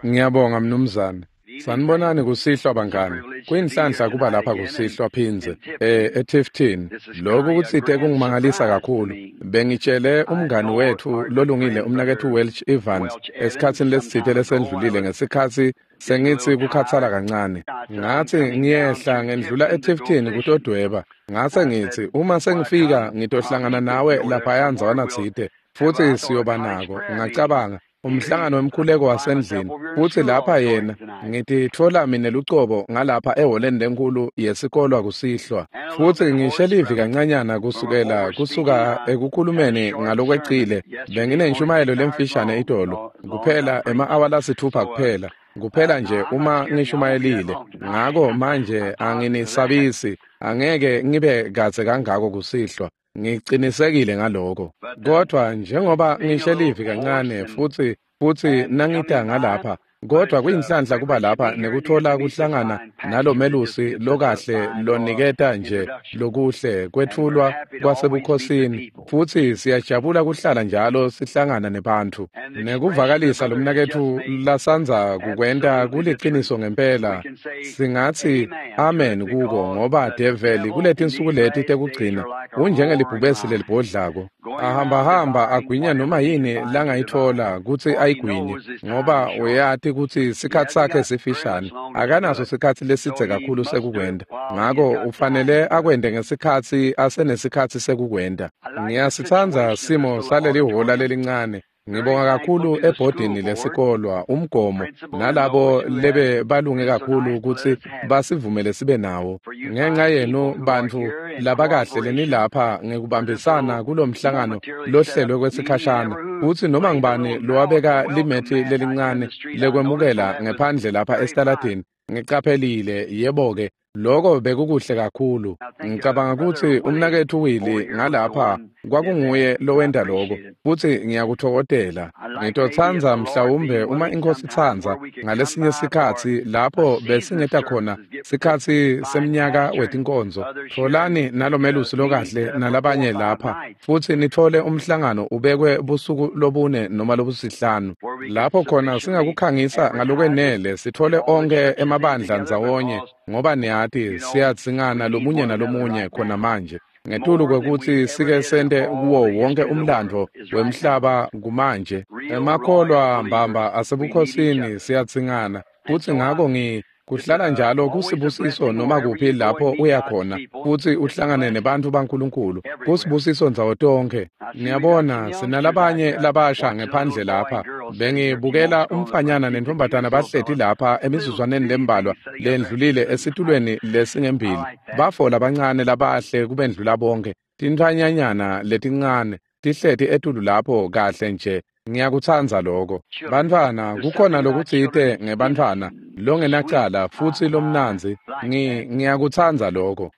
Ngiyabonga mnumzane. Sanibonani kusihlwa bangani. Kuyinhlanhla kuba lapha kusihlwa phindze eTifton. Lokhu kutsite kungimangalisa kakhulu. Bengitshele umngani wethu lolungile umnaketfu Welch Evans esikhatsini lesitsite lesendlulile ngesikhatsi sengitsi kukhathala kancane. Ngathi ngiyehla ngendlula eTifton kutodweba. Ngase ngitsi uma sengifika ngitohlangana nawe laphaya ndzawana tsite futsi siyoba nako. Ngacabanga umhlangano wemkhuleko wasendlini futsi lapha yena ngititfola mine lucobo ngalapha ehholeni lenkulu yesikolwa kusihlwa futsi ngishe livi kancanyana kusukela kusuka ekukhulumeni ngalokwecile. Benginenshumayelo lemfishane itolo kuphela ema-awa lasithupha kuphela nje uma ngishumayelile. Ngako manje anginisabisi, angeke ngibe kadze kangako kusihlwa. Ngicinisekile ngaloko. Kodwa njengoba ngishe livi kancane futsi nangita ngalapha, kodwa kuyinhlanhla kuba lapha nekuthola kuhlangana nalomelusi lokahle loniketa nje lokuhle kwetfulwa kwasebukhosini, futsi siyajabula kuhlala njalo sihlangana nebantfu. Nekuvakalisa lomnaketfu lasandza kukwenta kuliciniso ngempela, singatsi amen kuko, ngoba develi kuletinsuku leti tekugcina unjengelibhubesi lelibhodlako, ahambahamba agwinya noma yini langayitfola kutsi ayigwinye, ngoba uyati kutsi sikhatsi sakhe sifishane, akanaso sikhatsi lesidze kakhulu sekukwenta. Ngako ufanele akwente ngesikhatsi asenesikhatsi sekukwenta. Ngiyasitsandza simo saleli hhola lelincane. Ngibonga kakhulu ebhodini lesikolwa, umgomo, nalabo lebe balunge kakhulu kutsi basivumele sibe nawo. Ngenxa yenu bantfu labakahle lenilapha ngekubambisana kulomhlangano lohlelwe kwesikhashana, futsi noma ngibani lowabeka limethi lelincane lekwemukela ngephandle lapha esitaladini, ngicaphelile, yebo-ke, lokho bekukuhle kakhulu. Ngicabanga kutsi umnaketfu Willie ngalapha kwakunguye lowenta lokho, futsi ngiyakutfokotela. Ngitotsandza mhlawumbe uma iNkhosi itsandza ngalesinye sikhatsi lapho besingeta khona sikhatsi semnyaka wetinkonzo. Tfolani nalomelusi lokahle nalabanye lapha futsi nitfole umhlangano ubekwe busuku lobune noma lobusihlanu, lapho khona singakukhangisa ngalokwenele sitfole onkhe emabandla ndzawonye, ngoba niyati siyadzingana lomunye nalomunye khona manje. Ngetulu kwekutsi sike sente kuwo wonke umlandvo wemhlaba kumanje, emakholwa mbamba asebukhosini siyadzingana, futsi ngako kuhlala njalo kusibusiso noma kuphi lapho uya khona futsi uhlangane nebantfu baNkulunkulu. Kusibusiso ndzawo tonkhe. Niyabona sinalabanye labasha ngephandle lapha. Bengibukela umfanyana nentombazana bahleti lapha emizuzwaneni lembalwa lendlulile esitulweni lesingembili. Bafo labancane labahle kubendlula bonke, tintfwanyanyana letincane tihleti etulu lapho kahle nje. Ngiyakutsandza lokho. Bantfwana, kukhona lokutsite ngebantfwana longenacala futsi lomnandzi. Ngiyakutsandza lokho.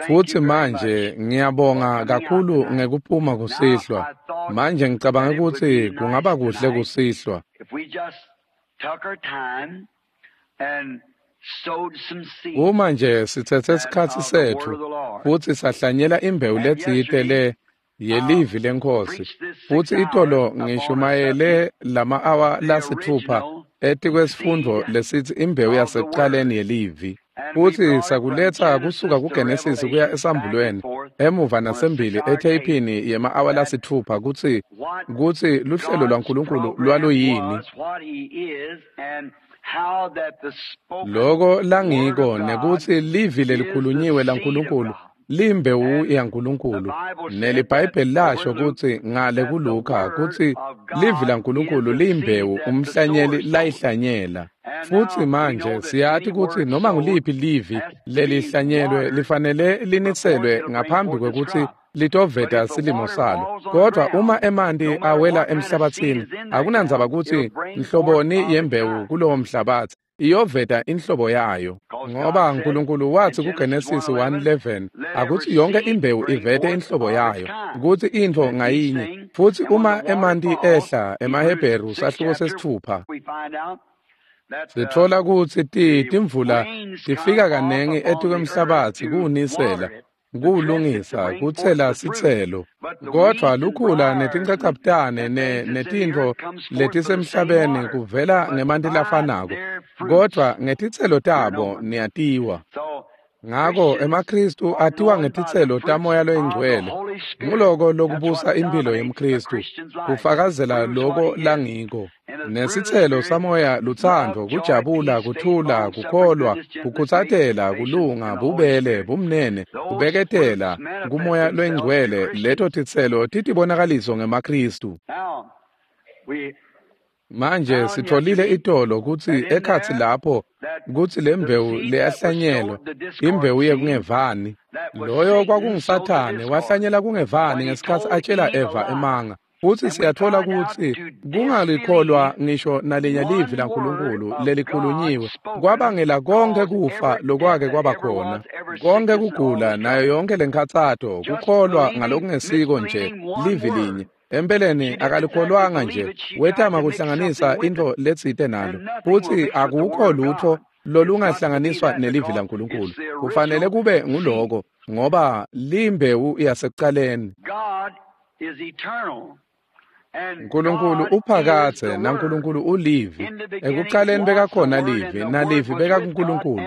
Futsi manje ngiyabonga kakhulu ngekuphuma kusihlwa. Manje ngicabanga kutsi kungaba kuhle kusihlwa uma nje sitsetse sikhatsi setfu futsi sahlanyela imbewu letsite le yelivi leNkhosi. Futsi itolo ngishumayele lama-awa lasithupha etikwesifundvo lesitsi imbewu yasekuqaleni yelivi, futsi sakuletsa kusuka kuGenesis kuya esambulweni emuva nasembili etheyphini yema-awa lasithupha kutsi luhlelo lwaNkulunkulu lwaluyini, loko langiko, nekutsi livi lelikhulunyiwe laNkulunkulu limbewu yaNkulunkulu. NeliBhayibheli lasho kutsi ngale kuLuka kutsi livi laNkulunkulu liyimbewu umhlanyeli layihlanyela. Futsi manje siyati kutsi noma nguliphi livi lelihlanyelwe lifanele liniselwe ngaphambi kwekutsi litoveta silimo salo. Kodwa uma emanti awela emhlabathini, akunandzaba kutsi nhloboni yembewu kulowo mhlabathi, iyoveta inhlobo yayo. Ngoba uNkulunkulu wathi kuGenesis 1:11 akuthi yonke imbewu ivete inhlobo yayo, kutsi intfo ngayinye. Futsi uma emanti ehla emaHebheru sahluko 6, sitfola kutsi timvula tifika kanengi etikwemhlabatsi kuwunisela. Kuwulungisa, kutsela sitselo. Kodvwa lukhula netinchachabutane netintfo letisemhlabeni kuvela ngemanti lafanako, kodvwa ngetitselo tabo niyatiwa. Ngako emaKhristu atiwa ngetitselo taMoya loyiNgcwele. Nguloko lokubusa impilo yemKhristu, kufakazela loko langiko. Nesitselo saMoya lutsandvo, kujabula, kuthula, kukholwa, kukhutsatela, kulunga, bubele, bumnene, kubeketela kuMoya loyiNgcwele. Leto titselo titibonakaliso ngemaKhristu. Manje sitfolile itolo kutsi ekhatsi lapho kutsi lembewu leyahlanyelwa, imbewu yekungevani. Loyo kwakunguSathane wahlanyela kungevani ngesikhatsi atjela Eva emanga. Futsi siyatfola kutsi kungalikholwa ngisho nalinye livi laNkulunkulu lelikhulunyiwe kwabangela konkhe kufa lokwake kwaba khona, konkhe kugula nayo yonke lenkhatsato, kukholwa ngalokungesiko nje livi linye. Empeleni akalikholwanga nje, wetama kuhlanganisa intfo letsite nalo, futsi akukho lutfo lolungahlanganiswa nelivi laNkulunkulu. Kufanele kube nguloko, ngoba limbewu yasekucaleni. Nkulunkulu uphakadze naNkulunkulu ulivi. Ekucaleni bekakhona livi, nalivi bekakuNkulunkulu,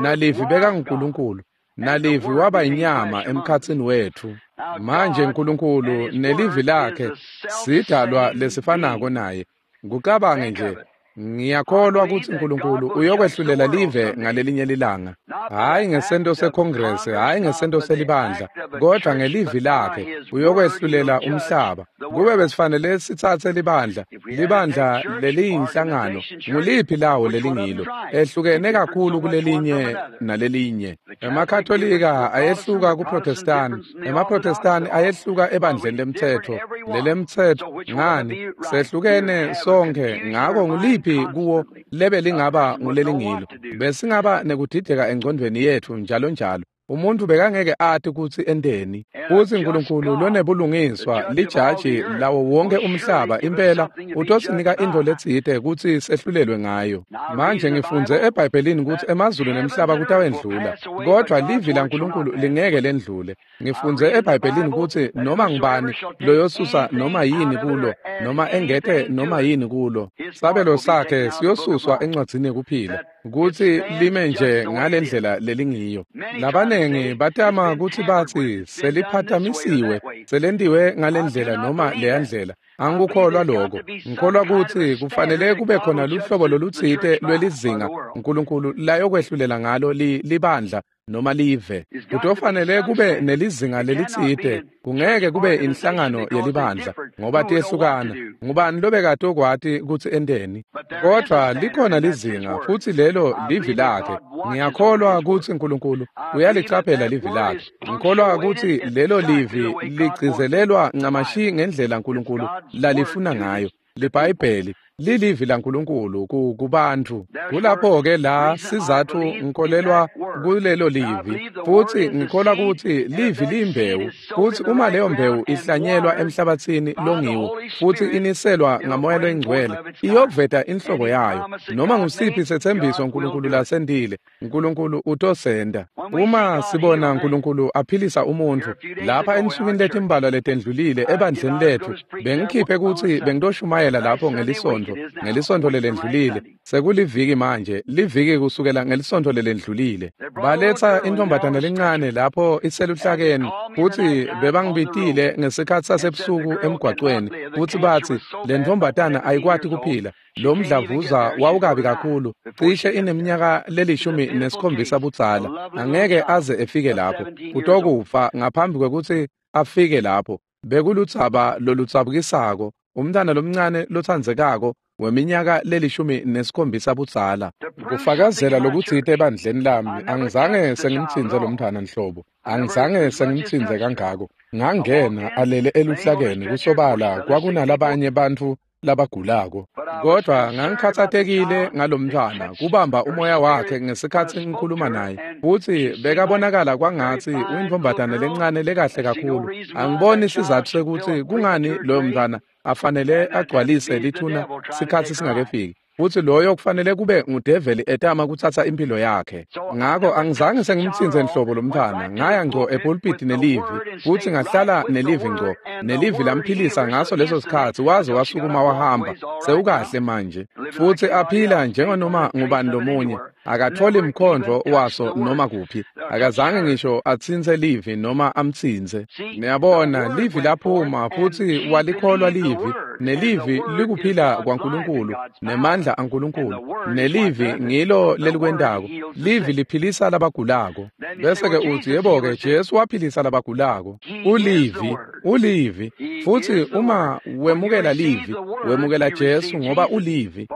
nalivi bekanguNkulunkulu, nalivi waba inyama emkhatsini wetfu. Manje Nkulunkulu nelivi lakhe sidalwa lesifanako naye. Kucabange nje, ngiyakholwa kutsi Nkulunkulu uyokwehlulela live ngalelinye lilanga, hhayi ngesento seKhongresi, hhayi ngesento selibandla, kodvwa ngelivi lakhe uyokwehlulela umhlaba. Kube besifanele sitsatse libandla, libandla leliyinhlangano, nguliphi lawo lelingilo, ehlukene kakhulu kulelinye nalelinye. EmaKatolika ayehluka kuProtestani, emaProtestani ayehluka ebandleni lemtsetfo, lelemtsetfo ngani, sehlukene sonkhe. Ngako nguliphi kuwo lebe lingaba ngulelingilo? Besingaba nekudideka engcondvweni yetfu njalo njalo. Umuntu bekangeke ati kutsi enteni. Futsi Nkulunkulu lonebulungiswa, lijaji lawo wonke umhlaba, impela utosinika intfo letsite kutsi sehlulelwe ngayo. Manje ngifundze eBhayibhelini kutsi emazulu nemhlaba kutawendlula, kodvwa livi laNkulunkulu lingeke lendlule. Ngifundze eBhayibhelini kutsi noma ngubani loyosusa noma yini kulo, noma engete noma yini kulo, sabelo sakhe siyosuswa encwadzini yekuphila, kutsi lime nje ngalendlela lelingiyo. Labanengi batama kutsi batsi seliphathamisiwe, selentiwe ngalendlela noma leyandlela. Angikukholwa lokho. Ngikholwa kutsi kufanele kube khona luhlobo lolutsite lwelizinga Nkulunkulu layokwehlulela ngalo libandla noma live. Kutofanele kube nelizinga lelitsite, kungeke kube inhlangano yelibandla ngoba tiyehlukana. Ngubani lobekatokwati kutsi enteni? Kodvwa likhona lizinga, futsi lelo livi lakhe. Ngiyakholwa kutsi Nkulunkulu uyalicaphela livi lakhe. Ngikholwa kutsi lelo livi ligcizelelwa ncamashi ngendlela Nkulunkulu lalifuna ngayo. LiBhayibheli lilivi laNkulunkulu kubantfu. Kulapho-ke la sizatfu ngikholelwa kulelo livi, futsi ngikholwa kutsi livi liyimbewu, futsi uma leyo mbewu ihlanyelwa emhlabatsini longiwo futsi iniselwa ngaMoya loyiNgcwele, iyoveta inhlobo yayo. Noma ngusiphi setsembiso Nkulunkulu lasentile, Nkulunkulu utosenta. Uma sibona Nkulunkulu aphilisa umuntfu lapha ensukwini letimbalwa letendlulile ebandleni letfu, bengikhiphe kutsi bengitoshumayela lapho ngelisontfo lelendlulile. Sekuliviki manje, liviki kusukela ngelisontfo lelendlulile. Baletsa intombatana lencane lapho iseluhlakeni, futsi bebangibitile ngesikhatsi sasebusuku emgwacweni, futsi batsi le ntombatana ayikwati kuphila. Lo mdlavuza wawukabi kakhulu, cishe ineminyaka le-17 budzala, angeke aze efike lapho, utokufa ngaphambi kwekutsi afike lapho. Bekuludzaba loludzabukisako, umntwana lomncane lotsandzekako weminyaka le-17 budzala. Kufakazela lokutsite ebandleni lami, angizange sengimtsintse lo mntwana nhlobo, angizange sengimtsintse kangako. Ngangena alele eluhlakeni, kusobala kwakunalabanye bantfu labagulako, kodvwa ngangikhatsatekile ngalomntwana kubamba umoya wakhe ngesikhatsi ngikhuluma naye, futsi bekabonakala kwangatsi uyintfombatana lencane lekahle kakhulu. Angiboni sizatfu sekutsi kungani loyo mntwana afanele agcwalise lithuna sikhatsi singakefiki. Futsi loyo kufanele kube ngudeveli etama kutsatsa impilo yakhe. Ngako angizange sengimtsintse nhlobo lomntfwana, ngaya ngco epulpiti nelivi, futsi ngahlala nelivi ngco, nelivi lamphilisa ngaso leso sikhatsi waze wasukuma wahamba, sewukahle manje. Futsi aphila njenganoma ngubani lomunye, akatholi mkhondvo waso noma kuphi, akazange ngisho atsintse livi noma amtsintse. Niyabona, livi laphuma futsi walikholwa livi, nelivi likuphila kwaNkulunkulu, nemandla aNkulunkulu, nelivi ngilo lelikwentako. Livi liphilisa labagulako. Bese-ke utsi, yebo-ke, Jesu waphilisa labagulako. Ulivi, ulivi. Futsi uma wemukela livi, wemukela Jesu ngoba ulivi.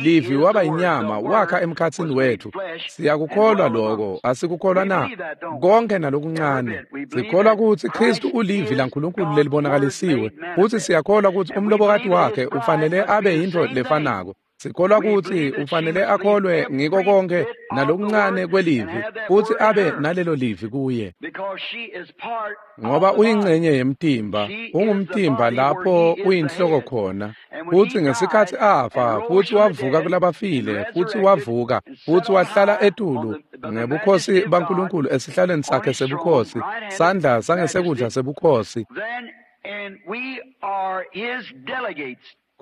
Livi waba inyama, wakha emkhatsini wethu. Siyakukholwa lokho, asikukholwa na? Konke nalokuncane. Sikholwa kutsi Kristu ulivi laNkulunkulu lelibonakalisiwe, futsi siyakholwa kutsi umlobokati wakhe ufanele abe yintfo lefanako. Sikholwa kutsi ufanele akholwe ngiko konke nalokuncane kwelivi, futsi abe nalelo livi kuye. Ngoba uyingcenye yemtimba, ungumtimba lapho uyinhloko khona. Futsi ngesikhatsi afa, futsi wavuka kulabafile, futsi wavuka, futsi wahlala etulu ngebukhosi baNkulunkulu esihlalweni sakhe sebukhosi, sandla sangesekudla sebukhosi.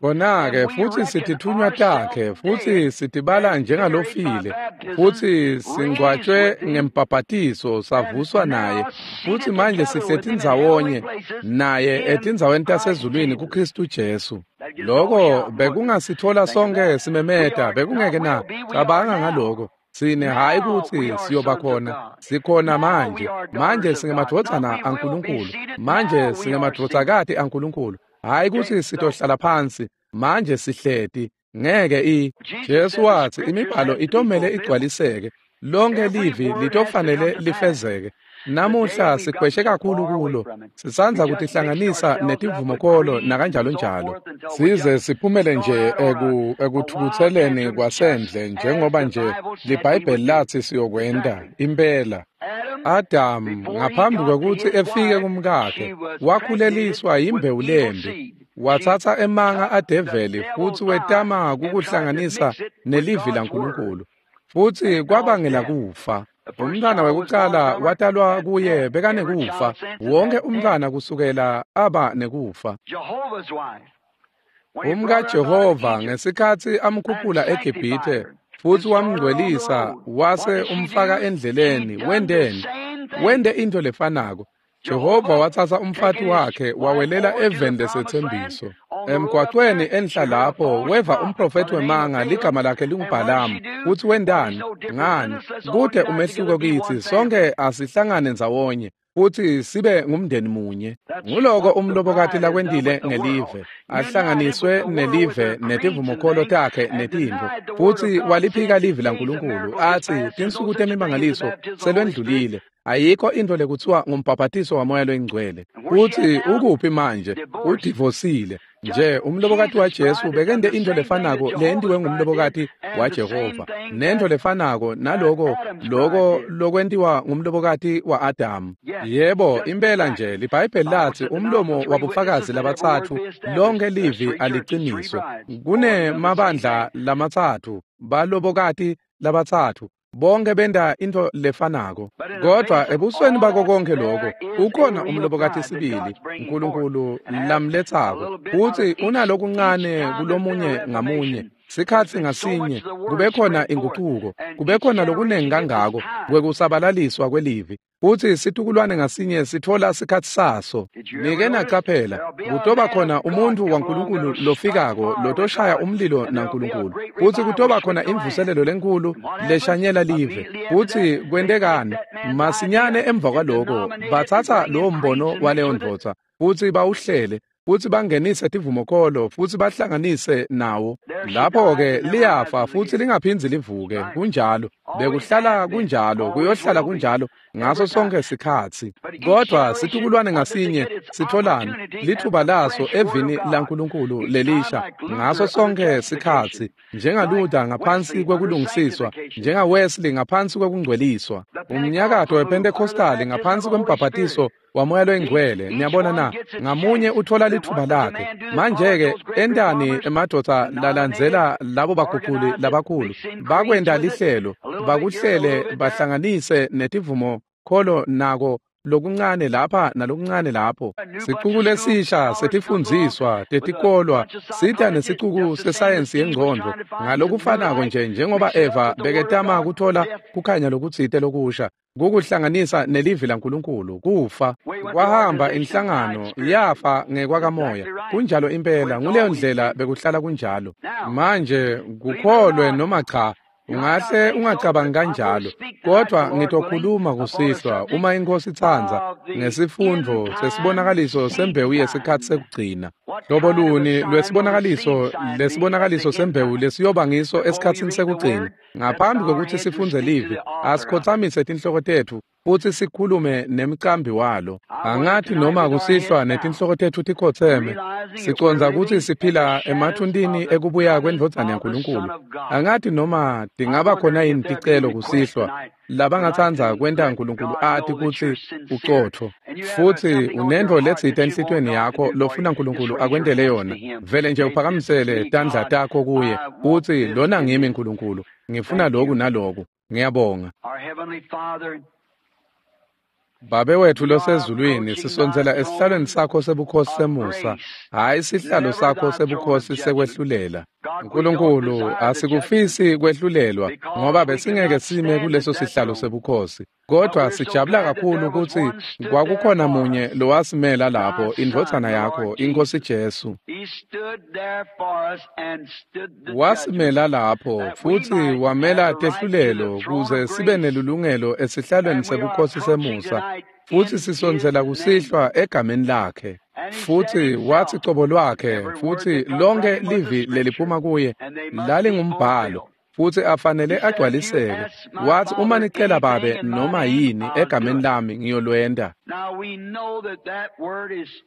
Khona-ke futsi sitithunywa takhe, futsi sitibala njengalofile, futsi singcwatjwe ngembhabhatiso savuswa naye, futsi manje sihleti ndzawonye naye etindzaweni tasezulwini kuKristu Jesu. Loko bekungasitfola sonke simemeta, bekungeke na? Cabanga ngaloko. Sine hayi kutsi siyoba khona, sikhona manje. Manje singemadvodzana aNkulunkulu, manje singemadvodzakati aNkulunkulu. Hayi kutsi sitohlala phansi, manje sihleti, ngeke i. Jesu watsi imibhalo itomele igcwaliseke, lonke livi litofanele lifezeke. Namuhla sikhweshe kakhulu kulo, sisandza kutihlanganisa netivumokolo nakanjalo njalo. Size siphumele nje ekuthukutseleni kwasendle njengoba nje liBhayibheli lathi siyokwenta, impela. Adamu ngaphambi kwekutsi efike kumkakhe wakhuleliswa yimbewu lembi, watsatsa emanga adeveli futsi wetama kukuhlanganisa nelivi laNkulunkulu, futsi kwabangela kufa. Umntfwana wekucala watalwa kuye bekanekufa, wonke umntfwana kusukela aba nekufa. UmkaJehova ngesikhatsi amkhuphula eGibhithe futsi wamngcwelisa wase umfaka endleleni, wenteni? Wente intfo lefanako. Jehova watsatsa umfati wakhe wawelela eveni lesetsembiso. Emgwacweni enhla lapho weva umprofethi wemanga ligama lakhe linguBhalamu. Futsi wentani? Ngani? Kute umehluko kitsi, sonke asihlangane ndzawonye futsi sibe ngumndeni munye. Nguloko umlobokati lakwentile ngelive, ahlanganiswe nelive netivumokholo takhe netintfo, futsi waliphika livi laNkulunkulu atsi tinsuku temimangaliso selwendlulile. Ayikho intfo lekutsiwa ngumbhabhatiso waMoya loyiNgcwele. Futsi ukuphi manje? Udivosile. Nje umlobokati waJesu bekente intfo lefanako leyentiwe ngumlobokati waJehova, nentfo lefanako naloko loko lokwentiwa ngumlobokati wa-Adamu. Yebo, impela nje liBhayibheli latsi umlomo wabofakazi labatsatfu lonke livi aliciniswe. Kunemabandla lamatsatfu, balobokati labatsatfu, bonke benta intfo lefanako. Kodvwa ebusweni bako konke lokho ukhona umlobokati sibili uNkulunkulu lamletsako, futsi unalokuncane kulomunye ngamunye. Sikhatsi ngasinye kube khona inguquko, kube khona lokunengi kangako kwekusabalaliswa kwelivi, futsi situkulwane ngasinye sitfola sikhatsi saso. Nike nacaphela, kutoba khona umuntfu waNkulunkulu lofikako lotoshaya umlilo naNkulunkulu, futsi kutoba khona imvuselelo lenkhulu leshanyela live. Futsi kwentekani? Masinyane emva kwaloko batsatsa lowo mbono waleyo ndvodza futsi bawuhlele, futsi bangenise tivumokolo futsi bahlanganise nawo. Lapho-ke liyafa futsi lingaphindzi livuke. Kunjalo. Bekuhlala kunjalo, kuyohlala kunjalo ngaso sonke sikhatsi. Kodwa situkulwane ngasinye sitholani lithuba laso evini laNkulunkulu lelisha ngaso sonke sikhatsi, njengaLuther ngaphansi kwekulungisiswa, njengaWesley ngaphansi kwekungcweliswa, umnyakato wePentecostal ngaphansi kwembhabhatiso waMoya loyiNgcwele. Niyabona na? Ngamunye uthola lithuba lakhe. Manje-ke entani emadvodza lalandzela labo baguculi labakhulu? Bakwenta lihlelo, bakuhlele bahlanganise netivumo kholo nako lokuncane lapha nalokuncane lapho. Sicuku lesisha setifundziswa tetikolwa sita nesicuku sesayensi yengcondvo ngalokufanako nje njengoba Eva beketama kuthola kukhanya lokutsite lokusha kukuhlanganisa nelivi laNkulunkulu. Kufa kwahamba inhlangano yafa ngekwakamoya. Kunjalo impela, nguleyo ndlela bekuhlala kunjalo. Manje kukholwe noma cha, ungahle ungacabangi kanjalo, kodwa ngitokhuluma kusihlwa uma iNkhosi itsandza ngesifundvo sesibonakaliso sembewu yesikhatsi sekugcina. Hlobo luni lwesibonakaliso lesibonakaliso sembewu lesiyoba ngiso esikhatsini sekugcina? Ngaphambi kokuthi sifundze livi, asikhotsamise tinhloko tetfu futsi sikhulume nemcambi walo. Angathi noma kusihlwa netinhloko tetfu tikhotseme, sicondza kutsi siphila emathuntini ekubuya kwendvodzana yaNkulunkulu. Angathi noma tingaba khona yini ticelo kusihlwa labangatsandza kwenta Nkulunkulu ati kutsi ucotfo, futsi unentfo letsite enhlitiyweni yakho lofuna Nkulunkulu akwentele yona. Vele nje uphakamisele tandla takho kuye utsi, lona ngimi Nkulunkulu, ngifuna loku naloku. Ngiyabonga. Babe wethu losezulwini, sisondzela esihlalweni sakho sebukhosi semusa, hhayi sihlalo sakho sebukhosi sekwehlulela. Nkulunkulu, asikufisi kwehlulelwa ngoba besingeke sime kuleso sihlalo sebukhosi. Kodwa sijabula kakhulu kutsi kwakukhona munye lowasimela lapho, indvodzana yakho, iNkhosi Jesu. Wasimela lapho futsi wamela tehlulelo kuze sibe nelulungelo esihlalweni sebukhosi semusa, futsi sisondzela kusihlwa egameni lakhe. Futsi wathi cobo lwakhe, futsi lonke livi leliphuma kuye lalingumbhalo, futsi afanele agcwaliseke. Wathi, uma nicela Babe noma yini egameni lami, ngiyolwenta.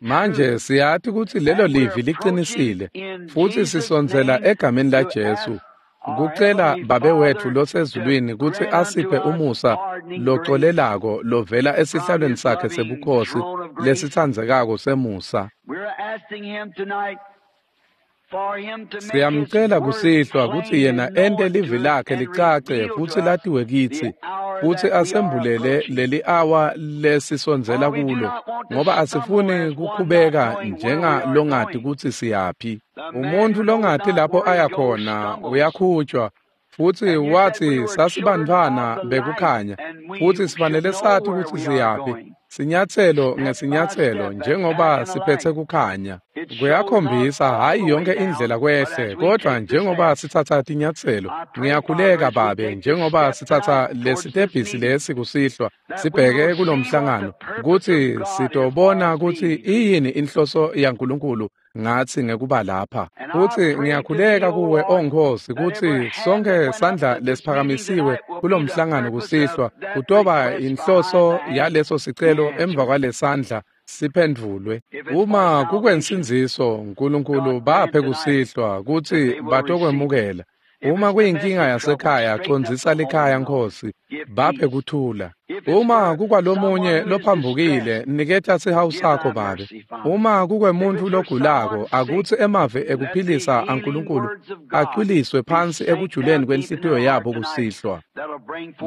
Manje siyati kutsi lelo livi liqinisile, futsi sisondzela egameni laJesu kucela Babe wetfu losezulwini kutsi asiphe umusa locolelako lovela esihlalweni sakhe sebukhosi lesitsandzekako semusa. Siyamcela kusihlwa kutsi yena ente livi lakhe licace futsi latiwe kitsi, futsi asembulele leli awa lesisondzela kulo, ngoba asifuni kukhubeka njengalongati kutsi siyaphi. Umuntu longati lapho aya khona uyakhutshwa, futsi wathi sasibantfwana bekukhanya, futsi sifanele sati kutsi siyaphi, sinyatselo ngesinyatselo njengoba siphetse kukhanya. Kuyakhombisa hhayi yonke indlela kwehle, kodwa njengoba sitsatsa tinyatselo. Ngiyakhuleka Babe, njengoba sitsatsa lesitebhisi lesi kusihlwa sibheke kulomhlangano, kutsi sitobona kutsi iyini inhloso yaNkulunkulu ngatsi ngekuba lapha. Futsi ngiyakhuleka kuwe, O Nkhosi, kutsi sonke sandla lesiphakamisiwe kulomhlangano kusihlwa kutoba inhloso yaleso sicelo emva kwalesandla siphendvulwe. Uma kukwensindziso, Nkulunkulu baphe kusihlwa kutsi batokwemukela. Uma kuyinkinga yasekhaya, condzisa likhaya, Nkhosi, baphe kuthula. Uma kukwalomunye lophambukile, niketa sihawu sakho Babe. Uma kukwemuntfu logulako, akutsi emavi ekuphilisa aNkulunkulu acwiliswe phansi ekujuleni kwenhlitiyo yabo kusihlwa.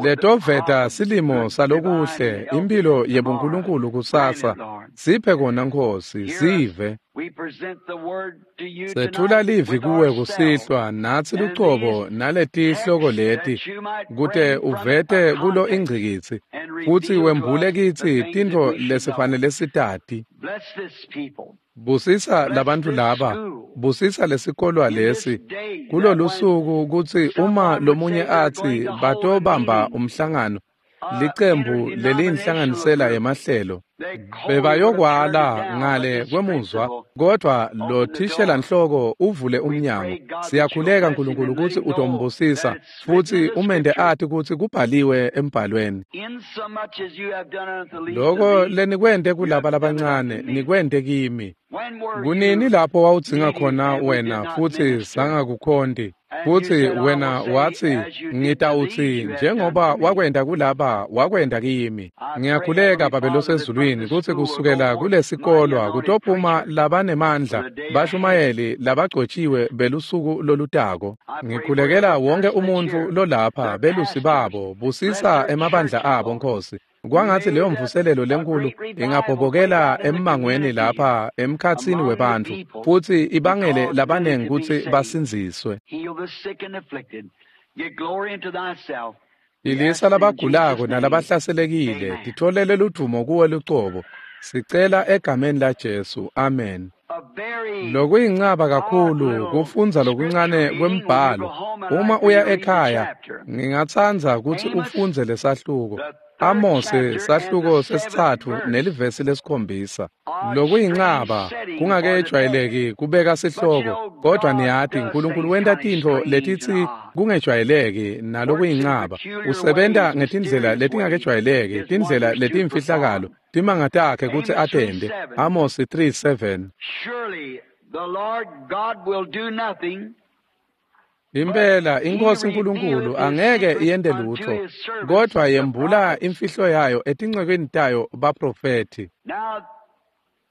Letoveta silimo salokuhle, imphilo yebuNkulunkulu kusasa. Siphe kona, Nkhosi, sive. Sethula livi kuwe kusihlwa, natsi lucobo naletihloko leti, kute uvete kulo ingcikitsi, futsi wembule kitsi tintfo lesifanele sitati. Busisa labantfu laba, busisa lesikolwa lesi, kulolusuku kutsi uma lomunye atsi batobamba umhlangano, licembu leliyinhlanganisela yemahlelo, bebayokwala ngale kwemuzwa Kodwa lo thishelanhloko uvule umnyango. Siyakhuleka Nkulunkulu ukuthi utombusisa futhi umente ati kutsi kubhaliwe embhalweni. Loko lenikwente kulaba labancane nikwente kimi. Kunini lapho wawudzinga khona wena futhi sangakukhonti? Futhi wena wathi, ngitawutsi njengoba wakwenta kulaba wakwenta kimi. Ngiyakhuleka Babe losezulwini kutsi kusukela kulesikolwa kutophuma labanemandla bashumayeli labagcotshiwe belusuku lolutako. Ngikhulekela wonke umuntfu lolapha belusi babo, busisa emabandla abo Nkhosi. Kwangatsi leyo mvuselelo lenkulu ingabhobokela emmangweni lapha emkhatsini webantfu futhi ibangele labanengi kutsi basindziswe. Philisa labagulako nalabahlaselekile, titfolele ludvumo kuwe lucobo. Sicela egameni laJesu. Amen. Lokuyincaba kakhulu kufundza lokuncane kwembhalo. Uma uya ekhaya, ngingatsandza kutsi ufundze lesahluko. Amose sahluko sesitsatfu nelivesi lesikhombisa. Lokuyincaba kungakejwayeleki kubeka sihloko, kodwa niyati Nkulunkulu wenta tintfo letitsi kungejwayeleki nalokuyincaba. Usebenta ngetindlela letingakejwayeleki, tindlela letimfihlakalo, timanga takhe kutsi atente. Amos 3:7. Surely the Lord God will do nothing. Impela iNkosi Nkulunkulu angeke iyente lutfo, kodvwa yembula imfihlo yayo etincekweni tayo baprofethi. Now,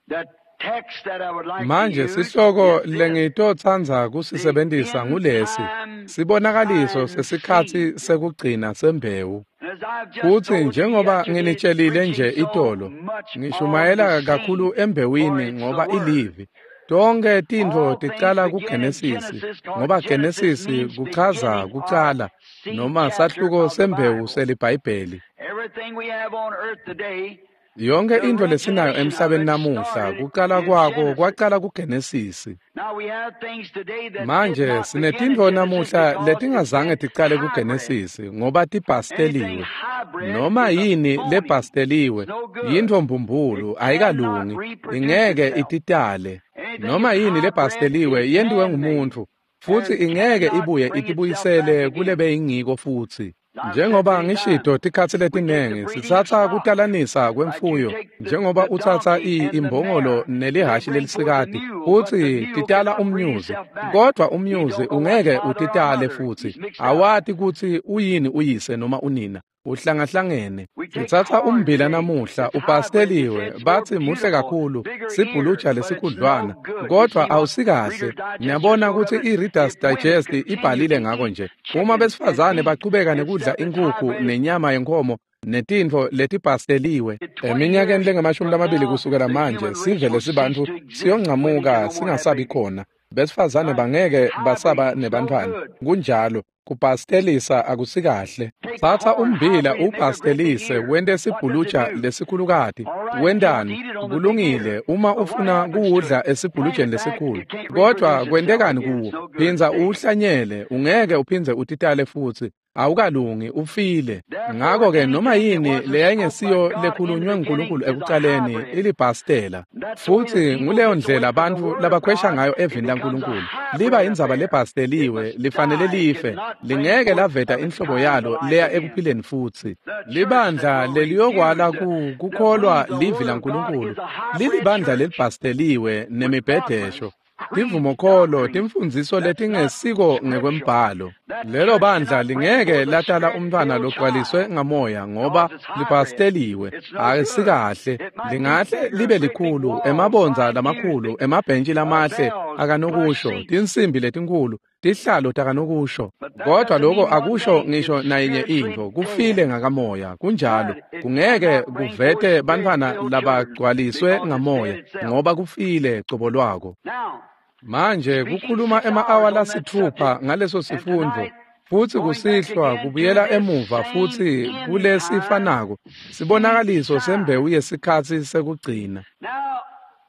the text that I would like Manje to use sihloko is this. lengitotsandza kusisebentisa ngulesi, sibonakaliso sesikhatsi sekugcina sembewu. And as I've just Futhi told you njengoba yesterday, nginitshelile nje preaching so itolo, much on ngishumayela the seed, kakhulu for embewini it's the ngoba word. ilivi. Tonke tintfo All things ticala begin in kuGenesisi, Genesis, 'cause ngoba Genesis Genesisi means kuchaza beginning or kucala seed noma chapter sahluko of the sembewu Bible. seliBhayibheli. Everything we have on earth today, Yonke the intfo lesinayo origination of emhlabeni it namuhla started kucala in kwako Genesis. kwacala kuGenesisi. Now we have things today that did Manje not begin in sinetintfo Genesis namuhla because it's letingazange been ticale hybrid. kuGenesisi ngoba Anything tibhasteliwe. hybrid Noma is a yini phony. lebhasteliwe It's no good. yintfo mbumbulu It cannot ayikalungi, reproduce ingeke itself. ititale. Anything Noma that's yini hybrid lebhasteliwe is yentiwe man-made ngumuntfu futhi and ingeke cannot ibuye bring itself back itibuyisele again. kule beyingiko futhi. I've said Njengoba many times, ngishito tikhatsi we take the letinengi breeding of sitsatsa stock. kutalanisa Like you kwemfuyo take njengoba the utsatsa donkey and the imbongolo mare, they nelihashi bring forth the lelisikati mule, but the futsi mule titala cannot breed umnyuzi, itself back. kodwa He umnyuzi don't know what's ungeke father or utitale mother. futhi. He's mixed up. Awati kutsi uyini uyise noma unina. Uhlangahlangene. We take Sitsatsa corn ummbila today namuhla that's hybrid. They say ubhasteliwe it's more batsi muhle beautiful, kakhulu bigger ears, sibhuluja but it's no lesikhudlwana good. You kodwa see what awusikahle. Reader's Digest just Niyabona wrote of kutsi it? i-Reader's If women Digest continue ibhalile to ngako eat nje. Uma chicken and besifazane beef bachubeka and nekudla stuff that's inkhukhu hybrid, nenyama yenkhomo netintfo letibhasteliwe, in 20 eminyakeni years lengemashumi from lamabili now, kusukela the manje human race sive will cease lesibantfu to exist. Women can siyoncamuka no more have singasabi babies. khona. Besifazane Right? bangeke basaba Hybrid, no nebantfwana. good. Kunjalo, kubhastelisa akusikahle. Take Tsatsa corn ummbila hybrid and make a great big ubhastelise ear. wente What does it sibhuluja do? lesikhulukati. All right, if you want to Wentani? eat it on the big ear. Kulungile uma But what ufuna happens to it? kuwudla Plant esibhulujeni it back, lesikhulu. it can't Kodwa reproduce itself kwentekani again. It's kuwo? no good. Phindza It's dead. uwuhlanyele, ungeke uphindze utitale futsi. Awukalungi, ufile. Therefore, Ngako-ke noma anything that yini wasn't spoke by leyayingesiyo God in the lekhulunywe beginning nguNkulunkulu is a ekucaleni hybrid. ilibhastela. And that's the way the Futhi people nguleyo gets away ndlela from the bantfu Word of labakhwesha God. ngayo It evini becomes a laNkulunkulu. Liba hybrid indzaba affair. It lebhasteliwe, must lifanele die. It life, cannot bring lingeke forth laveta of its inhlobo kind the yalo life leya again. ekuphileni futsi. The church that Libandla will leliyokwala refuse to kukholwa believe the livi Word of God laNkulunkulu is a hybrid lilibandla church lelibhasteliwe with nemibhedesho, dogmas, creeds, tivumokholo, doctrines timfundziso that's not letingesiko scriptural. ngekwembhalo. That Lelo church bandla cannot bring lingeke forth a latala umntfwana spirit-filled logcwaliswe child ngamoya ngoba because it's hybrid. libhasteliwe, It's no good. akusikahle. It might be Lingahle bigger, libe great big likhulu, walls, emabondza fine pews, lamakhulu, big emabhentshi lamahle bells, plush akanokusho, seats. tinsimbi letinkhulu, tihlalo takanokusho. But that Kodwa doesn't lokho mean one akusho thing. ngisho It's nayinye spiritually intfo, kufile dead. ngakamoya. Kunjalo, Right. It kungeke cannot bring forth kuvete bantfwana spirit-filled children labagcwaliswe because it's dead ngamoya itself. ngoba kufile cobo lwako. Now, Manje speaking kukhuluma 6 ema-awa hours on that lasitfupha subject, ngaleso and sifundvo tonight futsi going back kusihlwa again to kubuyela this emuva same futsi end time kulesifanako seed sibonakaliso sign. sembewu yesikhatsi sekugcina. Now,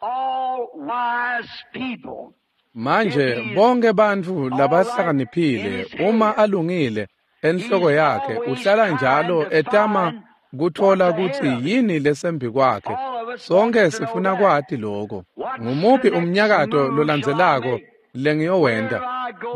all wise people, if Manje he's bonke bantfu all right in labahlakaniphile his uma head, alungile enhloko he's yakhe always uhlala trying njalo to etama find what's kutfola ahead kutsi of him. yini lesembi kwakhe. All of Sonke sifuna kwati lokho. Ngumuphi umnyakato lolandzelako lengiyowenta?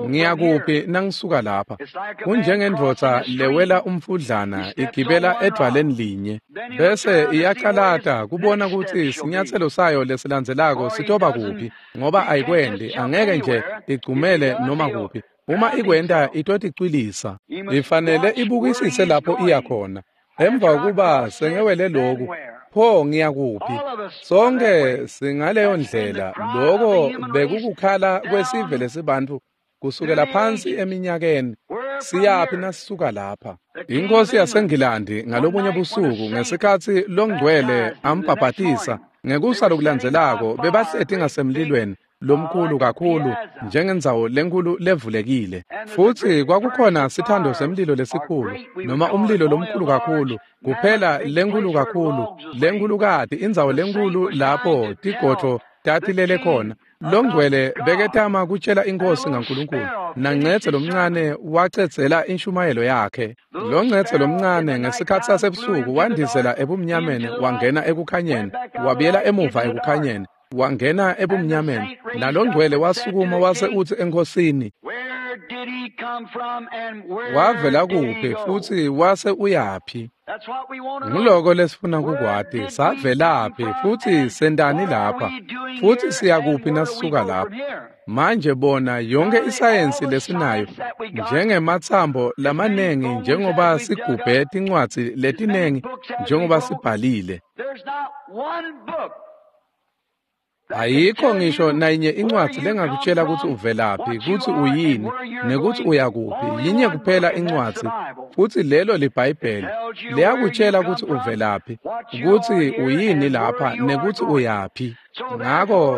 Ngiyakuphi nangisuka lapha? Kunjengendvodza lewela umfudlana igibela edvwaleni linye, bese iyacalata kubona kutsi sinyatselo sayo lesilandzelako sitoba kuphi, ngoba ayikwendi, angeke nje igcumele noma kuphi. Uma ikwenta itoticwilisa. Ifanele ibukisise lapho iya khona. Emva kokuba sengewele loku, pho ngiyakuphi? Sonke singaleyo ndlela. Loko bekukukhala kwesive lesibantfu kusukela phansi eminyakeni. Siyaphi nasisuka lapha? Inkosi yaseNgilandi ngalobunye busuku ngesikhatsi longcwele ambhabhatisa, ngekusa lokulandzelako bebahleti ngasemlilweni lomkhulu kakhulu njengendzawo lenkulu levulekile, futsi kwakukhona sithando semlilo lesikhulu, noma umlilo lomkhulu kakhulu, kuphela lenkulu kakhulu, lenkhulukati, indzawo lenkulu lapho tigodvo tatilele khona. Longcwele beketama kutshela inkosi ngaNkulunkulu, naNcetse lomncane wacedzela inshumayelo yakhe. Loncetse lomncane ngesikhatsi sasebusuku wandizela ebumnyameni wangena ekukhanyeni, wabuyela emuva ekukhanyeni, wangena ebumnyameni. Nalongcwele wasukuma wase utsi enkhosini, wavela kuphi futsi wase uyaphi? Nguloko lesifuna kukwati, savelaphi futsi sentani lapha, futsi siyakuphi nasisuka lapha? Manje bona yonke isayensi lesinayo, njengematsambo lamanengi, njengoba sigubhe tincwadzi letinengi, njengoba sibhalile, ayikho ngisho nayinye incwadzi lengakutshela kutsi uvelaphi, kutsi uyini, nekutsi uyakuphi. Yinye kuphela incwadzi, futsi lelo liBhayibheli. Liyakutshela kutsi uvelaphi, kutsi uyini lapha, nekutsi uyaphi.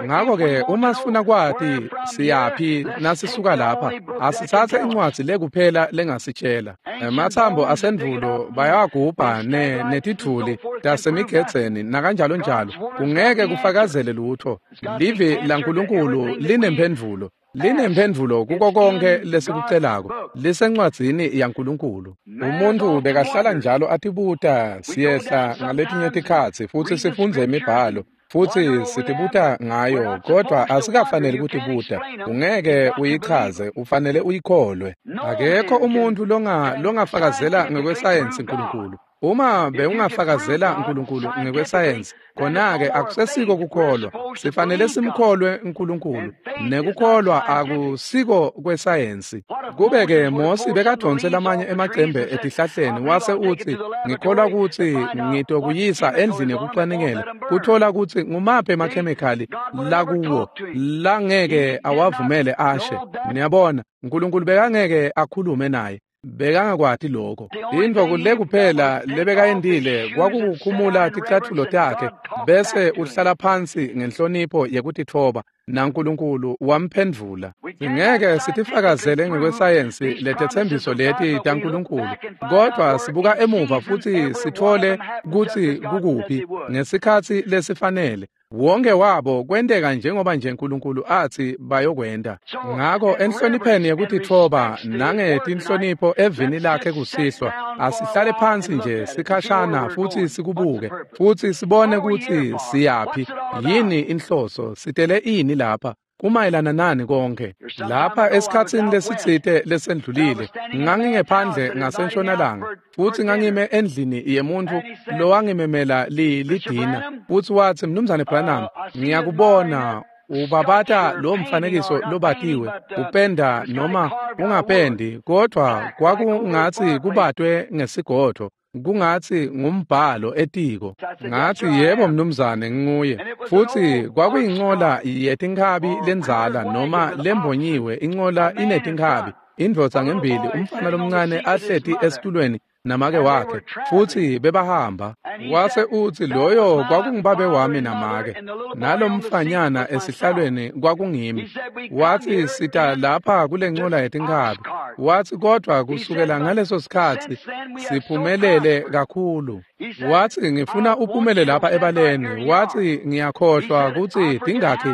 Ngako-ke uma sifuna kwati siyaphi nasisuka lapha, asitsatse incwadzi lekuphela lengasitshela. Ematsambo asendvulo bayawagubha netidvuli tasemigedzeni nakanjalo njalo. Kungeke kufakazele lutho. Livi laNkulunkulu linemphendvulo. Linemphendvulo kuko konke lesikucelako. Lisencwadzini yaNkulunkulu. Umuntu bekahlala njalo atibuta, siyehla ngaletinye tikhatsi futsi sifundze imibhalo, futsi sitibuta ngayo, kodwa asikafaneli kutibuta. Ungeke uyichaze, ufanele uyikholwe. Akekho umuntu longafakazela ngekwesayensi Nkulunkulu. Uma bewungafakazela Nkulunkulu ngekwesayensi, khona-ke akusesiko kukholwa. Sifanele simkholwe Nkulunkulu, nekukholwa akusiko kwesayensi. Kube-ke Mosi bekadvonse lamanye emacembe etihlahleni wase utsi, ngikholwa kutsi ngitokuyisa endlini yekucwaningela, kutfola kutsi ngumaphi emakhemikhali lakuwo langeke awavumele ashe. Niyabona, Nkulunkulu bekangeke akhulume naye. Bekangakwati lokho. Intfo le kuphela lebekayentile kwakukukhumula ticatfulo takhe bese uhlala phansi ngenhlonipho yekutitfoba, naNkulunkulu wamphendvula. Singeke sitifakazele ngekwesayensi letetsembiso leti taNkulunkulu, kodwa sibuka emuva futsi sitfole kutsi kukuphi ngesikhatsi lesifanele. Wonke wabo kwenteka njengoba nje Nkulunkulu atsi bayokwenta. Ngako enhlonipheni yekutitfoba nangetinhlonipho evini lakhe kusihlwa, asihlale phansi nje sikhashana futsi sikubuke, futsi sibone kutsi siyaphi, yini inhloso, sitele ini lapha, kumayelana nani konke. Lapha esikhatsini lesitsite lesendlulile, ngangingephandle ngasentshonalanga, futsi ngangime endlini yemuntfu lowangimemela lidina, futsi watsi, Mnumzane Branham, ngiyakubona ubabata lo mfanekiso lobatiwe, upenda noma ungapendi, kodwa kwakungatsi kubatwe ngesigodvo, kungatsi ngumbhalo etiko. Ngatsi, yebo mnumzane, nginguye. Futsi kwakuyincola yetinkhabi lendzala noma lembonyiwe, incola inetinkhabi, indvodza ngembili, umfana lomncane ahleti esitulweni namake wakhe, futsi bebahamba. Wase utsi, loyo kwakungubabe wami namake, nalomfanyana esihlalweni kwakungimi. Watsi, sita lapha kule ncola yetinkhabi. Watsi, kodwa kusukela ngaleso sikhatsi siphumelele kakhulu. Watsi, ngifuna uphumele lapha ebaleni. Watsi, ngiyakhohlwa kutsi tingakhi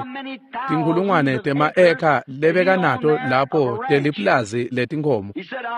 tinkhulungwane tema-eka lebekanato lapho teliplazi letinkhomo.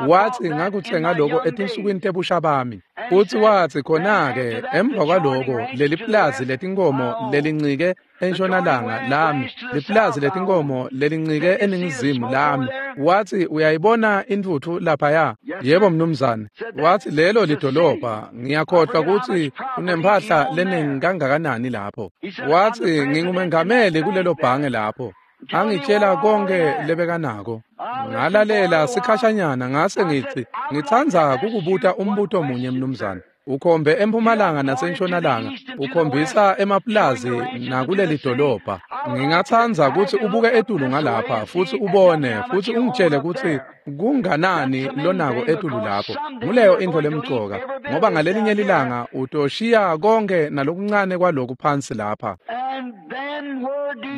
Watsi, ngakutsenga loko etinsukwini etinsukwini tebusha bami. Futsi watsi khona-ke emva kwaloko leli pulazi letinkomo lelincike entshonalanga lami, lipulazi letinkomo lelincike eningizimu lami. Watsi uyayibona intfutfu laphaya? Yebo mnumzane. Watsi lelo lidolobha, ngiyakhohlwa kutsi unemphahla leningi kangakanani lapho. Watsi ngingumengameli kulelo bhange lapho. Angitshela konke lebekanako. Ngalalela sikhashanyana ngase ngitsi ngitsandza kukubuta umbuto munye mnumzane. Ukhombe empumalanga nasentshonalanga, ukhombisa emapulazi nakuleli dolobha. Ngingatsandza kutsi ubuke etulu ngalapha futsi ubone futsi ungitshele kutsi kunganani lonako etulu lapho. Nguleyo intfo lemcoka, ngoba ngalelinye lilanga utoshiya konke nalokuncane kwaloku phansi lapha.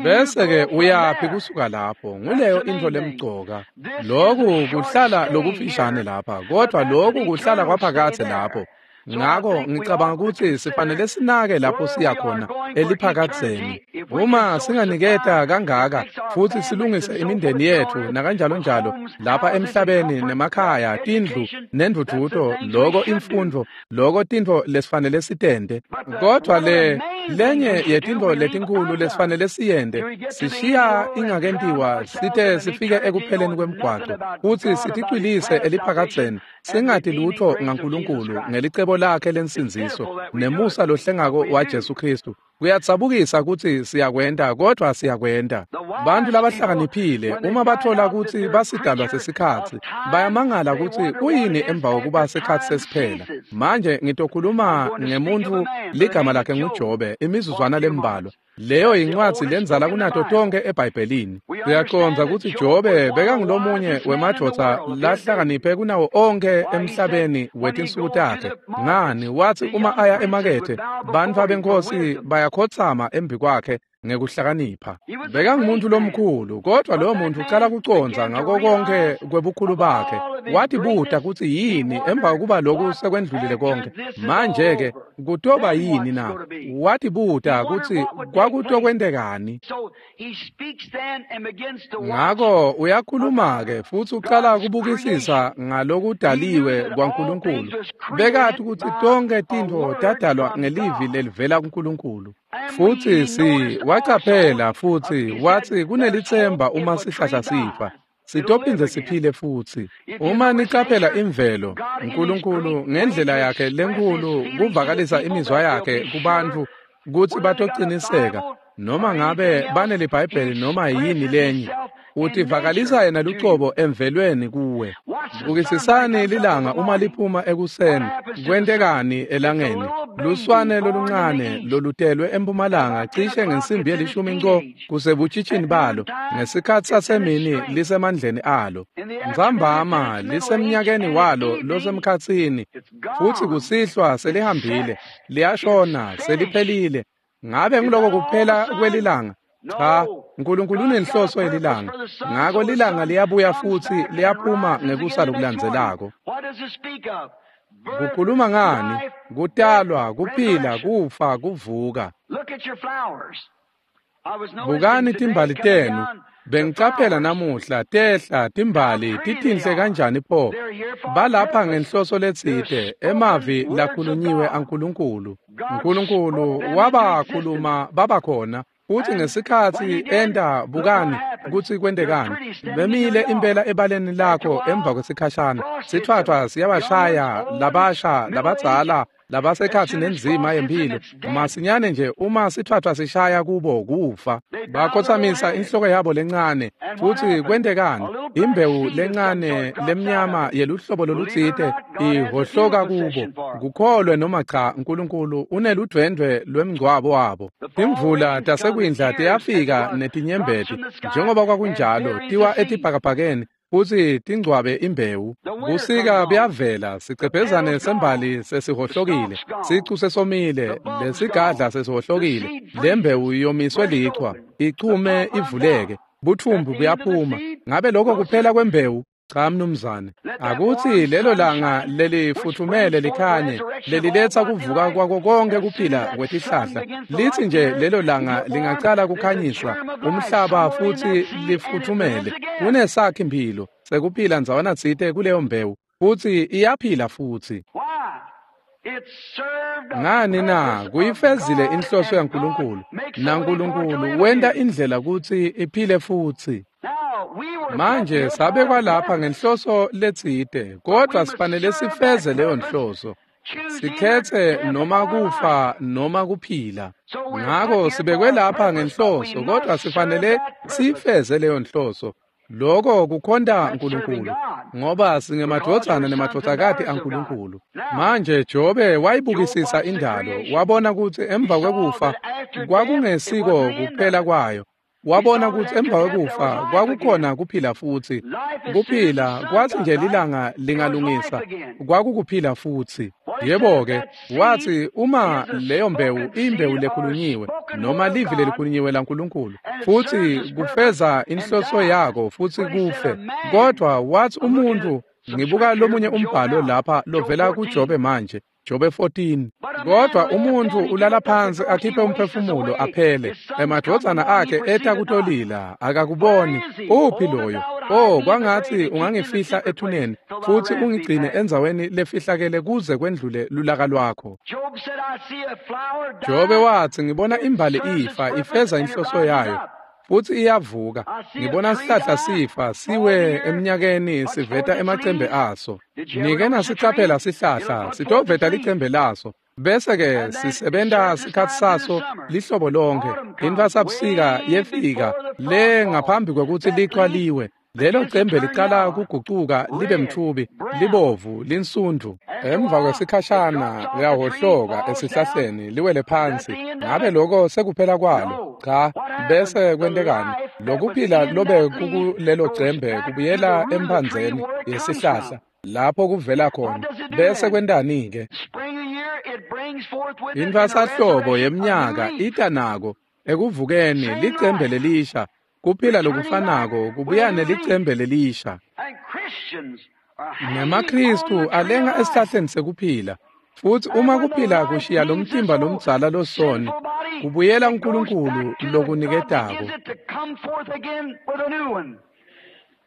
Bese-ke uyaphi kusuka lapho? Nguleyo intfo lemcoka. Loku kuhlala lokufishane lapha, kodwa loku kuhlala kwaphakadze lapho. Ngako ngicabanga kutsi sifanele sinake lapho siya khona eliphakadzeni. Uma singaniketa kangaka futsi silungise imindeni yetfu nakanjalo njalo lapha emhlabeni nemakhaya, tindlu nendvudvuto, loko imfundvo, loko tintfo lesifanele sitente. Kodwa le lenye yetintfo letinkulu lesifanele siyente, sishiya ingakentiwa site sifike ekupheleni kwemgwaco futsi siticwilise eliphakadzeni, singati lutho ngaNkulunkulu ngelicebo lakhe lensindziso nemusa lohlengako wa Jesu Kristu. Kuyadzabukisa kutsi siyakwenta, kodwa siyakwenta. Bantu labahlakaniphile uma bathola kutsi basidalwa sesikhatsi, bayamangala kutsi kuyini emva kokuba sikhatsi sesiphela. Manje ngitokhuluma ngemuntfu ligama lakhe nguJobe imizuzwana lembalwa. Leyo yincwadzi lendzala kunato tonke eBhayibhelini. Siyacondza kutsi Jobe bekangulomunye wemadvodza lahlakaniphe kunawo onkhe emhlabeni wetinsuku takhe. Ngani, watsi uma aya emakethe, bantfu benkhosi bayakhotsama embi kwakhe ngekuhlakanipha. Bekangumuntu lomkhulu, kodwa lowo muntu ucala kucondza ngako konke kwebukhulu bakhe. Watibuta kutsi yini emva kokuba loku sekwendlulile konke. Manje-ke kutoba yini na? Watibuta kutsi kwakutokwentekani. Ngako uyakhuluma-ke futsi ucala kubukisisa ngalokudaliwe kwaNkulunkulu. Bekati kutsi tonke tintfo tadalwa ngelivi lelivela kuNkulunkulu. Futsi wacaphela futsi watsi kunelitsemba uma sihlahla sifa, sitophindze siphile futsi. Uma nicaphela imvelo, uNkulunkulu ngendlela yakhe lenkulu kuvakalisa imizwa yakhe kubantfu kutsi batociniseka noma ngabe baneliBhayibheli noma yini lenye, utivakalisa yena lucobo emvelweni kuwe. Bukisisani lilanga uma liphuma ekuseni, kwentekani elangeni? Luswane loluncane lolutelwe empumalanga cishe ngensimbi yelishumi nco kusebutshitshini balo, ngesikhatsi sasemini lisemandleni alo. Ntsambama lisemnyakeni walo losemkhatsini, futsi kusihlwa selihambile, liyashona, seliphelile. Ngabe nguloko kuphela kwelilanga? Cha, uNkulunkulu unenhloso yelilanga. Ngako lilanga liyabuya futsi liyaphuma ngekusa lokulandzelako. Kukhuluma ngani? Kutalwa, kuphila, kufa, kuvuka. Bukani timbali tenu. Bengicaphela namuhla tehla timbali titinhle kanjani pho. Balapha ngenhloso letsite, emavi lakhulunyiwe aNkulunkulu. uNkulunkulu wabakhuluma babakhona. Futsi ngesikhatsi enta, bukani kutsi kwentekani. Bemile impela ebaleni lakho emva kwesikhashana. Sithwathwa siyabashaya labasha, labadzala, labasekhatsi nenzima yemphilo. Masinyane nje uma sithwathwa sishaya kubo kufa. Bakhotsamisa inhloko yabo lencane. Futsi kwentekani? Imbewu lencane lemnyama yeluhlobo lolutsite ihohloka kubo. Kukholwe noma cha, uNkulunkulu uneludvwendvwe lwemngcwabo wabo. Timvula tasekwindla tiyafika netinyembeti, njengoba kwakunjalo, tiwa etibhakabhakeni futsi tingcwabe imbewu. Busika buyavela, sicebhezane sembali sesihohlokile, sicu sesomile, lesigadla sesihohlokile, lembewu yomiswe lichwa, ichume ivuleke, buthumbu buyaphuma. Ngabe lokho kuphela kwembewu? Cha mnumzane. Akutsi lelo langa lelifuthumele likhanye, leliletsa kuvuka kwako konke kuphila kwetihlahla. Litsi nje lelo langa lingacala kukhanyiswa umhlaba futsi lifuthumele, kunesakhi mphilo sekuphila ndzawana tsite kuleyo mbewu. futsi iyaphila futsi. Ngani na? Kuyifezile inhloso yaNkulunkulu, naNkulunkulu wenta indlela kutsi iphile futsi. Manje sabekwa lapha ngenhloso letsite, kodwa sifanele sifeze leyo nhloso. Sikhetse noma kufa noma kuphila. Ngako sibekwe lapha ngenhloso, kodwa sifanele sifeze leyo nhloso. Lokho kukhonta uNkulunkulu, ngoba singemadvodzana nemadvodzakati aNkulunkulu. Manje Jobe wayibukisisa indalo, wabona kutsi emva kwekufa kwakungesiko kuphela kwayo. Wabona kutsi emva kwekufa kwakukhona kuphila futsi. Kuphila kwathi nje lilanga lingalungisa kwakukuphila futsi. Yebo-ke, wathi uma leyo mbewu imbewu lekhulunyiwe noma livi lelikhulunyiwe laNkulunkulu futsi kufeza inhloso yako futsi kufe. Kodwa wathi umuntu, ngibuka lomunye umbhalo lapha lovela kuJobe manje, Jobe 14. Kodwa umuntu ulala phansi akhiphe umphefumulo aphele, emadvodzana akhe eta kutolila, akakuboni. Uphi loyo? Oh, kwangathi ungangifihla ethuneni futsi ungigcine endzaweni lefihlakele kuze kwendlule lulaka lwakho. Jobe wathi, ngibona imbali ifa ifeza inhloso yayo futsi iyavuka. Ngibona sihlahla sifa siwe eminyakeni siveta emacembe aso. Nike nasicaphela sihlahla sitoveta licembe laso, bese-ke sisebenta sikhatsi saso lihlobo lonke. Intfwasabusika yefika le ngaphambi kwekutsi lichwa liwe. Lelo cembe liqala kugucuka libe mtfubi, libovu, linsundvu. Emva kwesikhashana liyahhohloka esihlahleni liwele phansi. Ngabe lokho sekuphela kwalo? Cha. Bese kwentekani? Lokuphila lobe kukulelo cembe kubuyela emphandzeni yesihlahla lapho kuvela khona. Bese kwentani-ke? Intfwasahlobo yeminyaka ita nako ekuvukeni licembe lelisha. Kuphila lokufanako kubuya nelicembe lelisha. NemaKristu alenga esihlahleni sekuphila. Futsi uma kuphila kushiya lomtimba lomdzala losoni, kubuyela uNkulunkulu lokuniketako.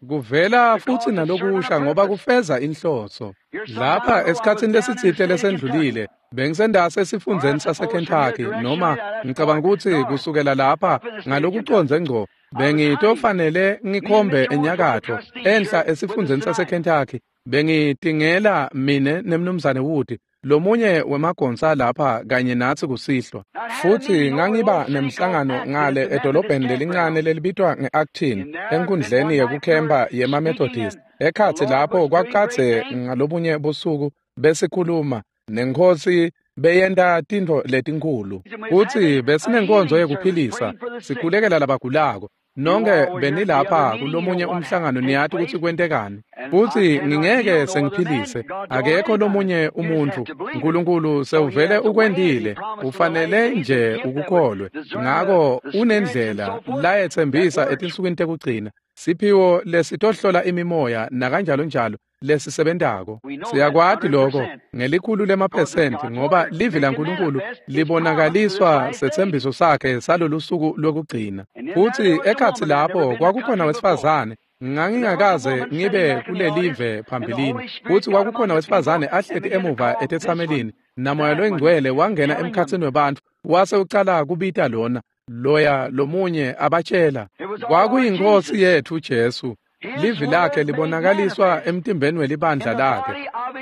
Kuvela futsi nalokusha ngoba kufeza inhloso. Lapha esikhatsini lesitsite lesendlulile, bengisendase esifundzeni saseKentucky, noma ngicabanga kutsi kusukela lapha ngalokucondze ngco, bengitofanele ngikhombe enyakatfo enhla esifundzeni saseKentucky. Bengitingela mine nemnumzane Wood, lomunye wemagonsa lapha kanye natsi kusihlwa. Futsi ngangiba nemhlangano ngale edolobheni lelincane lelibitwa nge-Acton enkundleni yekukhempa yema-Methodist. Ekhatsi lapho kwakukadze ngalobunye busuku besikhuluma nenkhosi beyenta tintfo letinkhulu. Futsi besinenkonzo yekuphilisa, sikhulekela labagulako. Nonke benilapha kulomunye umhlangano, niyati kutsi kwentekani. Futsi ngingeke sengiphilise, akekho lomunye umuntfu. Nkulunkulu sewuvele ukwentile, ufanele nje ukukholwe. Ngako unendlela layetsembisa etinsukwini tekugcina, siphiwo lesitohlola imimoya nakanjalo njalo lesisebentako. Siyakwati lokho ngelikhulu lemaphesenti, ngoba livi laNkulunkulu libonakaliswa setsembiso sakhe salolusuku lwekugcina. Futsi ekhatsi lapho kwakukhona wesifazane, ngangingakaze ngibe kulelive phambilini. Futsi kwakukhona wesifazane ahleti emuva etetsamelini, naMoya loyiNgcwele wangena emkhatsini webantfu wase ucala kubita lona loya lomunye abatshela. Kwakuyinkosi yetfu Jesu. Livi lakhe libonakaliswa emtimbeni welibandla lakhe.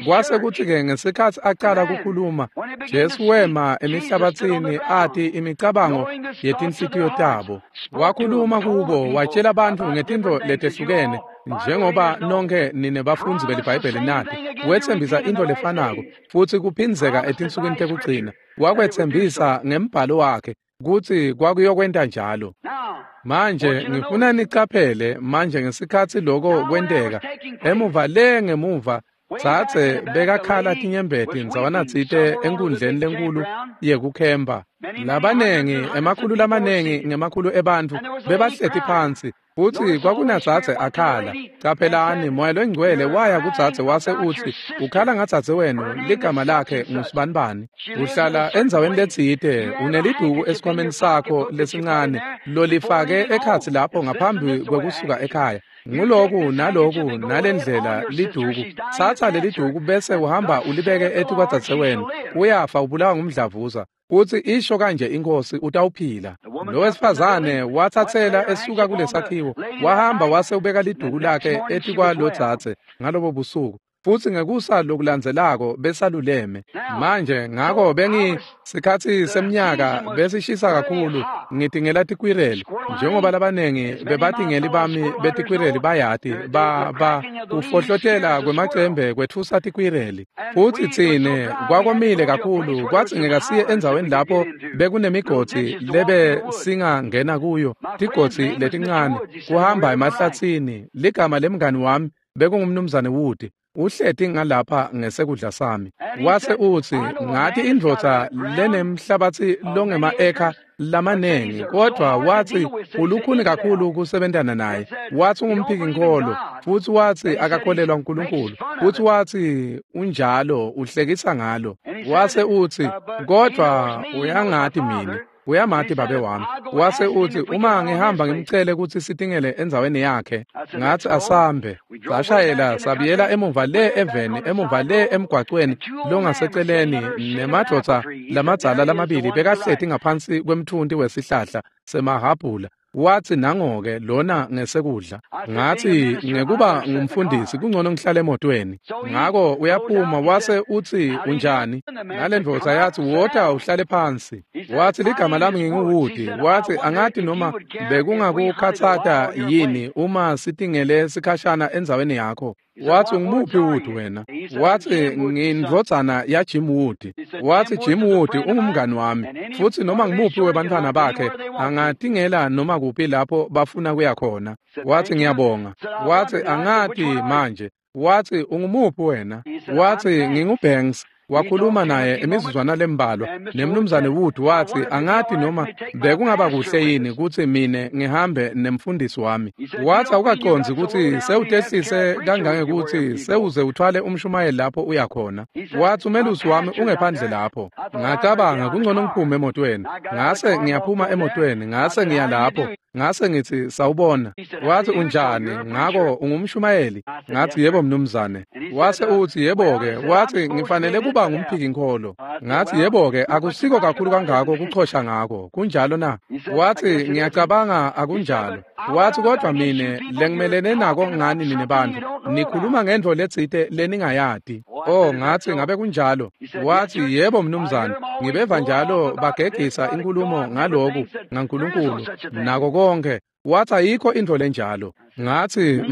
Kwase kuthi-ke ngesikhatsi acala kukhuluma, Jesu wema emihlabatsini ati imicabango yetinhlitiyo tabo. Wakhuluma kubo, watshela bantfu ngetintfo letehlukene, njengoba nonke nine bafundzi beliBhayibheli nati. Wetsembisa intfo lefanako futsi kuphindzeka etinsukwini tekugcina. Wakwetsembisa ngembhalo wakhe kutsi kwakuyokwenta njalo. Manje ngifuna nicaphele manje ngesikhatsi loko kwenteka emuva le ngemuva, tsatse bekakhala tinyembeti ndzawanatsite enkundleni lenkulu yekukhempa. Labanengi, emakhulu lamanengi ngemakhulu ebantfu bebahleti phansi, futsi kwakunadzadze akhala. Caphelani, Moya loNgcwele waya kudzadze wase utsi, ukhala ngadzadze wenu, ligama lakhe ngusibanibani. Uhlala endzaweni letsite, uneliduku esikhwameni sakho lesincane lolifake ekhatsi lapho ngaphambi kwekusuka ekhaya. Nguloku naloku nalendlela liduku. Tsatsa leliduku bese uhamba ulibeke etikwadzadze wenu. Uyafa ubulawa ngumdlavuza. Utsi isho kanje inkosi utawuphila. Lo wesifazane watsatsela esuka kulesakhiwo, wahamba wase ubeka liduku lakhe etikwalodzadze ngalobo busuku. Futsi ngekusa lokulandzelako besaluleme. Manje ngako sikhatsi semnyaka besishisa kakhulu ngitingela tikwireli, njengoba labanengi bebatingeli bami betikwireli bayati ba kufohlotela kwemacembe kwetfusa tikwireli. Futsi tsine kwakomile kakhulu kwadzingeka siye endzaweni lapho bekunemigodi lebe singangena kuyo, tigodzi letincane, kuhamba emahlatsini. Ligama lemngani wami bekungumnumzane Wood. Uhleti ngalapha ngesekudla sami. Wase utsi, ngathi indvodza lenemhlabatsi longema-eka lamanengi, kodvwa watsi ulukhuni kakhulu kusebentana naye. Watsi ungumphiki-nkholo, futsi watsi akakholelwa uNkulunkulu, futsi watsi unjalo uhlekisa ngalo. Wase utsi, kodvwa uyangati mine, uyamati babe wami. Wase utsi, uma ngihamba ngimcele kutsi sitingele endzaweni yakhe. Ngathi asambe. Sashayela sabiyela emuva le eveni, emuva le emgwacweni longaseceleni, nemadvodza lamadzala lamabili bekahleti ngaphansi kwemthunti wesihlahla semahabhula. Watsi nangoke lona ngesekudla. Ngathi ngekuba ngumfundisi kungcono ngihlale emotweni. Ngako uyaphuma wase utsi unjani? Nalendvodza yatsi wota uhlale phansi. Watsi ligama lami nginguWood. Watsi angati noma bekungakukhatsata yini uma sitingele sikhashana endzaweni yakho. Watsi ungumuphi Wood wena? Watsi ngindvodzana ya Jim Wood. Watsi Jim Wood ungumngani wami, futsi noma ngumuphi webantfwana bakhe angatingela noma kuphi lapho bafuna kuya khona. Watsi ngiyabonga. Watsi angati manje. Watsi ungumuphi wena? Watsi nginguBanks. Wakhuluma naye imizuzwana lembalwa nemnumzane Wood. Watsi angati noma bekungaba kuhle yini kutsi mine ngihambe nemfundisi wami. Watsi awukacondzi kutsi sewutehlise kangangekutsi sewuze uthwale umshumayeli lapho uyakhona. Watsi umelusi wami ungephandle lapho. Ngacabanga kungcono ngiphume emotweni. Ngase ngiyaphuma emotweni, ngase ngiya lapho. Ngase ngithi sawubona. Watsi unjani? Ngako ungumshumayeli? Ngathi yebo mnumzane. Wase utsi yebo-ke. Watsi ngifanele kuba ngumphiki-nkholo. Ngathi yebo-ke, akusiko kakhulu kangako kuchosha ngako. Kunjalo na? Watsi ngiyacabanga akunjalo. Watsi kodvwa mine lengimelene nako ngani nine bantfu, nikhuluma ngentfo letsite leningayati. Oh, ngathi ngabe kunjalo. Watsi yebo mnumzane, ngibeva njalo bagegisa inkhulumo ngaloku ngaNkulunkulu nako konke. Watsi ayikho intfo lenjalo. Ngathi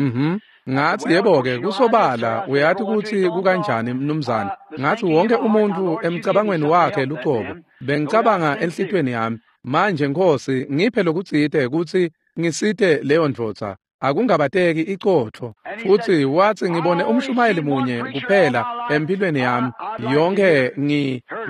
Ngathi yebo-ke, kusobala uyati kutsi kukanjani mnumzane. Ngathi wonke umuntu emcabangweni wakhe lucobo. Bengicabanga enhlitiyweni yami, manje Nkosi ngiphe lokutsite kutsi ngisite leyo ndvodza. Akungabateki icotfo. Futsi watsi ngibone umshumayeli munye kuphela empilweni yami yonke,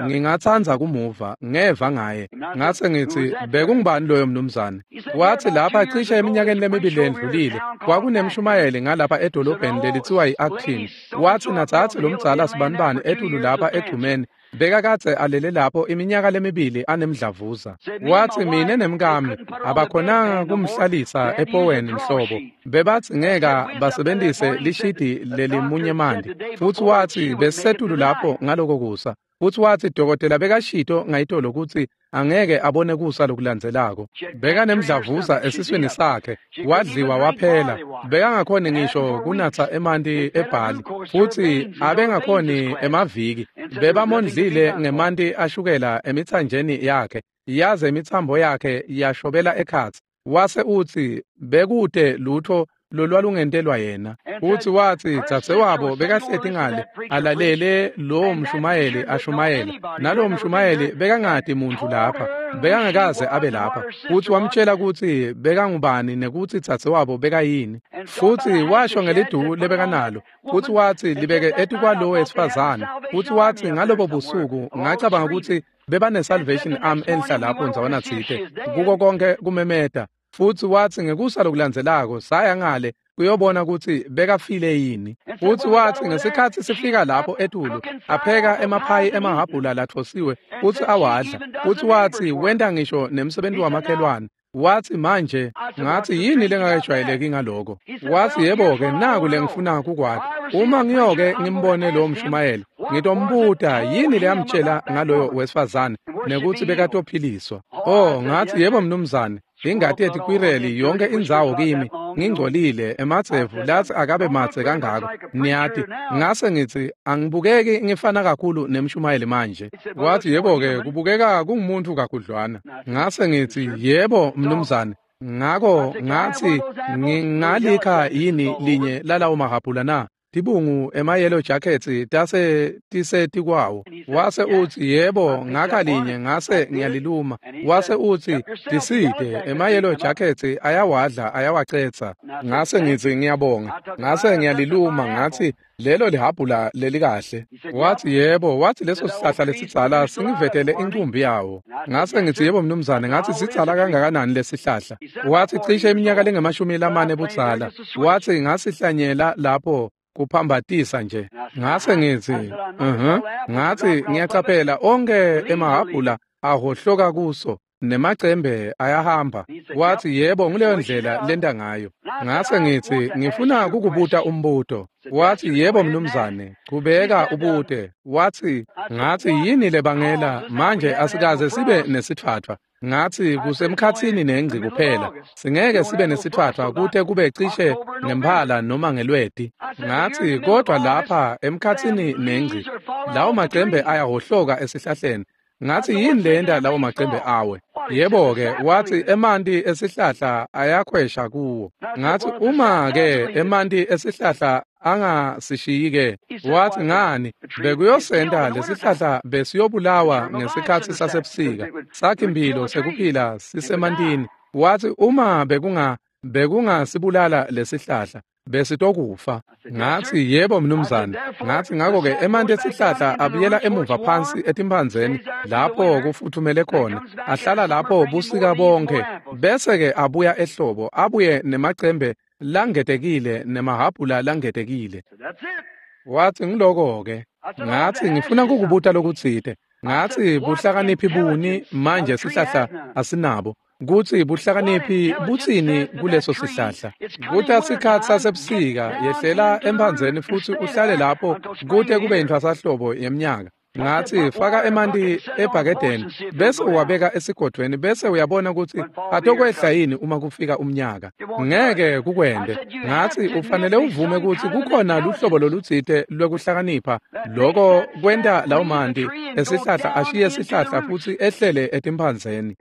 ngingatsandza kumuva, ngeva ngaye. Ngase ngithi bekungubani loyo mnumzane? Watsi lapha cishe eminyakeni lemibili lendlulile kwakunemshumayeli ngalapha edolobheni lelitsiwa yi-Acton. Watsi natsatsi lomdzala sibanibani etulu lapha egcumeni bekakadze alele lapho iminyaka lemibili anemdlavuza. Watsi mine nemkami abakhonanga kumhlalisa epoweni mhlobo, bebatsi ngeka basebentise lishidi lelimunye manti. Futsi watsi besisetulu lapho ngaloko kusa. Futsi watsi dokotela bekashito ngayitolo kutsi angeke abone kusa lokulandzelako. Bekanemdlavuza esiswini sakhe, wadliwa waphela. Bekangakhoni ngisho kunatsa emanti ebhali, futsi abengakhoni emaviki. Bebamondlile ngemanti ashukela emitsanjeni yakhe, yaze imitsambo yakhe yashobela ekhatsi. Wase utsi bekute lutho lolwalungentelwa yena. Futsi watsi dzadzewabo bekahleti ngale alalele lowo mshumayeli ashumayela, nalowo mshumayeli bekangati muntfu lapha. Bekangakaze abe lapha. Futsi wamtshela kutsi bekangubani nekutsi dzadzewabo bekayini. Futsi washo ngeliduku lebekanalo. Futsi watsi libeke etikwalowo wesifazane. Futsi watsi ngalobo busuku ngacabanga kutsi bebane Salvation Army enhla lapho ndzawana tsite. Kuko konke kumemeta. Futsi watsi ngekusa lokulandzelako saya ngale kuyobona kutsi bekafile yini. Futsi watsi ngesikhatsi sifika lapho etulu apheka emaphayi emahhabhula lathosiwe futsi awadla. Futsi watsi wenta ngisho nemsebenti wamakhelwane. Watsi manje ngatsi yini lengakejwayeleki ngaloko. Watsi yebo-ke naku lengifuna kukwati. Uma ngiyoke ngimbone lowo mshumayeli ngitombuta yini leyamtshela ngaloyo wesifazane nekutsi bekatophiliswa. Oh, ngathi yebo mnumzane. Ingati yetikwireli yonke indzawo kimi ngingcolile emadzevu lathi akabe madze kangako niyati. Ngase ngithi angibukeki ngifana kakhulu nemshumayeli manje. Wathi yebo-ke kubukeka kungumuntu kakhudlwana. Ngase ngithi yebo mnumzane. Ngako ngathi ngingalikha yini linye lalawo mahhabhula na? Tibungu ema-yellow jackets tase tisetikwawo. Wase utsi yebo ngakha linye ngase ngiyaliluma. Wase utsi tiside ema-yellow jackets ayawadla ayawacetsa. Ngase ngitsi ngiyabonga. Ngase ngiyaliluma ngathi lelo lihabhula lelikahle. Wathi yebo, wathi leso sihlahla lesidzala singivetele inkumbi yawo. Ngase ngithi yebo mnumzane, ngathi sidzala kangakanani lesihlahla? Wathi cishe iminyaka lengamashumi lamane budzala. Wathi ngasihlanyela lapho kuphambatisa nje. Ngase ngithi ngathi ngiyacaphela onke emahhabhula ahohloka kuso nemacembe ayahamba. Wathi yebo nguleyo ndlela lenta ngayo. Ngase ngithi ngifuna kukubuta umbuto. Wathi yebo mnumzane, chubeka ubute. Wathi ngathi yini lebangela manje asikaze sibe nesitfatfwa. Ngathi kusemkhatsini nengci kuphela. Singeke sibe nesitfatfwa kute kube cishe ngemphala noma ngelweti. Ngathi kodwa lapha emkhatsini nengci lawo macembe ayahohloka esihlahleni. Ngathi yini lenta lawo macembe awe? Yebo-ke wathi emanti esihlahla ayakhwesha kuwo. Ngathi uma-ke emanti esihlahla angasishiyi-ke. Wathi ngani bekuyosenta lesihlahla besiyobulawa ngesikhatsi sasebusika. Sakhi imphilo sekuphila sisemantini. Wathi uma bekungasibulala lesihlahla besitokufa. Ngathi yebo mnumzane. Ngathi ngakho-ke emanti esihlahla abuyela emuva phansi etimphandzeni lapho kufuthumele khona, ahlala lapho busika bonke, bese-ke abuya ehlobo abuye nemacembe langetekile nemahhabhula langetekile. Wathi ngiloko-ke. Ngathi ngifuna kukubuta lokutsite. Ngathi buhlakaniphi buni manje sihlahla asinabo. Kutsi buhlakaniphi butsini kuleso sihlahla? Kuta sikhatsi sasebusika yehlela emphandzeni futsi uhlale lapho kute kube yintfwasahlobo yeminyaka. Ngathi faka emanti ebhakedeni bese uwabeka esigodvweni bese uyabona kutsi atokwehla yini uma kufika umnyaka. Ngeke kukwente. Ngathi ufanele uvume kutsi kukhona luhlobo lolutsite lwekuhlakanipha loko kwenta lawo manti esihlahla ashiye sihlahla futsi ehlele etimphandzeni.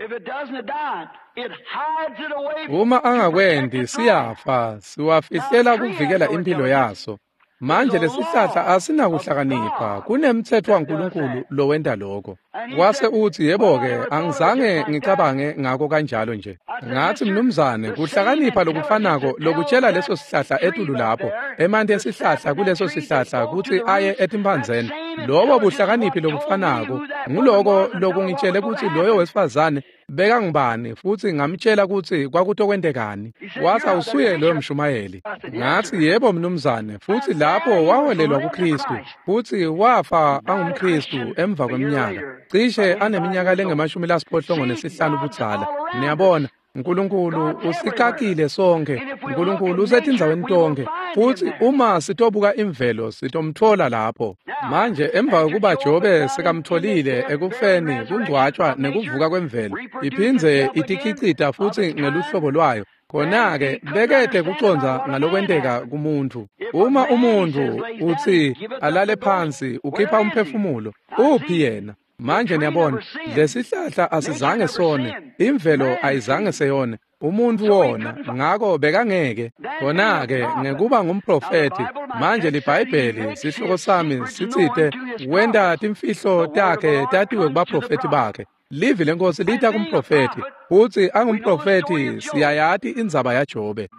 Uma angakwenti siyafa, siwafihlela kuvikela impilo yaso. Manje lesihlahla asinakuhlakanipha, kunemtsetfo waNkulunkulu lowenta lokho. Wase uthi yebo-ke angizange ngicabange ngako kanjalo nje. Ngathi mnumzane kuhlakanipha lokufanako lokutshela leso sihlahla etulu lapho, emanti esihlahla kuleso sihlahla kutsi aye etimphandzeni. Lobo buhlakaniphi lokufanako nguloko lokungitshele kutsi loyo wesifazane bekangubani futsi ngamtshela kutsi kwakutokwentekani. Wathi awusuye loyo mshumayeli. Ngathi yebo mnumzane, futsi lapho waholelwa kuKristu futsi wafa angumKristu emva kweminyaka cishe aneminyaka lengamashumi lasiphohlongo nesihlanu budzala. Niyabona uNkulunkulu usikakile sonke. uNkulunkulu usetindzaweni tonke futsi uma sitobuka imvelo sitomtfola lapho. Manje emva kokuba Jobe sekamtfolile ekufeni kungcwatshwa nekuvuka kwemvelo iphindze itikhicita futsi ngeluhlobo lwayo. Khona-ke bekete kucondza ngalokwenteka kumuntu. Uma umuntu utsi alale phansi ukhipha umphefumulo, uphi yena? Manje niyabona lesihlahla asizange sone, imvelo ayizange seyone, umuntu wona, ngako bekangeke. Khona-ke ngekuba ngumprofethi, manje liBhayibheli sihloko sami sitsite wenta timfihlo takhe tatiwe kubaprofethi bakhe. Livi leNkosi lita kumprofethi, futsi angumprofethi siyayati indzaba yaJobe.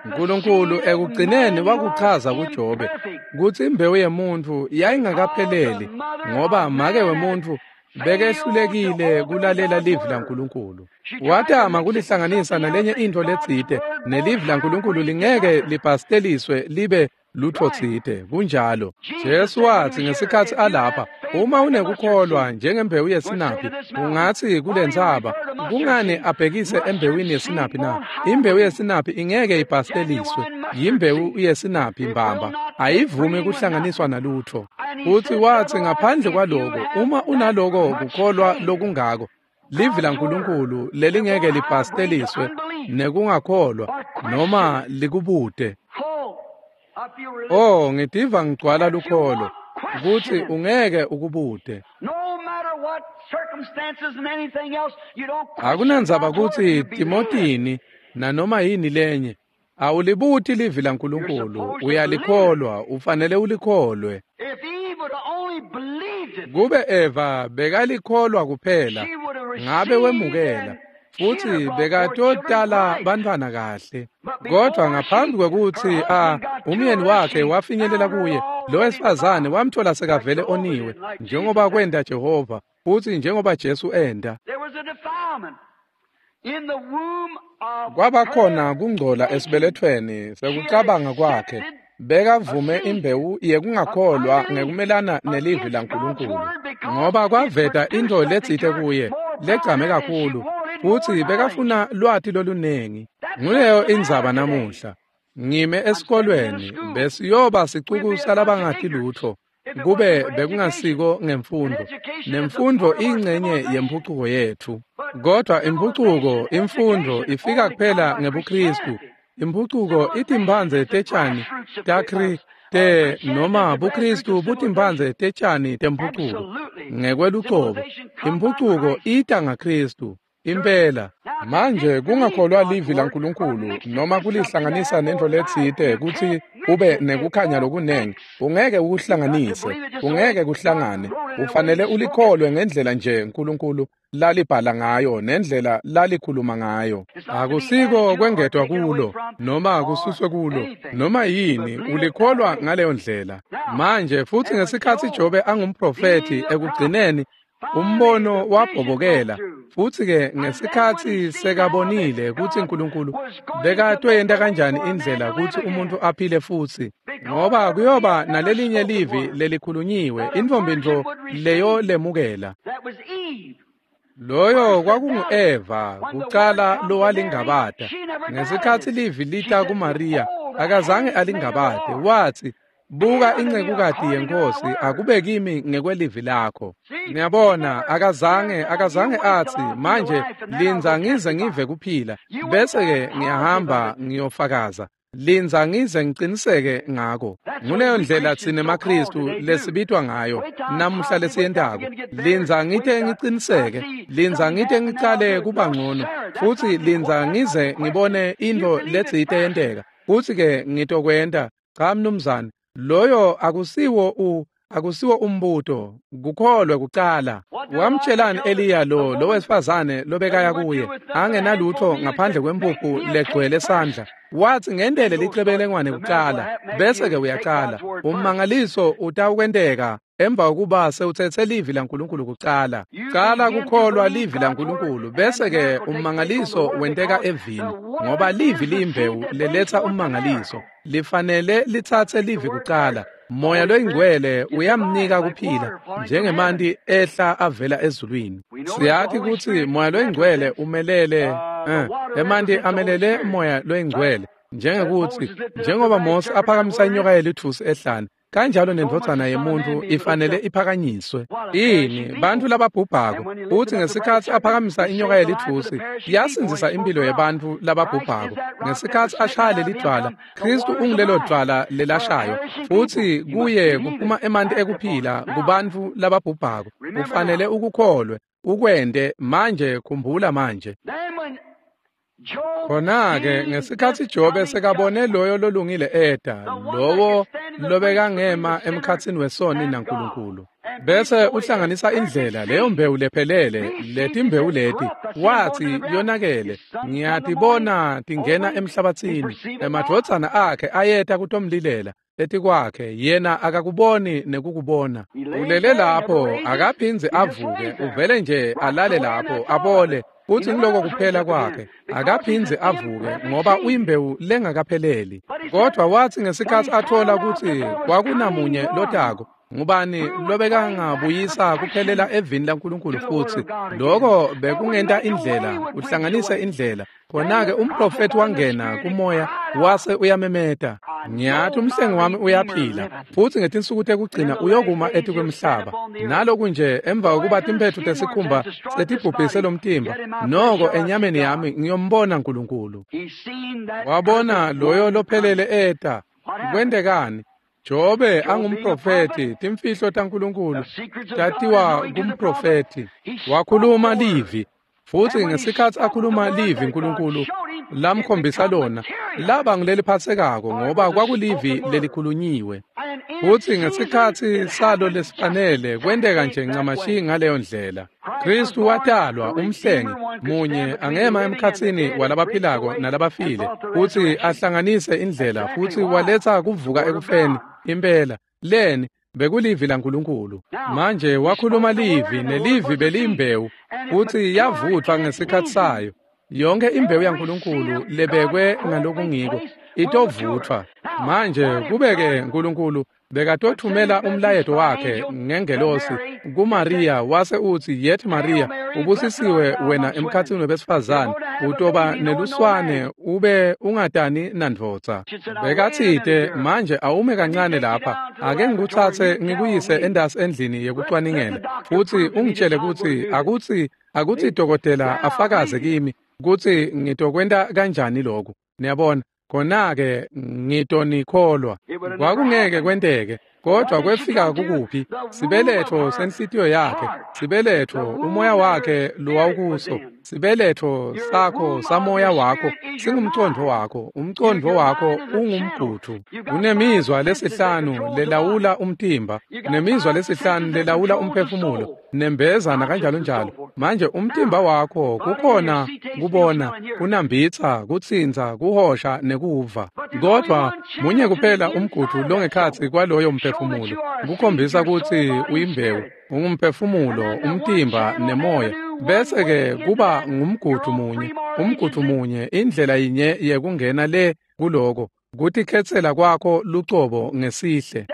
Nkulunkulu ekugcineni wakuchaza kuJobe kutsi imbewu yemuntfu yayingakapheleli ngoba make wemuntfu bekehlulekile kulalela livi laNkulunkulu. Watama kulihlanganisa nalenye intfo letsite, nelivi laNkulunkulu lingeke libhasteliswe libe lutho tsite. Kunjalo. Jesu watsi ngesikhatsi alapha, uma unekukholwa njengembewu yesinaphi, ungatsi kulentsaba, kungani abhekise embewini yesinaphi na? Imbewu yesinaphi ingeke ibhasteliswe, yimbewu yesinaphi mbamba, ayivumi kuhlanganiswa nalutho. Futsi watsi ngaphandle kwaloko, uma unaloko kukholwa lokungako, livi laNkulunkulu lelingeke libhasteliswe nekungakholwa noma likubute. Oh, ngitiva ngigcwala lukholo kutsi ungeke ukubute. Akunandzaba kutsi timotini nanoma yini lenye, awulibuti livi laNkulunkulu, uyalikholwa, ufanele ulikholwe. Kube Eva bekalikholwa kuphela, ngabe wemukela, futsi bekatotala bantfwana kahle. Kodwa ngaphambi kwekutsi umyeni wakhe wafinyelela kuye, lo wesifazane wamthola sekavele oniwe, njengoba kwenta Jehova, futsi njengoba Jesu enta. Kwabakhona kungcola esibelethweni sekucabanga kwakhe. Bekavume imbewu yekungakholwa ngekumelana nelivi laNkulunkulu, ngoba kwaveta intfo letsite kuye legcame kakhulu, futsi bekafuna lwati lolunengi. Nguleyo indzaba namuhla. Ngime esikolweni besiyoba sicuku salabangati lutho kube bekungasiko ngemfundo. Nemfundo ingcenye yempucuko yetfu, kodwa impucuko, imfundo ifika kuphela ngebuKristu. Impucuko itimphandze tetjani takri te noma buKristu butimphandze tetjani tempucuko ngekwelucobo. Impucuko ita ngaKristu impela. Manje kungakholwa livi laNkulunkulu noma kulihlanganisa nentfo letsite kutsi ube nekukhanya lokunengi, ungeke ukuhlanganise, ungeke kuhlangane. Ufanele ulikholwe ngendlela nje uNkulunkulu lalibhala ngayo nendlela lalikhuluma ngayo. Akusiko kwengetwa kulo noma kususwe kulo noma yini, ulikholwa ngaleyo ndlela. Manje futsi ngesikhatsi Jobe angumprofethi, ekugcineni umbono wabhobokela, futsi-ke ngesikhatsi sekabonile kutsi uNkulunkulu bekatoyenta kanjani indlela kutsi umuntfu aphile futsi, ngoba kuyoba nalelinye livi lelikhulunyiwe, intfombi ntfo leyo lemukela. Loyo kwakungu-Eva kucala lowalingabata. Ngesikhatsi livi lita kuMariya, akazange alingabate, watsi, buka incekukati yenkosi, akube kimi ngekwelivi lakho. Niyabona, akazange atsi, manje lindza ngize ngive kuphila, bese-ke ngiyahamba ngiyofakaza. Lindza ngize ngiciniseke ngako. Nguleyo ndlela tsine maKristu lesibitwa ngayo namuhla lesiyentako. Lindza ngite ngiciniseke, lindza ngite ngicale kuba ngcono, futsi lindza ngize ngibone intfo letsite yenteka, futsi-ke ngitokwenta. Cha mnumzane, loyo akusiwo umbuto, kukholwe kucala. Wamtshelani Eliya lo wesifazane lobekaya kuye angenalutho ngaphandle kwempuphu legcwele sandla? Watsi ngendele licebelengwane kucala, bese-ke uyacala. Ummangaliso utawukwenteka emva kokuba sewutsetse livi laNkulunkulu kucala. Cala kukholwa livi laNkulunkulu, bese-ke ummangaliso wenteka evini, ngoba livi liyimbewu leletsa ummangaliso. Lifanele litsatse livi kucala. Moya loyingcwele uyamnika kuphila njengemanti ehla avela ezulwini. Siyati kutsi moya loyingcwele umelele emanti amelele moya loyingcwele, njengekutsi njengoba Mose aphakamisa inyoka yelitfusi ehlane, kanjalo nendvodzana yemuntfu ifanele iphakanyiswe. Ini bantfu lababhubhako, futsi ngesikhatsi aphakamisa inyoka yelitfusi yasindzisa impilo yebantfu lababhubhako. Ngesikhatsi ashaya lelidvwala, Kristu ungulelo dvwala lelashaywa, futsi kuye kuphuma emanti ekuphila kubantfu lababhubhako. Ufanele ukukholwe, ukwente manje. Khumbula manje. Khona-ke ngesikhatsi Jobe sekabone loyo lolungile eta, lowo lobekangema emkhatsini wesoni naNkulunkulu, bese uhlanganisa indlela leyo mbewu lephelele, letimbewu leti, wathi yonakele, ngiyatibona tingena emhlabathini, emadvodzana akhe ayeta kutomlilela etikwakhe, yena akakuboni nekukubona. Ulele lapho, akaphindzi avuke, uvele nje alale lapho, abole, futhi ngiloko kuphela kwakhe. Akaphindzi avuke ngoba uyimbewu lengakapheleli. Kodwa wathi ngesikhatsi athola kutsi kwakunamunye lotako, ngubani lobekangabuyisa kuphelela evini laNkulunkulu futhi, lokho bekungenta indlela, uhlanganise indlela. Khona-ke umprofethi wangena kumoya wase uyamemeta, ngiyathi umhlengi wami uyaphila, futhi ngetinsuku tekugcina uyokuma etikwemhlaba. Naloku nje emva kokuba timphetfu tesikhumba setibhubhise lomtimba, noko enyameni yami ngiyombona Nkulunkulu. Wabona loyo lophelele eta. Kwentekani? Jobe angumprofethi, timfihlo taNkulunkulu tatiwa kumprofethi. Wakhuluma livi, futhi ngesikhatsi akhuluma livi Nkulunkulu lamkhombisa lona, laba nguleliphatsekako ngoba kwakulivi lelikhulunyiwe. Futhi ngesikhatsi salo lesifanele kwenteka nje ncamashi ngaleyo ndlela. Kristu watalwa umhlengi munye angema emkhatsini walabaphilako nalabafile, futhi ahlanganise indlela, futhi waletsa kuvuka ekufeni impela. Leni bekulivi laNkulunkulu. Manje wakhuluma livi, nelivi beliyimbewu, futhi yavuthwa ngesikhatsi sayo. Yonke imbewu yaNkulunkulu lebekwe ngalokungiko itovuthwa. Manje kubeke Nkulunkulu bekatothumela umlayeto wakhe ngengelosi kuMaria, wase utsi, "Yethi Maria, ubusisiwe wena emkhatsini webesifazane, utoba neluswane ube ungatani nandvodza." Bekatsite, manje awume kancane lapha, ake ngikutsatse ngikuyise endasi endlini yekucwaningela, futhi ungitshele kutsi akutsi dokotela afakaze kimi kutsi ngitokwenta kanjani lokhu. Niyabona, khona-ke ngitonikholwa. Kwakungeke kwenteke, kodwa kwefika kukuphi? Sibeletho senhlitiyo yakhe, sibeletho umoya wakhe lowawukuso, sibeletho sakho samoya wakho singumcondvo wakho, umcondvo wakho ungumguthu. Unemizwa lesihlanu lelawula umtimba, nemizwa lesihlanu lelawula umphefumulo, nembeza nakanjalo njalo. Manje umtimba wakho kukhona kubona, kunambitsa, kutsintsa, kuhosha nekuva. Kodwa munye kuphela umguthu longekhatsi kwaloyo mphefumulo, kukhombisa kutsi uyimbewu, ungumphefumulo, umtimba nemoya. Bese-ke kuba ngumguthu munye, umguthu munye, indlela yinye yekungena le kuloko, kutikhetsela kwakho lucobo ngesihle.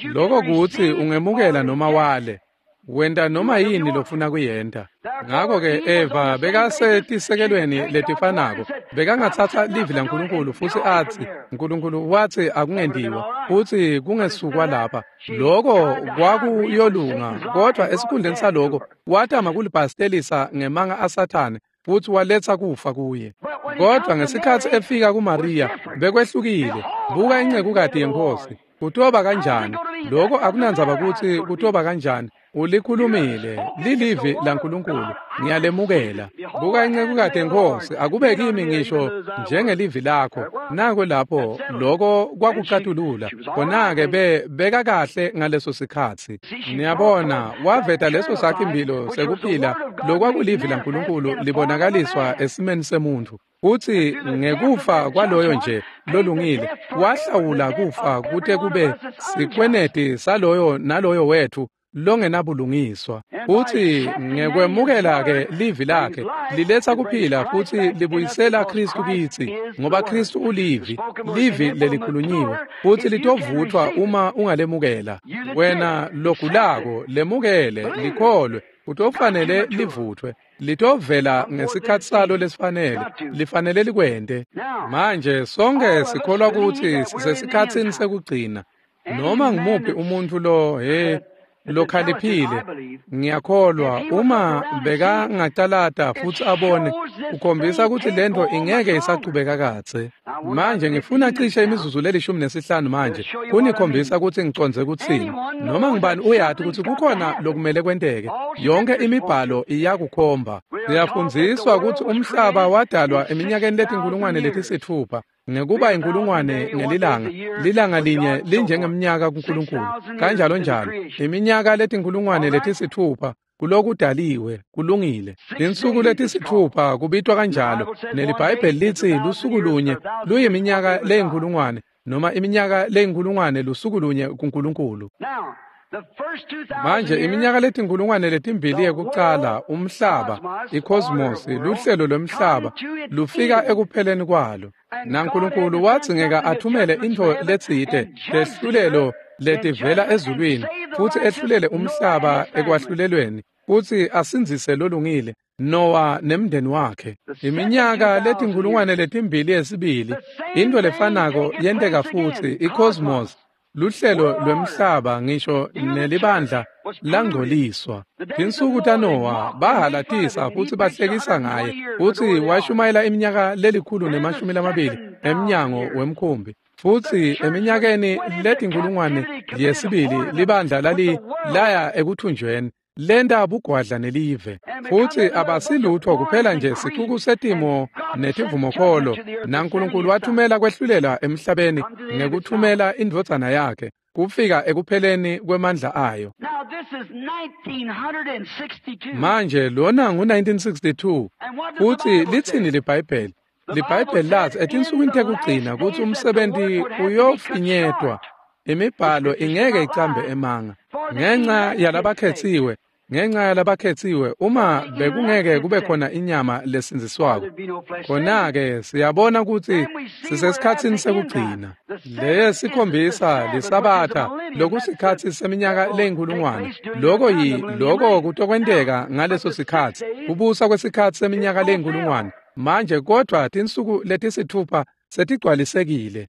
Lokho kutsi ungemukela noma wale, wenta noma yini lofuna kuyenta. Ngakho-ke Eva bekasetisekelweni letifanako, bekangatsatsa livi laNkulunkulu futsi atsi, Nkulunkulu watsi akungentiwa, futsi kungesukwa lapha. Lokho kwakuyolunga, kodwa esikhundleni saloko watama kulibhastelisa ngemanga aSathane, futhi waletsa kufa kuye. Kodwa ngesikhatsi efika kuMaria bekwehlukile. Buka incekukati yenkosi. Kutoba kanjani? Lokho akunandzaba kutsi kutoba kanjani. Ulikhulumile, lilivi laNkulunkulu, ngiyalemukela. Buka incekukati yenkosi, akube kimi ngisho njengelivi lakho. Nako lapho lokho kwakucatulula. Khona-ke beka kahle ngaleso sikhatsi. Niyabona, waveta leso sakhimbilo sekuphila lokwakulivi laNkulunkulu libonakaliswa esimeni semuntfu. Futsi ngekufa kwaloyo nje lolungile wahlawula kufa kute kube sikweneti saloyo naloyo wethu longenabulungiswa. Futsi ngekwemukela-ke livi lakhe liletsa kuphila futsi libuyisela Kristu kitsi, ngoba Kristu ulivi, livi lelikhulunyiwe, futsi litovutfwa uma ungalemukela. Wena logulako lemukele, likholwe, kutofanele livuthwe, litovela ngesikhatsi salo lesifanele, lifanele likwente. Manje sonke sikholwa kutsi sisesikhatsini sekugcina. Noma ngumuphi umuntfu lo Lokhaliphile, ngiyakholwa uma bekangacalata futsi abone, ukhombisa kutsi lento ingeke isachubeka kadze. Manje ngifuna cishe imizuzu le-15 manje kunikhombisa kutsi ngicondze kutsini. Noma ngibani uyati kutsi kukhona lokumele kwenteke. Yonke imibhalo iyakukhomba. Siyafundziswa kutsi umhlaba wadalwa eminyakeni leti-6,000. Ngekuba 1,000 ngelilanga, lilanga linye linjengemnyaka kuNkulunkulu, kanjalo njalo. Iminyaka leti-6,000 kulokudaliwe, kulungile. Tinsuku letisitfupha kubitwa kanjalo, neliBhayibheli litsi lusuku lunye luyiminyaka le-1,000, noma iminyaka le-1,000 lusuku lunye kuNkulunkulu. Manje iminyaka 2,000 yekucala umhlaba, i-cosmos, luhlelo lwemhlaba, lufika ekupheleni kwalo. NaNkulunkulu wadzingeka athumele intfo letsite, lehlulelo letivela ezulwini, futsi ehlulele umhlaba ekwahlulelweni, futsi asindzise lolungile, Noah nemndeni wakhe. Iminyaka 2,000 yesibili, intfo lefanako yenteka futsi, i-cosmos, luhlelo lwemhlaba ngisho nelibandla langcoliswa. Tinsuku taNoah bahalatisa futsi bahlekisa ngaye, futsi washumayela iminyaka 120 emnyango wemkhumbi. Futsi eminyakeni 1,000 yesibili libandla laya ekuthunjweni, lenta bugwadla nelive. Futsi abasilutho kuphela nje sicuku setimo netivumokholo, naNkulunkulu wathumela kwehlulela emhlabeni ngekuthumela indvodzana yakhe kufika ekupheleni kwemandla ayo. Manje lona ngu-1962, futsi litsini liBhayibheli? LiBhayibheli lathi etinsukwini tekugcina kutsi umsebenti uyofinyetwa, imibhalo ingeke icambe emanga. Ngenxa yalabakhetsiwe, ngenxa yalabakhetsiwe, uma bekungeke kube khona inyama lesindziswako, khona-ke siyabona kutsi sisesikhatsini sekugcina. Leye sikhombisa liSabatha lokusikhatsi seminyaka le-1,000. Loko loko kutokwenteka ngaleso sikhatsi, kubusa kwesikhatsi seminyaka le-1,000. Manje kodvwa tinsuku letisitfupha setigcwalisekile.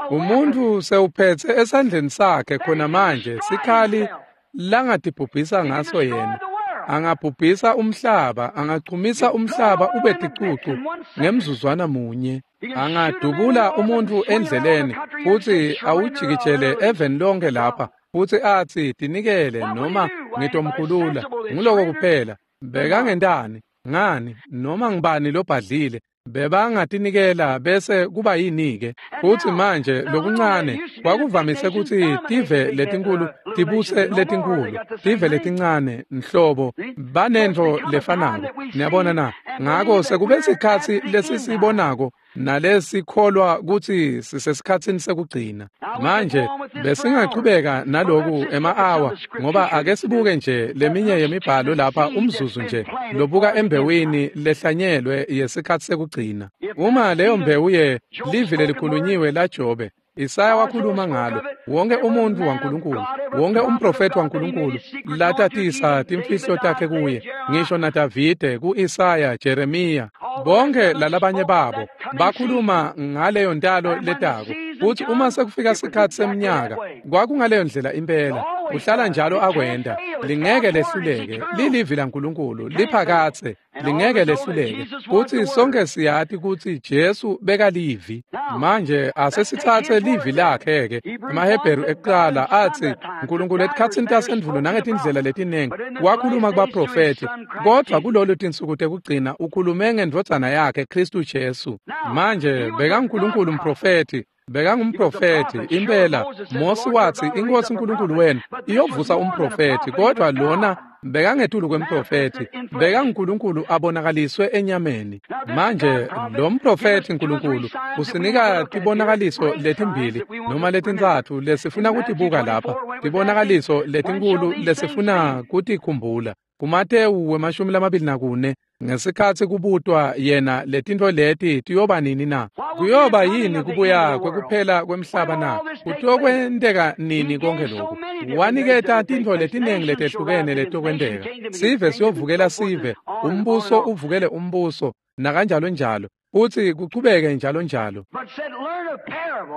Umuntu sewuphetse esandleni sakhe khona manje sikhali langatibhubhisa ngaso yena. Angabhubhisa umhlaba, angachumisa umhlaba ube ticucu ngemzuzwana munye. Angadubula umuntu endleleni futsi awujikijele eveni lonke lapha, futsi atsi tinikele noma ngitomkhulula. Nguloko kuphela. Bekangentani? Ngani? Noma ngibani lobhadlile bebangatinikela bese kuba yini-ke? Futsi manje lokuncane kwakuvamise kutsi tive letinkulu tibuse letinkulu, tive letincane nhlobo banentfo lefanako. Niyabona na? Ngako sekube sikhatsi lesisibonako nalesikholwa kutsi sisesikhatsini sekugcina. Manje besingachubeka naloku ema-awa, ngoba ake sibuke nje leminye yemibhalo lapha umzuzu nje lobuka embewini lehlanyelwe yesikhatsi sekugcina. Uma leyo mbewu ye livi lelikhulunyiwe laJobe, Isaya wakhuluma ngalo, wonke umuntfu waNkulunkulu, wonke umprofeti waNkulunkulu latatisa timfihlo takhe kuye, ngisho naDavide, ku-Isaya, Jeremiya, bonke lalabanye babo bakhuluma ngaleyo ntalo letako. Futsi uma sekufika sikhatsi semnyaka, kwakungaleyo ndlela impela, uhlala njalo akwenta, lingeke lehluleke, lilivi laNkulunkulu, liphakatse, lingeke lehluleke. Futsi sonke siyati kutsi Jesu bekalivi. Manje asesitsatse livi lakhe-ke. EmaHebheru ekuqala atsi Nkulunkulu etikhatsini tasendvulo nangetindlela letinengi wakhuluma kubaprofethi, kodvwa kulolu tinsuku tekugcina ukhulume ngendvodzana yakhe Khristu Jesu. Manje bekaNkulunkulu umprofethi, bekangumprofethi impela. Mosi watsi iNkhosi uNkulunkulu wenu iyovusa umprofethi, kodvwa lona bekangetulu kwemprofethi, bekanguNkulunkulu abonakaliswe enyameni. Manje lo mprofethi Nkulunkulu usinika tibonakaliso letimbili noma letintsatfu lesifuna kutibuka lapha, tibonakaliso letinkulu lesifuna kutikhumbula. KuMatewu 24, ngesikhatsi kubutwa yena letintfo leti tiyoba nini na? Kuyoba yini kubuya kwekuphela kwemhlaba na? Kutokwenteka nini konke lokhu? Waniketa tintfo letinengi letehlukene letokwenteka. Sive siyovukela sive, umbuso uvukele umbuso, nakanjalo njalo. Futsi kuchubeke njalo njalo.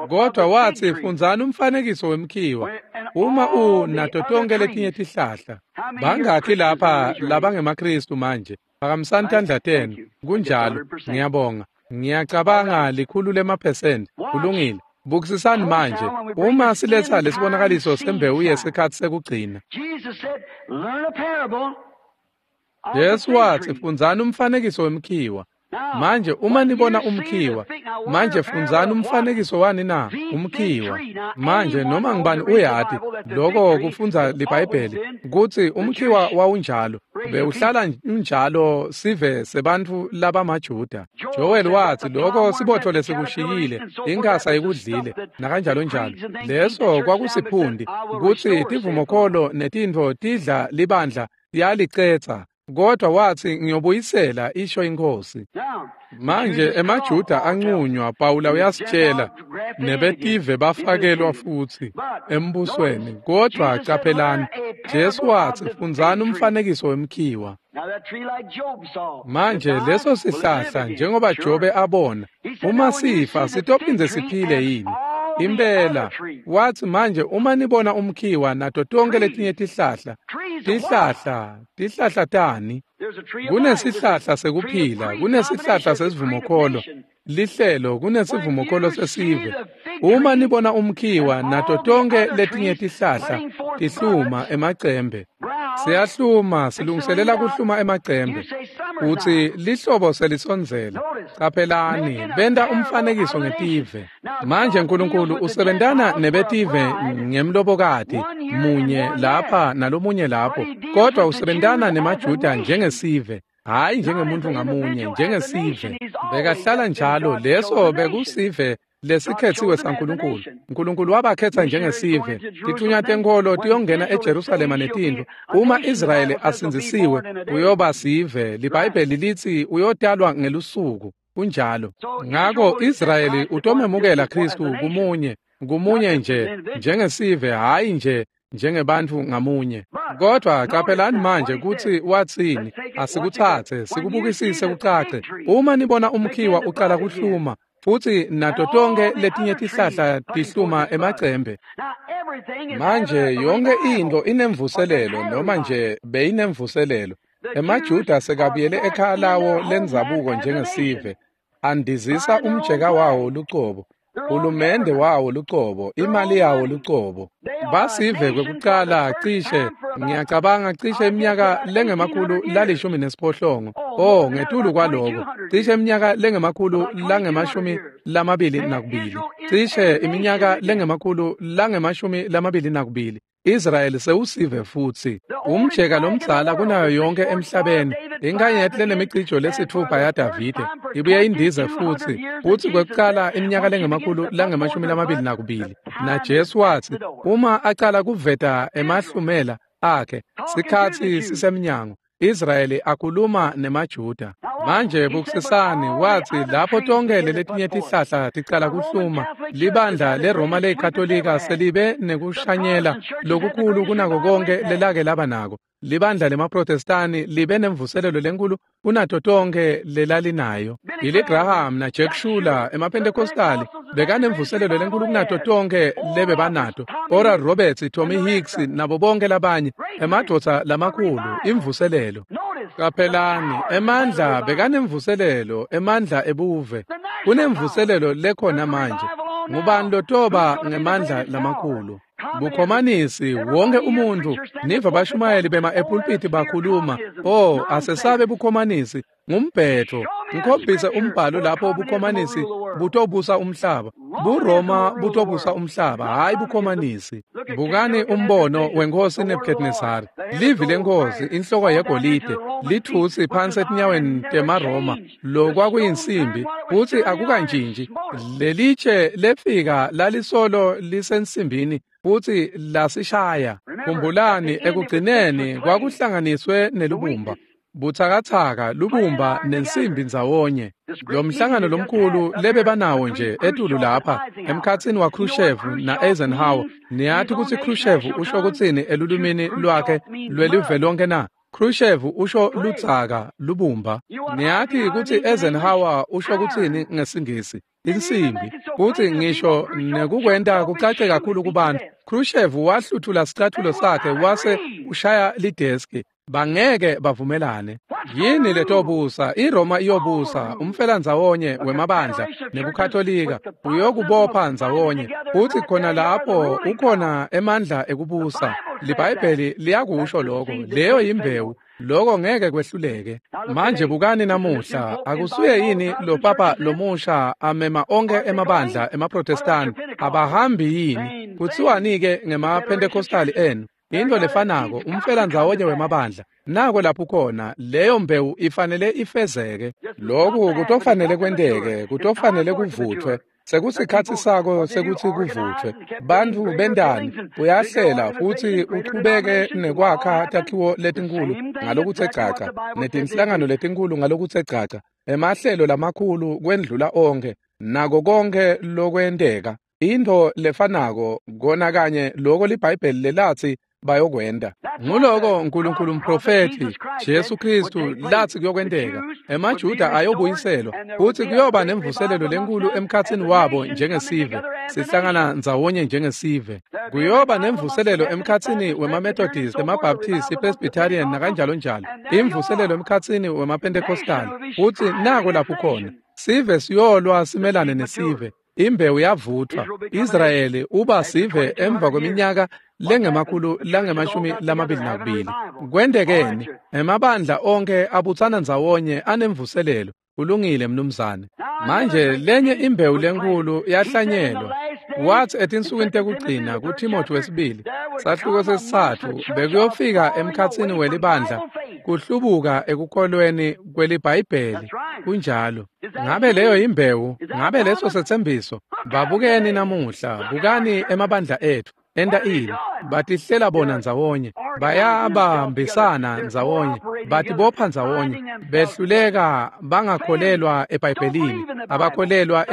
Kodwa watsi fundzani umfanekiso wemkhiwa uma unato tonkhe letinye tihlahla. Bangakhi lapha labangemaKhristu manje? Phakamisani tandla tenu. Kunjalo, ngiyabonga. Ngiyacabanga 100%. Kulungile. Bukisisani manje uma siletha lesibonakaliso sembewu yesikhathi sekugcina. Jesu watsi fundzani umfanekiso wemkhiwa. Manje uma nibona umkhiwa, manje fundzani umfanekiso wani na? Umkhiwa. Manje noma ngibani uyati lokho kufundza liBhayibheli kutsi umkhiwa wawunjalo, bewuhlala unjalo sive sebantfu labamaJuda. Joel watsi lokho sibotfo lesikushiyile, inkhasa ikudlile nakanjalo njalo. Leso kwakusiphundi kutsi tivumokholo netintfo tidla libandla yalicetsa. Kodwa watsi ngiyobuyisela isho iNkhosi. Manje emaJuda anqunywa, Pawula uyasitshela, nebetive bafakelwa futsi embusweni. Kodwa caphelani, Jesu watsi fundzani umfanekiso wemkhiwa. Manje leso sihlahla njengoba Jobe abona, uma sifa sitophindze siphile yini? Impela watsi manje uma nibona umkhiwa nato tonke letinye tihlahla, tihlahla tani? Kunesihlahla sekuphila, kunesihlahla sesivumokholo, lihlelo, kunesivumokholo sesive. Uma nibona umkhiwa nato tonke letinye tihlahla tihluma emacembe, siyahluma, silungiselela kuhluma emacembe. Utsi lihlobo selisondzela. Caphelani, benta umfanekiso ngetive. Manje Nkulunkulu usebentana nebetive ngemlobokati munye lapha nalomunye lapho, kodwa usebentana nemaJuda njengesive, hhayi njengemuntu ngamunye, njengesive. Bekahlala njalo, leso bekusive lesikhetsiwe saNkulunkulu. Nkulunkulu wabakhetha njengesive. Tithunywa tenkholo tiyongena eJerusalema netintfo. Uma Israyeli asindzisiwe, uyoba sive. LiBhayibheli litsi uyotalwa ngelusuku. Kunjalo. Ngako Israyeli utomemukela Khristu kumunye nje njengesive, hhayi nje njengebantfu ngamunye. Kodwa caphelani manje kutsi watsini. Asikuthathe sikubukisise kucace. Uma nibona umkhiwa uqala kuhluma futsi nato tonke letinye tihlahla tihluma emacembe. Manje yonke intfo inemvuselelo, noma nje beyinemvuselelo. EmaJuda sekabuyele ekhaya lawo lendzabuko njengesive, andizisa umjeka wawo lucobo, hulumende wawo lucobo, imali yawo lucobo. Basive kwekucala cishe, ngiyacabanga cishe iminyaka lengama-118. Oh, ngetulu kwaloko, cishe iminyaka lengama-222. Cishe iminyaka lengama-222. Israyeli sewusive futsi. Umjeka lomdzala kunayo yonke emhlabeni, inkanyeti lenemicijo lesitfupha yaDavide, ibuye indize futsi, futsi kwekucala iminyaka lengama-222. Na Jesu watsi, uma acala kuveta emahlumela akhe, sikhatsi sisemnyango. Israyeli akhuluma nemaJuda. Manje bukisisani, watsi lapho tonke letinye tihlahla ticala kuhluma, libandla leRoma leyiKatolika selibe nekushanyela lokukhulu kunako konke lelake laba nako. Libandla lemaProtestani libe nemvuselelo lenkulu kunato tonke lelalinayo. Billy Graham na Jack Schuler emaPentecostali bekanemvuselelo lenkulu kunato tonke lebebanato. Oral Roberts, Tommy Hicks nabo bonke labanye, emadvodza lamakhulu, imvuselelo. Caphelani, emandla bekanemvuselelo, emandla ebuve. Kunemvuselelo lekhona manje. Ngubani lotoba ngemandla lamakhulu? Bukhomanisi, wonke umuntu, niva bashumayeli bema epulpiti bakhuluma, oh, asesabe bukhomanisi, ngumbhetho. Ngikhombise umbhalo lapho bukhomanisi butobusa umhlaba. BuRoma butobusa umhlaba, hhayi bukhomanisi. Bukani umbono wenkosi Nebuchadnezzar. Livi lenkosi, inhloko yegolide, lithusi phansi etinyaweni temaRoma, lokwakuyinsimbi, futsi akukantshintshi. Lelitshe lefika lalisolo lisensimbini futsi lasishaya. Khumbulani, ekugcineni kwakuhlanganiswe nelubumba. Butsakatsaka, lubumba nensimbi ndzawonye. Lo mhlangano lomkhulu lebebanawo nje etulu lapha emkhatsini wa Khrushchev na Eisenhower. Niyati kutsi Khrushchev usho kutsini elulwimini lwakhe lwelive lonke na? Khrushchev usho ludzaka lubumba. Niyathi kutsi Eisenhower usho kutsini ngesingisi? Insimbi. Kutsi ngisho nekukwenta kucace kakhulu kubantu. Khrushchev wahluthula sicathulo sakhe wase ushaya lideski. Bangeke bavumelane. Yini letobusa? iRoma iyobusa, umfelandzawonye wemabandla nebuKatolika uyokubopha ndzawonye. Futsi khona lapho ukhona emandla ekubusa. LiBhayibheli liyakusho lokho. Leyo yimbewu. Lokho ngeke kwehluleke. Manje bukani namuhla, akusuye yini lo papa lomusha amema onke emabandla emaProtestani? Abahambi yini? Kutsiwani-ke ngemaPentecostali enu? Into lefanako, umfelandzawonye wemabandla. Nako lapho khona, leyo mbewu ifanele ifezeke. Lokhu kutofanele kwenteke, kutofanele kuvuthwe. Sekusikhatsi sako sekutsi kuvuthwe. Bantfu bendani uyahlela futsi uchubeke nekwakha takhiwo letinkulu ngalokutse gcagca, netinhlangano letinkulu ngalokutse gcagca, emahlelo lamakhulu kwendlula onkhe, nako konkhe lokwenteka. Into lefanako kona kanye loko liBhayibheli lelatsi bayokwenta. Nguloko uNkulunkulu umprofethi Jesu Kristu latsi kuyokwenteka. EmaJuda ayobuyiselwa futsi kuyoba nemvuselelo lenkulu emkhatsini wabo njengesive. Sihlangana ndzawonye njengesive. Kuyoba nemvuselelo emkhatsini wemaMethodist, emaBaptist, iPresbyterian nakanjalo njalo. Imvuselelo emkhatsini wemaPentecostal. Futsi nako lapho khona. Sive siyolwa simelane nesive. Imbewu yavuthwa. Israyeli uba sive emva kweminyaka lengemakhulu langemashumi lamabili nakubili. Kwentekeni? Emabandla onke abutsana ndzawonye anemvuselelo. Kulungile mnumzane. Manje lenye imbewu lenkulu yahlanyelwa. Wathi etinsukwini tekugcina kuThimothi wesibili sahluko sesitsatfu bekuyofika emkhatsini welibandla kuhlubuka ekukholweni kweliBhayibheli. Kunjalo. Ngabe leyo yimbewu? Ngabe leso setsembiso? Babukeni namuhla, bukani emabandla ethu. Enta ini? Batihlela bona ndzawonye, bayabambisana ndzawonye, batibopha ndzawonye, behluleka bangakholelwa eBhayibhelini, abakholelwa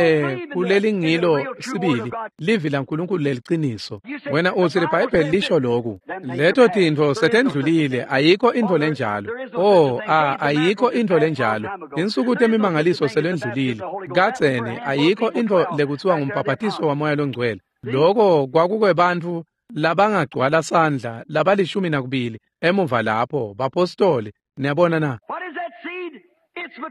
kulelingilo sibili livi laNkulunkulu leliciniso. Wena utsi liBhayibheli lisho loku. Leto tintfo setendlulile, ayikho intfo lenjalo. Oh, ayikho intfo lenjalo. Insuku temimangaliso selendlulile. Kadzeni ayikho intfo lekutsiwa ngumbhabhatiso waMoya loNgcwele. Loko kwakukwebantfu labangagcwala sandla labalishumi nakubili emuva lapho bapostoli. Niyabona na?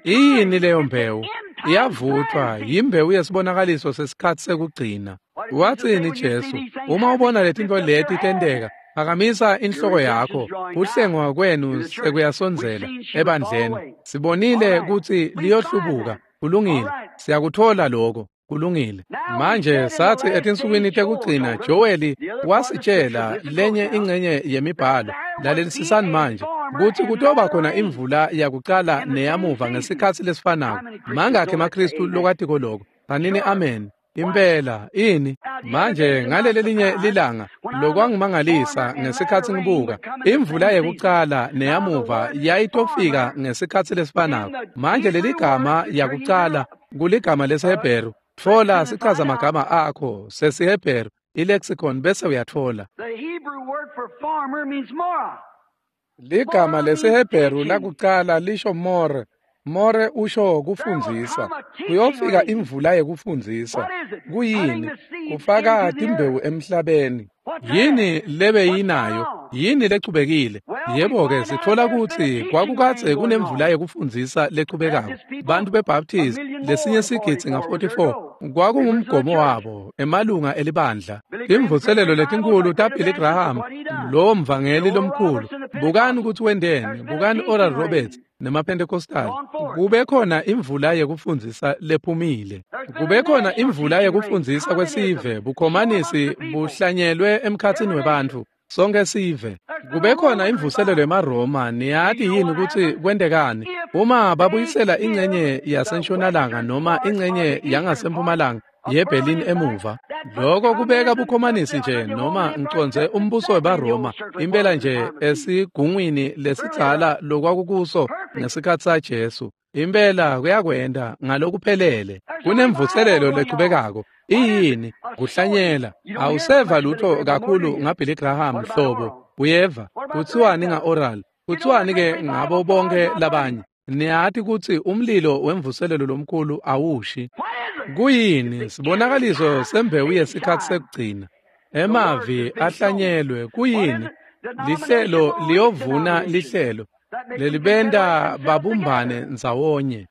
Iyini leyo mbewu? Iyavuthwa, yimbewu yesibonakaliso sesikhatsi sekugcina. Watsini Jesu? Uma ubona letintfo leti tenteka, phakamisa inhloko yakho, kuhlengwa kwenu sekuyasondzela ebandleni. Sibonile kutsi liyohlubuka. Kulungile, siyakuthola lokho. Kulungile. Manje sathi etinsukwini tekugcina Joeli wasitshela lenye ingcenye yemibhalo. Lalelisisani manje kutsi kutoba khona imvula yakucala neyamuva ngesikhatsi lesifanako. Mangakhi emaKristu lokwatiko lokho? Tsanini amen. Impela ini? Manje ngaleli linye lilanga lokwangimangalisa ngesikhatsi ngibuka imvula yekucala neyamuva yayitofika ngesikhatsi lesifanako. Manje leligama yakucala kuligama lesiHebheru. Tfola sichaza magama akho sesiHebheru ilexicon bese uyatfola. Ligama lesiHebheru lakucala lisho more. More usho kufundzisa. Kuyofika imvula yekufundzisa. Kuyini? Kufaka timbewu emhlabeni. Yini lebeyinayo? Yini lechubekile? Yebo-ke sitfola kutsi kwakukadze kunemvula yekufundzisa lechubekako. Bantu beBaptist lesinye sigidzi nga-44 kwakungumgomo wabo, emalunga elibandla. Imvuselelo letinkhulu taBilly Graham, lowo mvangeli lomkhulu. Bukani kutsi wenteni, bukani Oral Roberts nemaPentecostal. Kube khona imvula yekufundzisa lephumile. Kube khona imvula yekufundzisa kwesive, bukhomanisi buhlanyelwe emkhatsini webantfu. Sonke sive. Kube khona imvuselelo emaRoma. Niyati yini kutsi kwentekani? Uma babuyisela ingcenye yasentshonalanga noma ingcenye yangasempumalanga yeBerlin emuva, lokho kubeka bukhomanisi nje noma ngicondze umbuso webaRoma impela nje esigungwini lesidzala lokwakukuso ngesikhatsi saJesu. Impela kuyakwenta ngalokuphelele. Kunemvuselelo lechubekako. Iyini? Kuhlanyela. Awuseva lutho kakhulu ngaBilly Graham hlobo. Uyeva? Kuthiwani nga-Oral? Kuthiwani-ke ngabo bonke labanye? Niyati kutsi umlilo wemvuselelo lomkhulu awushi. Kuyini? Sibonakaliso sembewu yesikhatsi sekugcina. Emavi ahlanyelwe. Kuyini? Lihlelo liyovuna lihlelo lelibenta babumbane ndzawonye.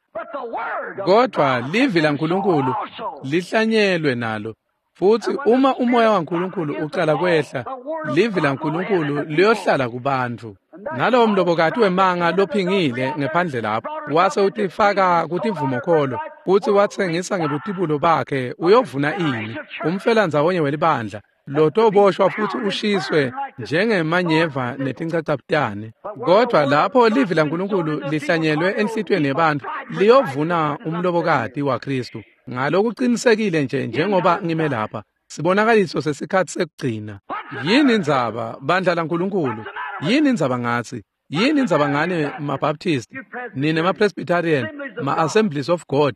Kodwa livi laNkulunkulu lihlanyelwe nalo. Futsi uma umoya waNkulunkulu ucala kwehla, livi laNkulunkulu liyohlala kubantfu. Nalowo mlobokati wemanga lophingile ngephandle lapho, wase utifaka kutivumokholo, futsi watsengisa ngebutibulo bakhe, uyovuna ini? Umfelandzawonye welibandla, lotoboshwa futsi ushiswe njengemanyeva netincacabutane. Kodwa lapho livi laNkulunkulu lihlanyelwe enhlitiyweni yebantfu, liyovuna umlobokati waKhristu. Ngalokuqinisekile nje njengoba ngime lapha, sibonakaliso sesikhatsi sekugcina. Yini indzaba, bandla laNkulunkulu? Yini indzaba ngatsi? Yini indzaba ngani maBaptist, nine maPresbyterian, ma-Assemblies of God?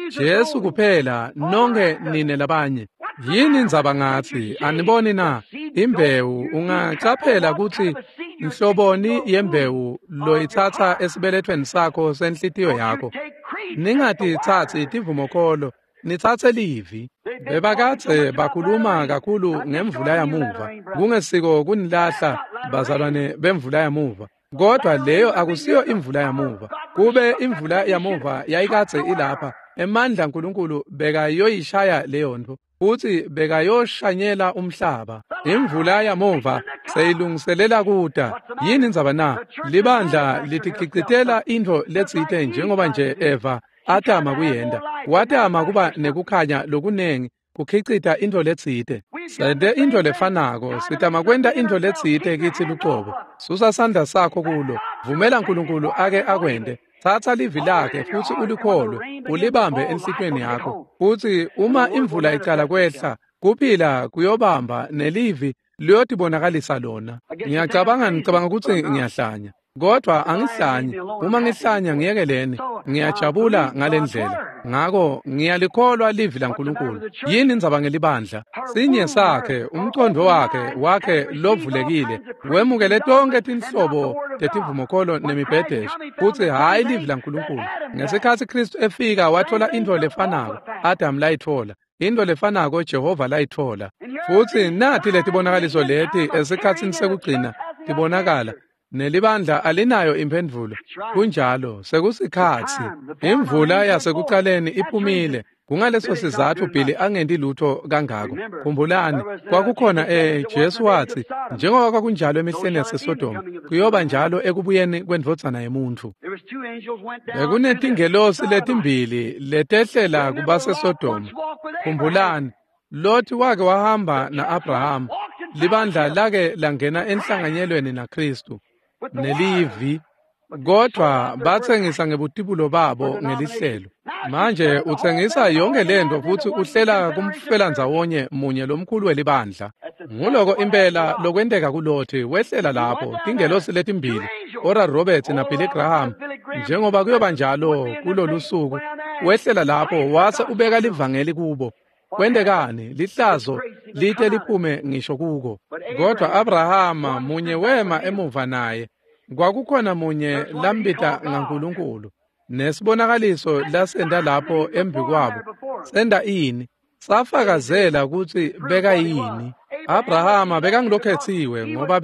Jesu kuphela, nonke nine labanye. Yini indzaba ngatsi? Aniboni na? Imbewu, ungacaphela kutsi nhloboni yembewu loyitsatsa esibelethweni sakho senhlitiyo yakho. Ningatitsatsi tivumokholo, nitsatse livi. Bebakadze bakhuluma kakhulu ngemvula yamuva. Kungesiko kunilahla bazalwane bemvula yamuva. Kodwa leyo akusiyo imvula yamuva. Kube imvula yamuva yayikadze ilapha, emandla aNkulunkulu bekayoyishaya leyo ntfo, futsi bekayoshanyela umhlaba. Imvula yamuva seyilungiselela kuta. Yini indzaba na? Libandla litikhicitela intfo letsite njengoba nje Eva atama kuyenta. Watama kuba nekukhanya lokunengi kukhicita intfo letsite. Sente intfo lefanako, sitama kwenta intfo letsite kitsi lucobo. Susa sandla sakho kulo. Vumela uNkulunkulu ake akwente. Tsatsa livi lakhe futsi ulikholwe, ulibambe enhlitiyweni yakho. Futsi uma imvula icala kwehla, kuphila kuyobamba nelivi liyotibonakalisa lona. Ngiyacabanga, ngicabanga kutsi ngiyahlanya. Kodwa angihlanyi. Uma ngihlanya ngiyekeleni. Ngiyajabula ngalendlela. Ngako ngiyalikholwa livi laNkulunkulu. Yini indzaba ngelibandla? Sinye sakhe, umqondo wakhe lovulekile, wemukele tonke tinhlobo tetivumokholo nemibhedesho, futsi hhayi livi laNkulunkulu. Ngesikhatsi Khristu efika wathola intfo lefanako Adamu layitfola, intfo lefanako Jehova layitfola. Futsi nathi letibonakaliso leti esikhatsini sekugcina tibonakala. Nelibandla alinayo imphendvulo. Kunjalo, sekusikhatsi. Imvula yasekucaleni iphumile. Kungaleso sizatfu Billy angenti lutho kangako. Khumbulani, kwakukhona Jesu watsi, njengoba kwakunjalo emihleni yaseSodoma, kuyoba njalo ekubuyeni kwendvodzana yemuntfu. Bekunetingelosi letimbili letehlela kubaseSodoma. Khumbulani, Loti wake wahamba na-Abrahama. Libandla lake langena enhlanganyelweni naKhristu nelivi, kodwa batsengisa ngebutibulo babo ngelihlelo. Manje utsengisa yonke lento futsi uhlela kumfelandzawonye munye lomkhulu welibandla. Nguloko impela lokwenteka kuLothi. Wehlela lapho tingelosi letimbili, Oral Roberts na Billy Graham, njengoba kuyoba njalo kulolu suku. Wehlela lapho wase ubeka livangeli kubo. Kwentekani? Lihlazo lite liphume ngisho kuko. Kodwa Abrahama munye wema emuva naye. Kwakukhona munye lambita ngaNkulunkulu. Nesibonakaliso lasenta lapho embikwabo. Senta ini? Safakazela kutsi bekayini. Abrahama bekangilokhetsiwe ngoba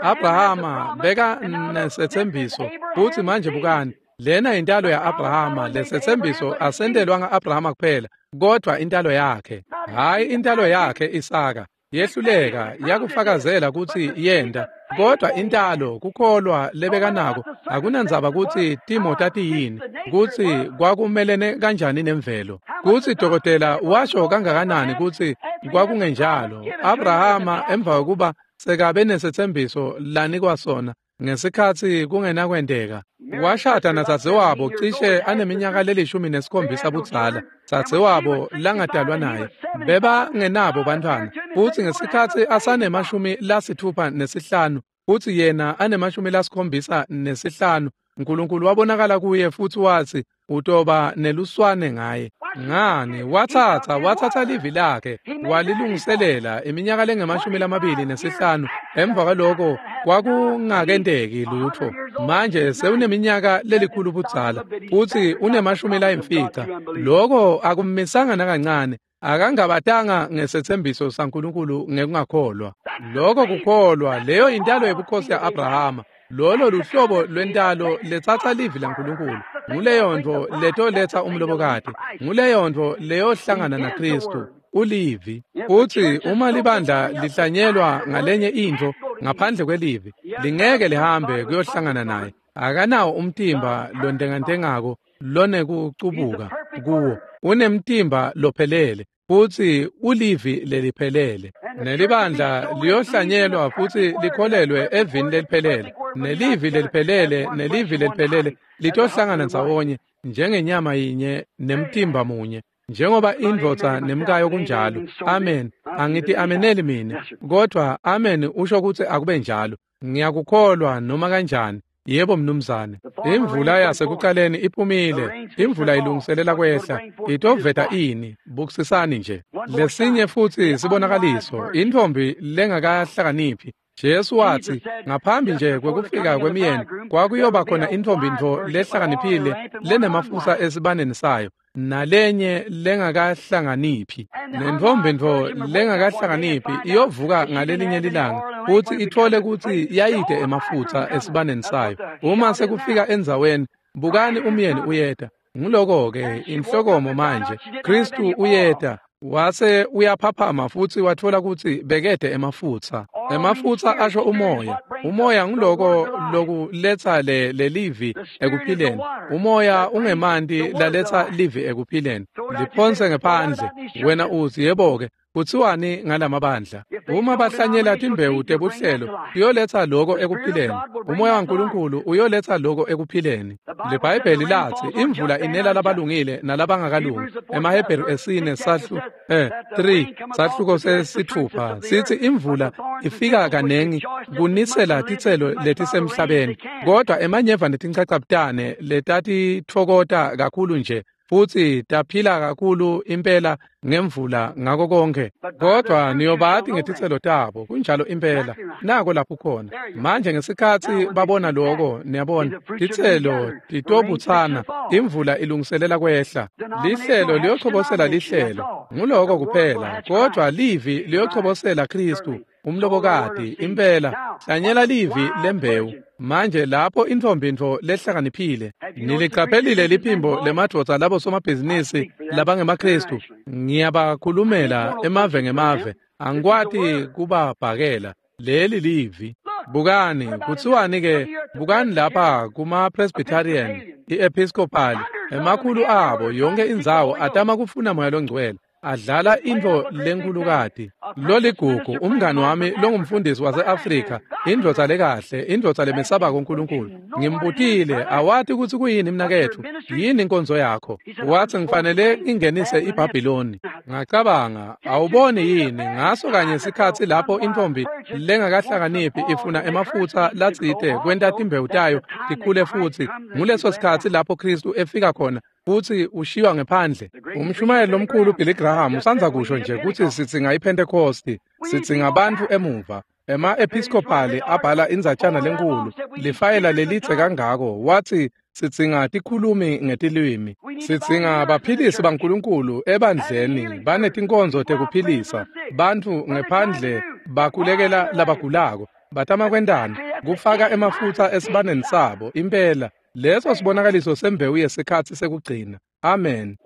Abrahama bekanesetsembiso. Futsi manje bukani, lena intalo ya-Abrahama. Lesetsembiso asentelwanga Abrahama kuphela, kodwa intalo yakhe. Hhayi intalo yakhe Isaka. Yehluleka yakufakazela kutsi yenta, kodwa intalo kukholwa lebekanako akunandzaba kutsi timo tatiyini, kutsi kwakumelene kanjani nemvelo, kutsi dokotela washo kangakanani kutsi kwakungenjalo. Abrahama emva kokuba sekabe nesetsembiso lanikwa sona ngesikhatsi kungenakwenteka, washada nadzadzewabo cishe aneminyaka le-17 budzala, dzadzewabo langadalwa naye. Bebangenabo bantfwana, futsi ngesikhatsi asane-65 futsi yena ane-75, Nkulunkulu wabonakala kuye futhi wathi utoba neluswane ngaye. Ngani wathatha livi lakhe walilungiselela iminyaka lengama-25. Emva kwaloko kwakungakenteki lutho. Manje sewuneminyaka lelikhulu budzala futhi une-50. Loko akummisanga nakancane. Akangabatanga ngesethembiso saNkulunkulu ngekungakholwa. Loko kukholwa, leyo intalo yebukhosi ya-Abrahama. Lolo luhlobo lwentalo letsatsa livi laNkulunkulu. Nguleyo ntfo letoletsa umlobokati. Nguleyo ntfo leyohlangana naKristu. Ulivi. Futhi uma libandla lihlanyelwa ngalenye intfo ngaphandle kwelivi, lingeke lihambe kuyohlangana naye. Akanawo umtimba lontengantengako lonekucubuka kuwo. Unemtimba lophelele futhi ulivi leliphelele. Nelibandla liyohlanyelwa futhi likholelwe evini leliphelele. Nelivi leliphelele nelivi leliphelele litohlangana ndzawonye njengenyama yinye nemtimba munye. Njengoba indvodza nemkayo kunjalo. Amen. Angithi ameneli mina, kodwa amen usho ukuthi akube njalo. Ngiyakukholwa noma kanjani. Yebo mnumzane. Imvula yasekuqaleni iphumile. Imvula ilungiselela kwehla. Itoveta ini? Bukisisani nje. Lesinye futhi sibonakaliso, intfombi lengakahlakaniphi. Jesu wathi ngaphambi nje kwekufika kwemiyeni kwakuyoba khona intfombi ntfo lehlakaniphile lenemafutsa esibaneni sayo nalenye lengakahlanganiphi. Lentfombi ntfo lengakahlakaniphi iyovuka ngalelinye lilanga futhi ithole kutsi yayide emafutsa esibaneni sayo. Uma sekufika endzaweni, bukani umyeni uyeta. Nguloko-ke inhlokomo manje. Kristu uyeta. Wase uyaphaphama futhi wathola kutsi bekede emafutsa. Emafutsa asho umoya. Umoya nguloko lokuletsa lelivi ekuphileni. Umoya ungemanti laletsa livi ekuphileni. Liphonse ngephandle. Wena uthi yebo-ke, kuthiwani ngalamabandla? Uma bahlanyela timbewu tebuhlelo, uyoletsa loko ekuphileni. Umoya waNkulunkulu uyoletsa loko ekuphileni. LiBhayibheli lathi imvula inela labalungile nalabangakalungi. EmaHebheru 4 3 sahluko 6 sithi imvula ifika kanengi kunisela titselo letisemhlabeni, kodwa emanyeva netinchachabutane letatitfokota kakhulu nje futhi taphila kakhulu impela ngemvula ngako konke, kodwa niyobati ngetitselo tabo. Kunjalo impela. Nako lapho khona manje ngesikhatsi babona loko, niyabona titselo titobutsana, imvula ilungiselela kwehla. Lihlelo liyochobosela lihlelo, nguloko kuphela, kodwa livi liyochobosela Kristu umlobokati. Impela hlanyela livi lembewu. Manje lapho intfombi ntfo lehlakaniphile. Niliqaphelile liphimbo lemadvodza labo somabhizinisi labangemaKristu. Ngiyabakhulumela emave ngemave, angikwati kubabhakela. Leli livi. Bukani, kuthiwani ke? Bukani lapha kuma-Presbyterian, i-Episcopal, emakhulu abo yonke indzawo atama kufuna moya longcwele. Adlala intfo lenkulukati. Loligugu umngani wami longumfundisi wase-Afrika, indvodza lekahle, indvodza lemesabako uNkulunkulu. Ngimbutile, awati kutsi kuyini mnaketfu, yini inkonzo yakho? Wathi ngifanele ngingenise iBhabhiloni. Ngacabanga, awuboni yini ngaso kanye sikhatsi lapho intfombi lengakahlakaniphi ifuna emafutsa latsite kwenta timbewu tayo tikhule futhi, nguleso sikhatsi lapho Kristu efika khona futhi ushiywa ngephandle. Umshumayeli lomkhulu Billy Graham usandza kusho nje kutsi sitsinga iPhentekosti, sitsinga bantfu emuva. Ema-Episcopali abhala indzatjana lenkulu, lifayela lelidze kangako, wathi sitsinga tikhulumi ngetilwimi. Sitsinga baphilisi baNkulunkulu ebandleni, banetinkonzo tekuphilisa bantfu ngephandle, bakhulekela labagulako. Batama kwentani? Kufaka emafutsa esibaneni sabo. Impela leso sibonakaliso sembewu yesikhatsi sekugcina. Amen.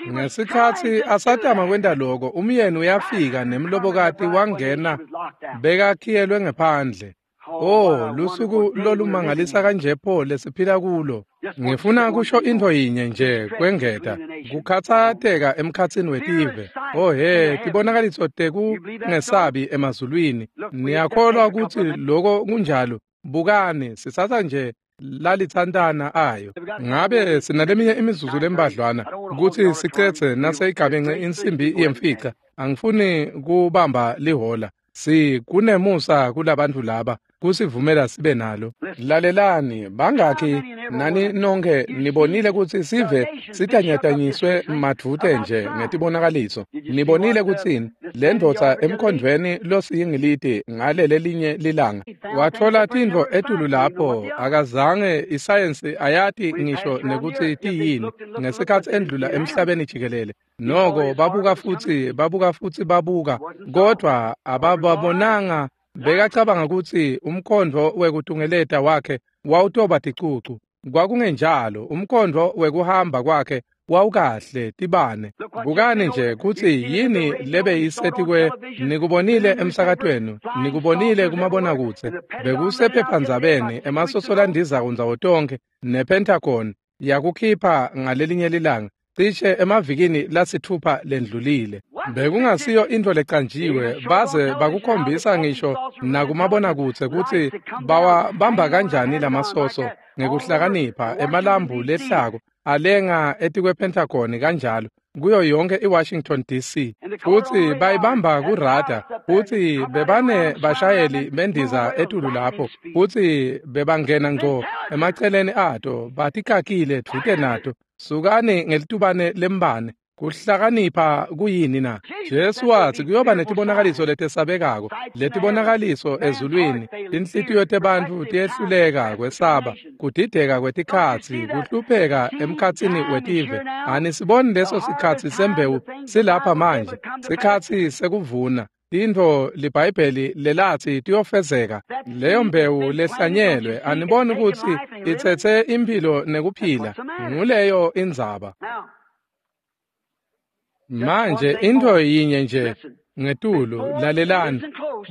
Ngesikhatsi asatama kwenta loko, umyeni uyafika nemlobokati wangena bekakhiyelwe ngephandle. Oh, lusuku lolumangalisa kanje pho lesiphila kulo. Ngifuna kusho intfo yinye nje kwengeta, kukhatsateka emkhatsini wetive. Oh he, tibonakaliso tekungesabi emazulwini. Niyakholwa kutsi loko kunjalo? Bukani, sitsatsa nje lalitsantana ayo. Ngabe sinaleminye imizuzu lembadlwana kutsi sicetse naseyigabence insimbi yemfica. Angifuni kubamba lihola. Sikunemusa kulabantu laba. kusivumela sibe nalo. Lalelani, bangakhi nani nonke nibonile kutsi sive sitanyatanyiswe madvute nje ngetibonakaliso. Nibonile kutsini lendvodza emkhondvweni losiyingiliti ngalelelinye lilanga watfola tintfo etulu lapho akazange isayensi ayati ngisho nekutsi tiyini ngesikhatsi endlula emhlabeni jikelele. Noko babuka futsi babuka futsi babuka, kodvwa abababonanga. Bekacabanga kutsi umkhondvo wekutungeleta wakhe wawutoba ticucu. Kwakungenjalo, umkhondvo wekuhamba kwakhe wawukahle tibane. Bukani nje kutsi yini lebeyisetikwe. Nikubonile emsakatweni, nikubonile kumabonakudze, bekusephephandzabeni, emasoso landizako ndzawo tonkhe, nePentagon yakukhipha ngalelinye lilanga cishe emavikini lasithupha lendlulile. Bekungasiyo intfo lecanjiwe, baze bakukhombisa ngisho nakumabonakudze kutsi bawabamba kanjani lamasoso ngekuhlakanipha emalambu lehlako alenga etikwe-Pentagon kanjalo kuyo yonke iWashington DC, futsi bayibamba kurada, futsi bebane bashayeli bendiza etulu lapho, futsi bebangena ngco emaceleni ato batikakile dvute nato. Sukani ngelitubane lembane. Kuhlakanipha kuyini na? Jesu watsi kuyoba netibonakaliso letesabekako, letibonakaliso ezulwini, tinhlitiyo tebantfu tiyehluleka kwesaba, kudideka kwetikhatsi, kuhlupheka emkhatsini wetive. Anisiboni leso sikhatsi sembewu silapha manje, sikhatsi sekuvuna. Tintfo liBhayibheli lelatsi tiyofezeka, leyo mbewu lehlanyelwe, aniboni kutsi itsetse imphilo nekuphila. Nguleyo indzaba. Manje intfo yinye nje ngetulu, lalelani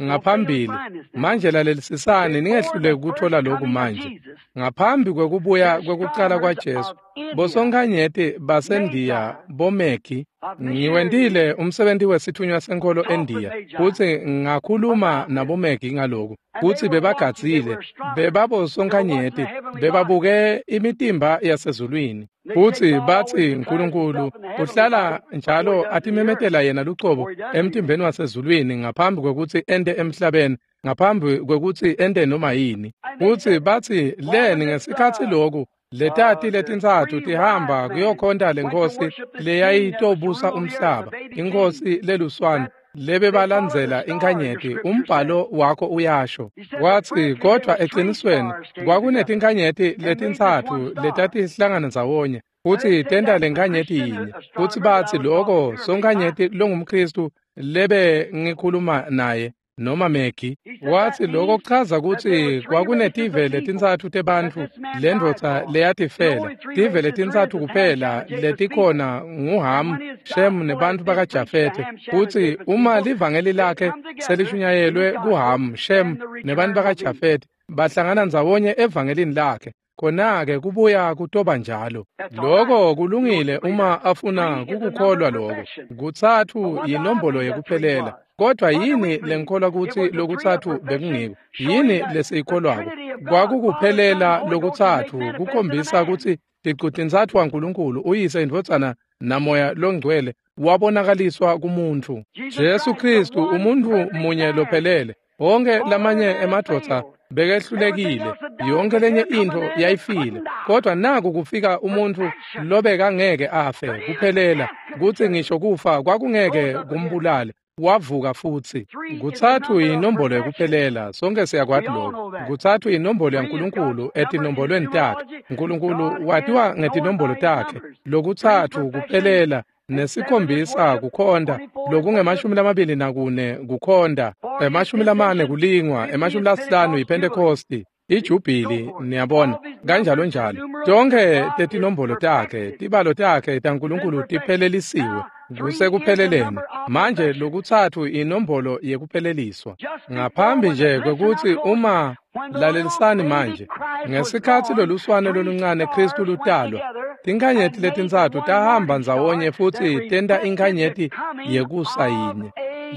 ngaphambili. Manje lalelisisani, ningehluleki kutfola lokhu manje. Ngaphambi kwekubuya kwekucala kwaJesu, bosonkhanyeti baseNdiya boMegi, ngiwentile umsebenti wesitfunywa senkholo eNdiya, futsi ngakhuluma naboMegi ngaloku, kutsi bebagadzile, bebabosonkhanyeti, bebabuke imitimba yasezulwini. Futsi batsi Nkulunkulu uhlala njalo atimemetela yena lucobo emtimbeni wasezulwini ngaphambi kwekutsi ente emhlabeni, ngaphambi kwekutsi ente noma yini. Futsi batsi leni ngesikhatsi loku letati letintsatfu tihamba kuyokhonta lenkosi leyayitobusa umhlaba, inkosi leluswane, lebebalandzela inkhanyeti, umbhalo wakho uyasho. Watsi kodvwa eqinisweni kwakunetinkhanyeti letintsatfu letatihlangana ndzawonye futsi tenta lenkhanyeti yinye. Futsi batsi loko sonkhanyeti longumKhristu lebe ngikhuluma naye noma Megi, watsi loko kuchaza kutsi kwakunetive letintsatfu tebantfu lendvodza leyatifela. Tive letintsatfu kuphela letikhona nguHamu, Shemu nebantfu bakaJafethe. Futsi uma livangeli lakhe selishunyayelwe kuHamu, Shemu nebantfu bakaJafethe, bahlangana ndzawonye evangelini lakhe, khona-ke kubuya kutoba njalo. Loko kulungile uma afuna kukukholwa loko. Kutsatfu yinombolo yekuphelela. Kodvwa yini lenkholwa kutsi lokutsatfu bekungiko? Yini lesiyikholwako? Kwakukuphelela lokutsatfu kukhombisa kutsi ticu-tintsatfu waNkulunkulu, uYise, iNdvodzana naMoya loNgcwele wabonakaliswa kumuntfu. Jesu Khristu, umuntfu munye lophelele. Wonke lamanye emadvodza bekehlulekile, yonke lenye intfo yayifile, kodvwa naku kufika umuntfu lobekangeke afe kuphelela, kutsi ngisho kufa kwakungeke kumbulale. Wavuka futsi. Kutsatfu yinombolo yekuphelela, sonke siyakwati lokho. Kutsatfu yinombolo yaNkulunkulu etinombolweni takhe. Nkulunkulu watiwa ngetinombolo takhe. Lokutsatfu kuphelela, nesikhombisa kukhonta, lokunge-24 kukhonta, 40 kulingwa, 50 yiPhentekosti, ijubhili, niyabona, kanjalo njalo. Tonkhe tetinombolo takhe, tibalo takhe taNkulunkulu tiphelelisiwe kusekupheleleni. Manje lokutsatfu inombolo yekupheleliswa. Ngaphambi nje kwekutsi uma lalelisani manje, ngesikhatsi loluswane loluncane Khristu lutalwa, tinkhanyeti letintsatfu tahamba ndzawonye futsi tenta inkhanyeti yekusa yinye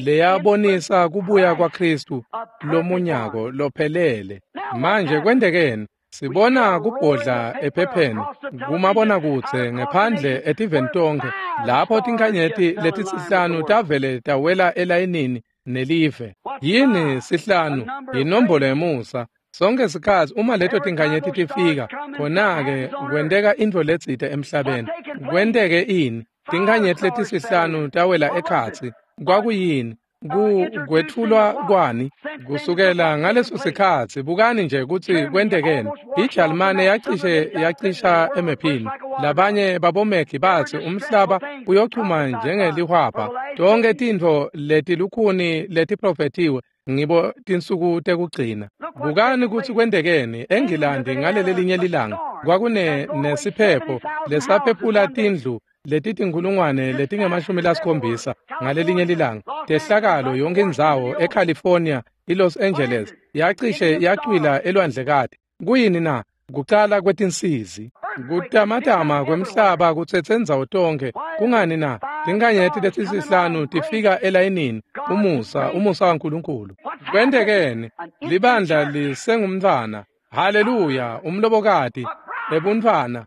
leyabonisa kubuya kwaKhristu lomunyako lophelele. Manje kwentekeni? Sibona kubhodla ephepheni kumabonakudze ngephandle etiveni tonkhe, lapho tinkhanyeti letisihlanu tavele tawela elayinini nelive. Yini sihlanu? Yinombolo yemusa. Sonke sikhathi uma leto tinkanyeti tifika, khona-ke kwenteka intfo letsite emhlabeni. Kwenteke ini? Tinkanyeti letisihlanu tawela ekhatsi. Kwakuyini? Kwetfulwa kwani? Kusukela ngaleso sikhatsi, bukani nje kutsi kwentekeni. IJalimane yacishe yacisha emephini. Labanye babomekhi batsi umhlaba uyochuma njengelihwabha. Tonkhe tintfo letilukhuni letiprofethiwe ngibo tinsuku tekugcina. Bukani kutsi kwentekeni eNgilandi ngalelelinye lilanga. Kwakune nesiphepho lesaphephula tindlu letitinkhulungwane letingama-70 ngalelinye lilanga. Tehlakalo yonke indzawo eCalifornia, iLos Angeles yacishe yacwila elwandlekati. Kuyini na? Kucala kwetinsizi. Kutamatama kwemhlaba kutsetse ndzawo tonkhe. Kungani na? Tinkanyeti letisihlanu tifika elayinini. Umusa, umusa waNkulunkulu. Kwentekeni? Libandla lisengumntfwana. Haleluya, umlobokati ebuntfwana.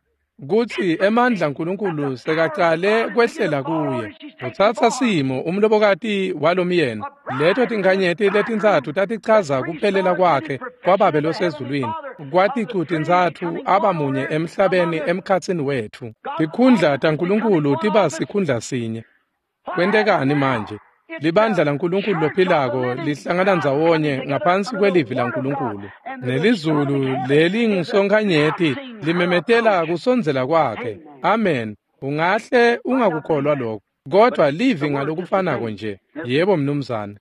Kutsi emandla aNkulunkulu sekacale kwehlela kuye. Utsatsa simo umlobokati walomyeni. Leto tinkanyeti letintsatfu tatichaza kuphelela kwakhe kwaBabe losezulwini. Kwaticu tintsatfu abamunye emhlabeni emkhatsini wetfu. Tikhundla taNkulunkulu tiba sikhundla sinye. Kwentekani manje? Libandla laNkulunkulu lophilako lihlangana ndzawonye ngaphansi kwelivi laNkulunkulu. Nelizulu lelingusonkanyeti limemetela kusondzela kwakhe. Amen. Ungahle ungakukholwa lokho, kodwa livi ngalokufanako nje. Yebo mnumzane.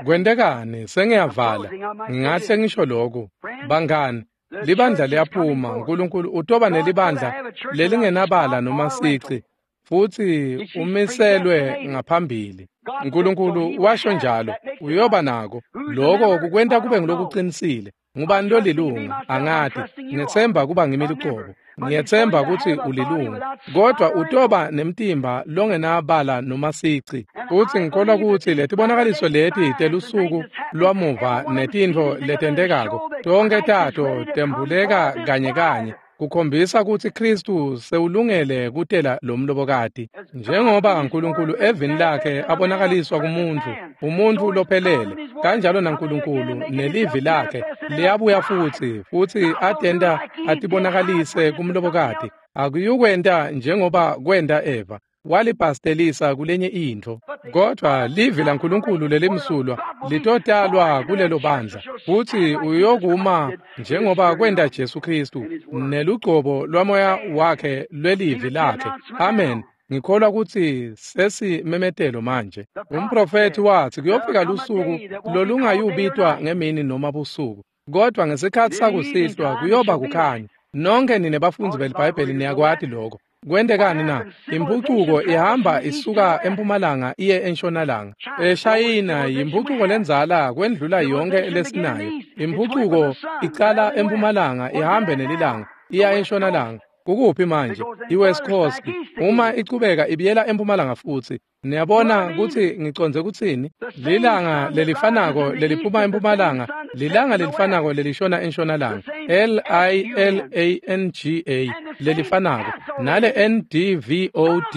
Kwentekani? Sengiyavala. Ngingahle ngisho lokhu. Bangani, libandla liyaphuma. uNkulunkulu utoba nelibandla lelingenabala noma sici, futsi umiselwe ngaphambili. uNkulunkulu washo njalo, uyoba nako. Lokho kukwenta kube ngulokuqinisile. Ngubani lolilunga? Angati. Ngiyetsemba kuba ngimi lucobo. Ngiyetsemba kutsi ulilunga. Kodwa utoba nemtimba longenabala noma sici. Futsi ngikholwa kutsi letibonakaliso leti telusuku lwamuva netintfo letentekako, tonkhe tato tembuleka kanye kanye, kukhombisa kutsi Kristu sewulungele kutela lomlobokati. Njengoba uNkulunkulu evini lakhe abonakaliswa kumuntfu, umuntfu lophelele, kanjalo naNkulunkulu nelivi lakhe liyabuya futsi, futsi atenta atibonakalise kumlobokati. Akuyukwenta njengoba kwenta Eva, walibhastelisa kulenye intfo. Kodwa livi laNkulunkulu lelimsulwa litotalwa kulelo bandla, futsi uyokuma njengoba kwenta Jesu Kristu nelugcobo lwamoya wakhe lwelivi lakhe. Amen. Ngikholwa kutsi sesimemetelo manje. Umprofethi watsi kuyofika lusuku lolungayubitwa ngemini noma busuku, kodwa ngesikhatsi sakusihlwa kuyoba kukhanya. Nonke nine bafundzi beliBhayibheli niyakwati lokho. Kwentekani na? Impucuko ihamba isuka empumalanga iye entshonalanga. EShayina yimpucuko lendzala kwendlula yonke lesinayo. Impucuko icala empumalanga ihambe nelilanga iya entshonalanga. Kukuphi manje? IWest Coast. Uma ichubeka ibiyela empumalanga futsi. Niyabona kutsi ngicondze kutsini? Lilanga lelifanako leliphuma empumalanga, lilanga lelifanako lelishona entshonalanga. L-I-L-A-N-G-A lelifanako nale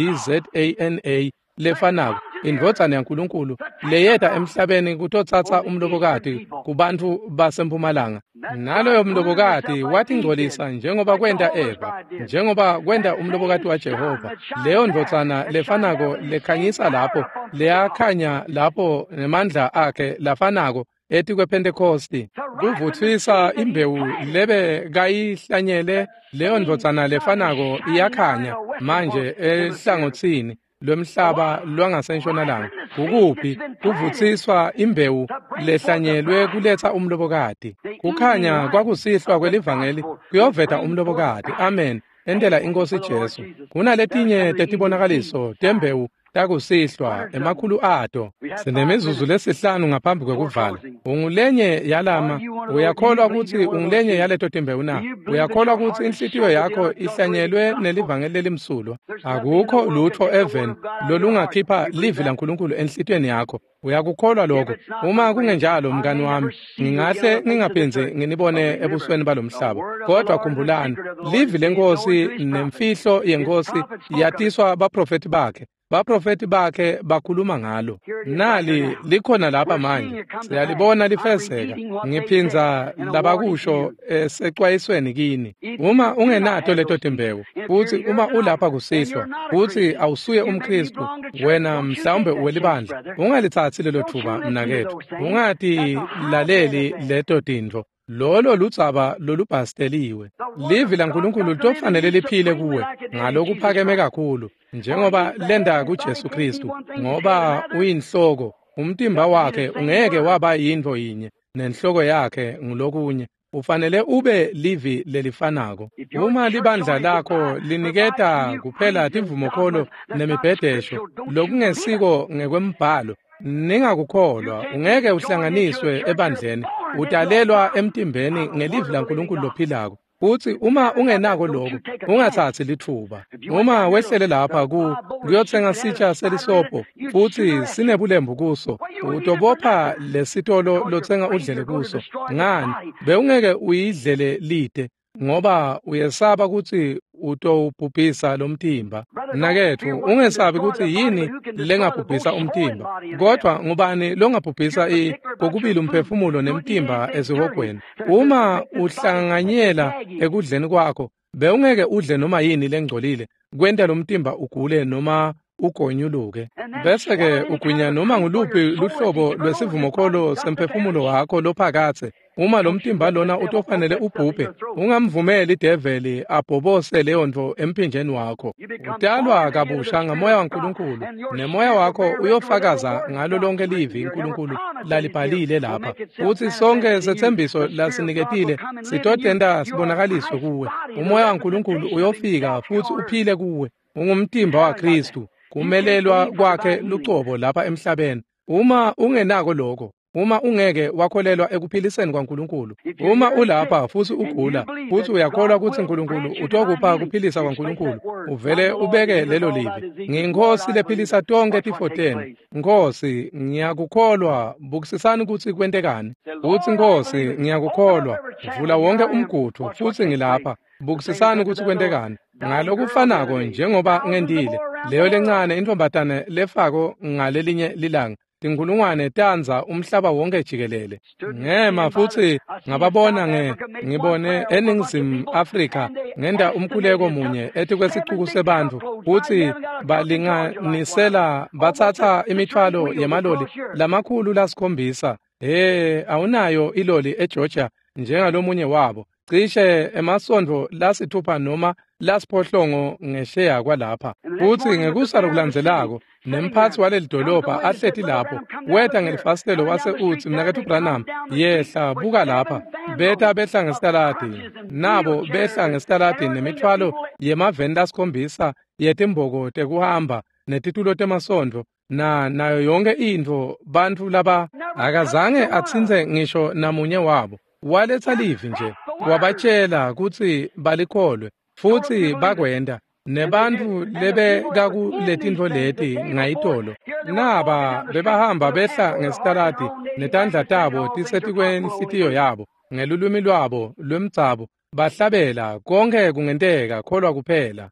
N-D-V-O-D-Z-A-N-A lefanako, indvodzana yaNkulunkulu leyeta emhlabeni kutotsatsa umlobokati kubantfu basempumalanga. Naloyo mlobokati watingcolisa njengoba kwenta Eva, njengoba kwenta umlobokati waJehova. Leyo ndvodzana lefanako lekhanyisa lapho, leyakhanya lapho nemandla akhe lafanako etikwePhentekhosti, kuvutsisa imbewu lebe kayihlanyele. Leyo ndvodzana lefanako iyakhanya manje ehlangotsini lwemhlaba lwangasentshonalanga. Kukuphi? Kuvutsiswa imbewu lehlanyelwe kuletsa umlobokati. Kukhanya kwakusihlwa kwelivangeli kuyoveta umlobokati. Amen. Entela iNkosi Jesu. Kunaletinye tetibonakaliso tembewu takusihlwa emakhulu ato. Sinemizuzu lesihlanu ngaphambi kwekuvala. Ungulenye yalama? Uyakholwa kutsi ungulenye yaleto timbewu na? Uyakholwa kutsi inhlitiyo yakho ihlanyelwe nelivangeli lelimsulwa? Akukho lutfo even lolungakhipha livi laNkulunkulu enhlitiyweni yakho. Uyakukholwa lokho? Uma kungenjalo, mngani wami, ngingahle ngingaphindzi nginibone ebusweni balomhlaba. Kodwa khumbulani, livi leNkosi nemfihlo yeNkosi yatiswa baprofethi bakhe. Baprofeti bakhe bakhuluma ngalo. Nali likhona lapha manje, siyalibona lifezeka. Ngiphindza labakusho esecwayisweni kini. Uma ungenato leto timbewu, futhi uma ulapha kusihlwa, futhi awusuye umKristu, wena mhlawumbe uwelibandla, ungalithathi lelo thuba mnaketfu. Ungatilaleli leto tintfo. Lolo ludzaba lolubhasteliwe. Livi laNkulunkulu litofanele liphile kuwe ngalokuphakeme kakhulu, njengoba lenda kuJesu Kristu, ngoba uyinhloko. Umtimba wakhe ungeke waba yintfo yinye nenhloko yakhe ngulokunye. Ufanele ube livi lelifanako. Uma libandla lakho liniketa kuphela tivumokholo nemibhedesho lokungesiko ngekwembhalo, ningakukholwa. Ungeke uhlanganiswe ebandleni. Utalelwa emtimbeni ngelivi laNkulunkulu lophilako. Futhi uma ungenako lokho, ungathathi lithuba. Uma wehlele lapha kuyothenga sitsha selisobho futhi sinebulembu kuso, utobopha lesitolo lothenga udlele kuso. Ngani? Bewungeke uyidlele lide, ngoba uyesaba kutsi utowubhubhisa lomtimba. Mnaketfu, ungesabi kutsi yini lengabhubhisa umtimba, kodwa ngubani longabhubhisa kokubili umphefumulo nemtimba esihogweni? Uma uhlanganyela ekudleni kwakho, bewungeke udle noma yini lengcolile kwenta lomtimba ugule noma ugonyuluke. Bese-ke ugwinya noma nguluphi luhlobo lwesivumokholo semphefumulo wakho lophakatse. Uma lo mtimba lona utofanele ubhubhe, ungamvumeli ideveli abhobose leyo ntfo emphinjeni wakho. Utalwa kabusha ngamoya waNkulunkulu, nemoya wakho uyofakaza ngalo lonke livi uNkulunkulu lalibhalile lapha. Futhi sonke setsembiso lasiniketile sitotenta sibonakaliswe kuwe. Umoya waNkulunkulu uyofika futhi uphile kuwe. Ungumtimba waKristu, kumelelwa kwakhe lucobo lapha emhlabeni. Uma ungenako lokho, uma ungeke wakholelwa ekuphiliseni kwaNkulunkulu, uma ulapha futhi ugula, futhi uyakholwa kutsi uNkulunkulu utokupha kuphilisa kwaNkulunkulu, uvele ubeke lelo livi. Ngiyinkosi lephilisa tonke tifo tenu. Nkosi, ngiyakukholwa. Bukisisani kutsi kwentekani. Utsi, Nkosi, ngiyakukholwa. Vula wonke umgudvu futhi ngilapha. Bukisisani kutsi kwentekani. Ngalokufanako njengoba ngentile, leyo lencane intfombatane lefako ngalelinye lilanga, tinkhulungwane tandza umhlaba wonke jikelele. Ngema futhi ngababona ngibone eNingizimu Afrika ngenta umkhuleko munye etikwesixuku sebantfu, futhi balinganisela batsatsa imithwalo yemaloli lamakhulu lasikhombisa. He, awunayo iloli eGeorgia njengalomunye wabo, cishe emasondvo lasithupha noma lasiphohlongo ngesheya kwalapha. Futhi ngekusa lokulandzelako, nemphatsi waleli dolobha ahleti lapho, weta ngelifasitelo wase utsi, Mnaketfu Branham, yehla buka lapha. Beta behla ngesitaladini, nabo behla ngesitaladini nemithwalo yemaveni lasikhombisa yetimboko tekuhamba netitulo temasondvo nayo yonke intfo. Bantfu laba akazange atsintse ngisho namunye wabo. Waletsa livi nje, wabatshela kutsi balikholwe, futhi bakwenta. Nebantfu lebekakuletintfo leti ngayitolo, naba bebahamba behla ngesitaladi netandla tabo tisetikwenhlitiyo yabo, ngelulwimi lwabo lwemdzabu bahlabela, konke kungenteka, kholwa kuphela.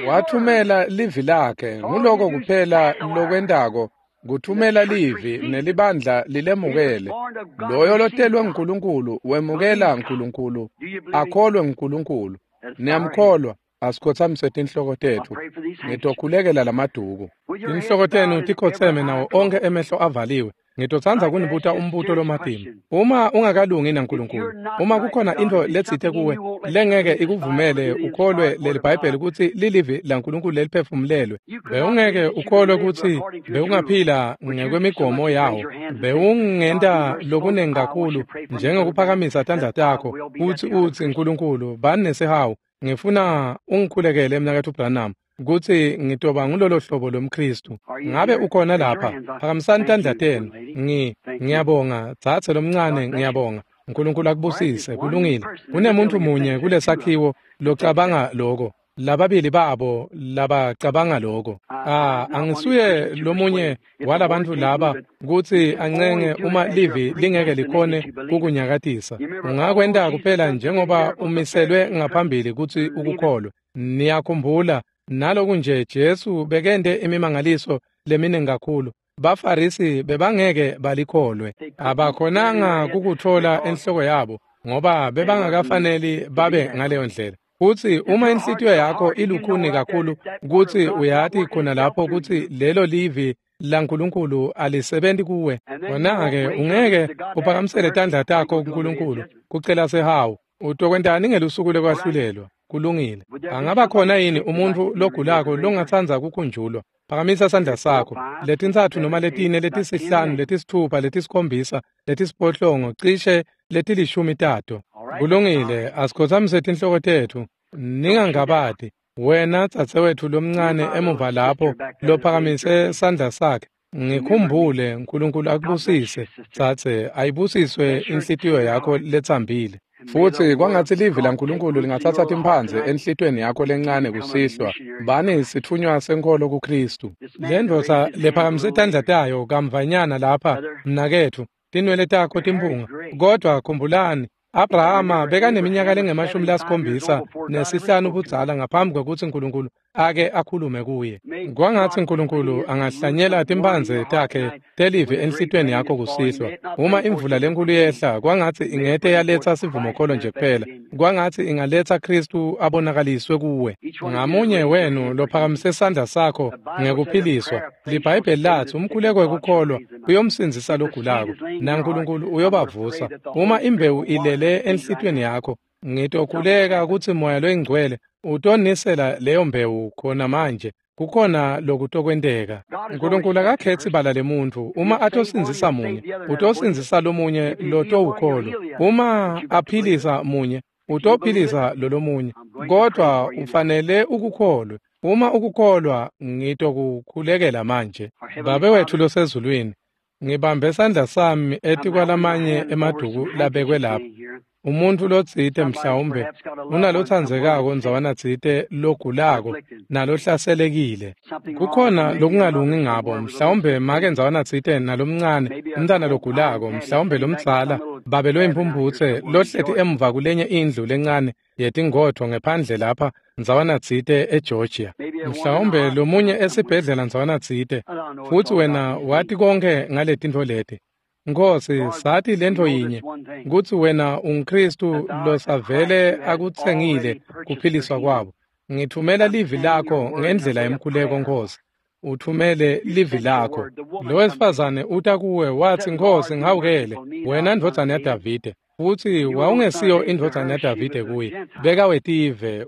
Wathumela livi lakhe, nguloko kuphela lokwentako, kuthumela livi nelibandla lilemukele. Loyo lotelwe nguNkulunkulu wemukela uNkulunkulu, akholwe nguNkulunkulu. Niyamkholwa? Asikhotsamise tinhloko tetfu. Ngitokhulekela lamaduku. Tinhloko tenu tikhotseme nawo onkhe emehlo avaliwe. Ngitotsandza kunibuta umbuto lomatima. Uma ungakalungi naNkulunkulu, uma kukhona intfo letsite kuwe lengeke ikuvumele ukholwe leli Bhayibheli kutsi lilivi laNkulunkulu leliphefumulelwe, bewungeke ukholwe kutsi bewungaphila ngekwemigomo yawo, bewungenta lokunengi kakhulu njengokuphakamisa tandla takho kutsi utsi, Nkulunkulu, bani nesihawu, ngifuna ungikhulekele Mnaketfu Branham, kutsi ngitoba ngulolo hlobo lomKristu. Ngabe ukhona lapha? Phakamisani tandla tenu. Ngiyabonga, dzadze lomncane, ngiyabonga. uNkulunkulu akubusise. Kulungile. Kunemuntu munye kulesakhiwo locabanga loko, lababili babo labacabanga loko. Angisuye lomunye walabantfu laba kutsi ancenge uma livi lingeke likhone kukunyakatisa. Ungakwenta kuphela njengoba umiselwe ngaphambili kutsi ukukholwe. Niyakhumbula Naloku nje Jesu bekente imimangaliso leminingi kakhulu, baFarisi bebangeke balikholwe. Abakhonanga kukutfola enhloko yabo ngoba bebangakafaneli babe ngaleyo ndlela. Futsi uma inhlitiyo yakho ilukhuni kakhulu kutsi uyati khona lapho kutsi lelo livi laNkulunkulu alisebenti kuwe, wena-ke ungeke uphakamisele tandla takho kuNkulunkulu kucela sihawu. Utokwentani ngelusuku lekwahlulelwa? Kulungile. Angaba khona yini umuntfu logulako longatsandza kukhunjulwa? Phakamisa sandla sakho. 3 noma 4 5 6 7 8 cishe 10 tato. Kulungile, asikhotsamise tinhloko tetfu. Ningangabati. Wena dzadzewetfu lomncane emuva lapho lophakamise sandla sakhe, ngikhumbule. Nkulunkulu akubusise, dzadze, ayibusiswe inhlitiyo yakho letsambile. Futsi kwangatsi livi laNkulunkulu lingatsatsa timphandze enhlitiyweni yakho lencane kusihlwa. Bani sitfunywa senkholo kuKhristu. Le ndvodza lephakamise tandla tayo kamvanyana lapha, mnaketfu, tinwele takho timphunga. Kodwa khumbulani, Abrahama bekaneminyaka lengu-75 budzala ngaphambi kwekutsi Nkulunkulu ake akhulume kuye. Kwangatsi Nkulunkulu angahlanyela timphandze takhe telivi enhlitiyweni yakho kusihlwa. Uma imvula lenkulu yehla, kwangatsi ingete yaletsa sivumokholo nje kuphela. Kwangatsi ingaletsa Khristu abonakaliswe kuwe. Ngamunye wenu lophakamise sandla sakho ngekuphiliswa, liBhayibheli latsi umkhuleko wekukholwa uyomsindzisa logulako, naNkulunkulu uyobavusa. Uma imbewu ilele enhlitiyweni yakho, ngitokhuleka kutsi Moya loyiNgcwele utonisela leyo mbewu khona manje. Kukhona lokutokwenteka. Nkulunkulu akakhetsi bala lemuntfu. Uma atosindzisa munye, utosindzisa lomunye lotowukholwa. Uma aphilisa munye, utophilisa lolomunye. Kodwa ufanele ukukholwe. Uma ukukholwa, ngitokukhulekela manje. Babe wetfu losezulwini, ngibambe sandla sami etikwalamanye emaduku labekwe lapha. Umuntfu lotsite mhlawumbe unalotsandzekako ndzawana tsite logulako nalohlaselekile. Kukhona lokungalungi ngabo, mhlawumbe make ndzawana tsite nalomncane, umntwana logulako, mhlawumbe lomdzala, babe loyimpumphutse lohleti emuva kulenye indlu lencane yetingodvo ngephandle lapha ndzawana tsite eGeorgia. Mhlawumbe lomunye esibhedlela ndzawana tsite. Futsi wena wati konke ngaletintfo leti. Nkhosi, sathi lentfo yinye, kutsi wena unguKhristu losavele akutsengile kuphiliswa kwabo. Ngithumela livi lakho ngendlela yemkhuleko, Nkhosi. Uthumele livi lakho. Lo wesifazane uta kuwe watsi, Nkhosi, ngihawukele, wena ndvodzana yaDavide. Futsi wawungesiyo indvodzana yaDavide kuye, bekawetive.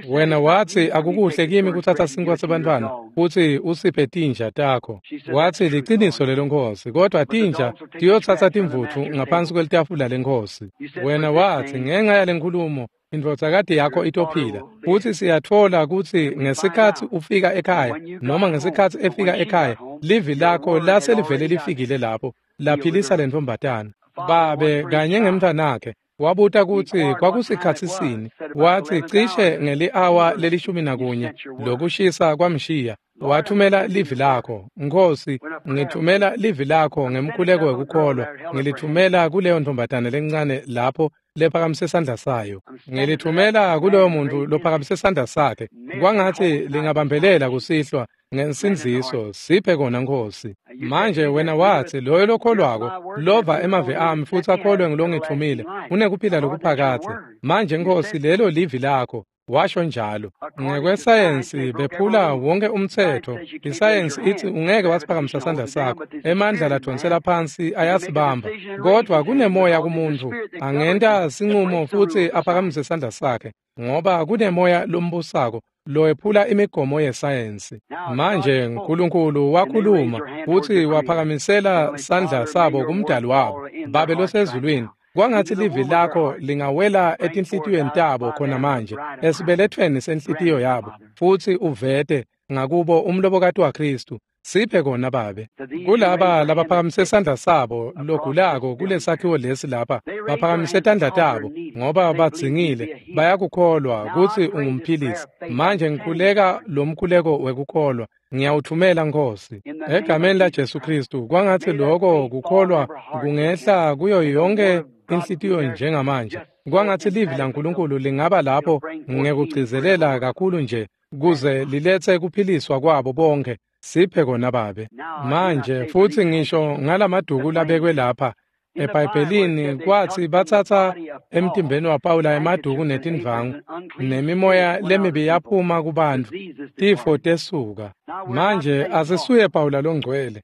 Wena watsi, akukuhle kimi kutsatsa sinkwa sebantfwana futsi usiphe tinja takho. Watsi, liciniso lelo Nkhosi, kodwa tinja tiyotsatsa timvutfu ngaphansi kwelitafula leNkhosi. Wena watsi, ngenca yalenkhulumo indvodzakati yakho itophila. Futsi siyatfola kutsi ngesikhatsi ufika ekhaya, noma ngesikhatsi efika ekhaya, livi lakho laselivele lifikile lapho, laphilisa lentfombatana. Babe kanye ngemntwanakhe wabuta kutsi kwakusikhatsi sini. Watsi cishe ngeli-awa le-11 lokushisa kwamshiya. Wathumela livi lakho. Nkhosi, ngithumela livi lakho ngemkhuleko wekukholwa. Ngilithumela kuleyo ntombatane lencane lapho lephakamise sandla sayo. Ngilithumela kuloyo muntu lophakamise sandla sakhe. Kwangatsi lingabambelela kusihlwa ngensindziso. Siphe kona, Nkhosi. Manje wena watsi, loyo lokholwako lova emavi ami futsi akholwe ngulongitfumile unekuphila lokuphakadze. Manje Nkhosi, lelo livi lakho. Washo njalo. Ngekwesayensi bephula wonke umtsetfo. Isayensi itsi ungeke wasiphakamisa sandla sakho. Emandla ladvonsela phansi ayasibamba. Kodwa kunemoya kumuntu angenta sinqumo futsi aphakamise sandla sakhe, ngoba kunemoya lombusako lowephula imigomo yesayensi. Manje Nkulunkulu wakhuluma futsi waphakamisela sandla sabo kumdali wabo. Babe losezulwini, kwangatsi livi lakho lingawela etinhlitiyweni tabo khona manje, esibelethweni senhlitiyo yabo, futsi uvete ngakubo umlobokati waKhristu. Siphe kona, Babe. Kulaba labaphakamise sandla sabo logulako kulesakhiwo lesi lapha, baphakamise tandla tabo ngoba badzingile, bayakukholwa kutsi ungumphilisi. Manje ngikhuleka lomkhuleko wekukholwa. Ngiyawuthumela, Nkhosi, egameni laJesu Khristu. Kwangatsi loko kukholwa kungehla kuyo yonke inhlitiyo njengamanje. Kwangatsi livi laNkulunkulu lingaba lapho ngekugcizelela kakhulu nje. kuze liletse kuphiliswa kwabo bonke. Siphe kona Babe. Manje futsi ngisho ngalamaduku labekwe lapha eBhayibhelini kwathi batsatsa emtimbeni waPawula emaduku netindvangu nemimoya lemibi yaphuma kubantfu, tifo tesuka. Manje asisuye Pawula longcwele,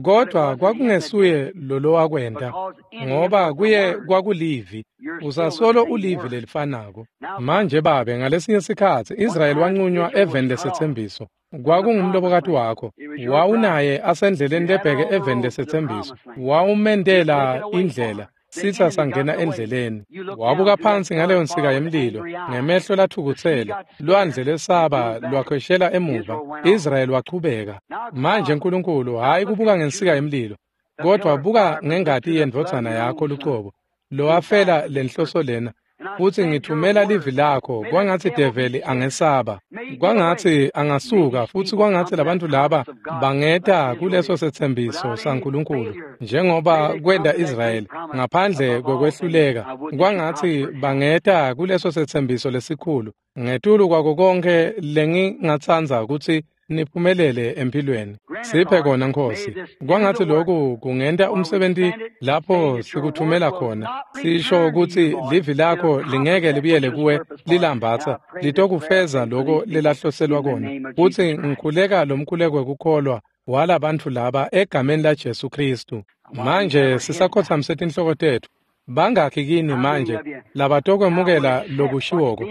kodwa kwakungesuye lolowakwenta, ngoba kuye kwakulivi. Usasolo ulivi lelifanako. Manje Babe, ngalesinye sikhatsi Israyeli wanqunywa eveni lesetsembiso. Kwakungumlobokati wakho, wawunaye asendleleni lebheke eveni lesetsembiso. Wawumendela indlela, sitsa sangena endleleni. Wabuka phansi ngaleyo nsika yemlilo ngemehlo lathukutsele, lwandle lesaba lwakhweshela emuva. Israyeli wachubeka. Manje Nkulunkulu, hhayi kubuka ngensika yemlilo, kodwa buka ngengati yendvodzana yakho lucobo, lowafela lenhloso lena. Futsi ngithumela livi lakho, kwangatsi develi angesaba, kwangatsi angasuka, futsi kwangatsi labantfu laba bangeta kuleso setsembiso saNkulunkulu, njengoba kwenta Israyeli ngaphandle kwekwehluleka. Kwangatsi bangeta kuleso setsembiso lesikhulu. Ngetulu kwako konkhe lengingatsandza kutsi niphumelele empilweni. Siphe kona Nkhosi. Kwangatsi loku kungenta umsebenti lapho sikuthumela khona. Sisho kutsi livi lakho lingeke libuyele kuwe lilambatsa, litokufeza loko lelahloselwa kona. Futsi ngikhuleka lomkhuleko wekukholwa walabantfu laba egameni laJesu Khristu. Manje sisakhotsamise tinhloko tetfu. Bangakhi kini manje labatokwemukela lokushiwoko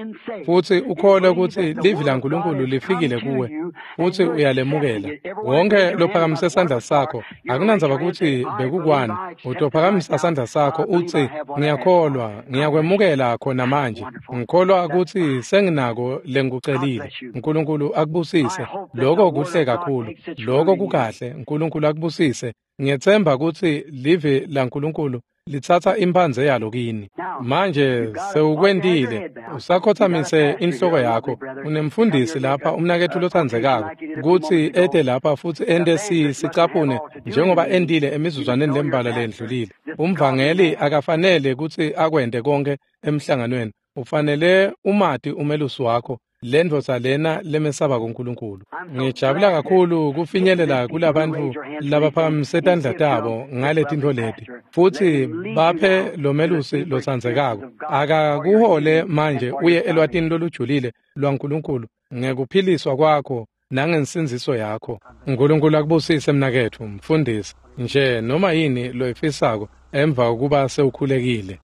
futsi ukholwe kutsi livi laNkulunkulu lifikile kuwe futsi uyalemukela? Wonke lophakamise sandla sakho, akunandzaba kutsi bekukwani, utophakamisa sandla sakho utsi, ngiyakholwa, ngiyakwemukela khona manje. Ngikholwa kutsi senginako lengikucelile. Nkulunkulu akubusise. Loko kuhle kakhulu. Loko kukahle. Nkulunkulu akubusise. Ngiyetsemba kutsi livi laNkulunkulu litsatsa imphandze yalo kini. Manje sewukwentile, usakhotsamise inhloko yakho. Unemfundisi lapha, umnaketfu lotsandzekako, kutsi ete lapha futsi ente sicaphune njengoba entile emizuzwaneni lembalwa lendlulile. Umvangeli akafanele kutsi akwente konke emhlanganweni. Ufanele umati umelusi wakho, lendvodza lena lemesaba kuNkulunkulu. Ngijabula kakhulu kufinyelela kulabantfu labaphakamise tandla tabo ngaletintfo leti, futsi baphe lomelusi lotsandzekako. Akakuhole manje uye elwatini lolujulile lwaNkulunkulu ngekuphiliswa kwakho nangensindziso yakho. Nkulunkulu akubusise mnaketfu, mfundisi, nje noma yini loyifisako emva kokuba sewukhulekile.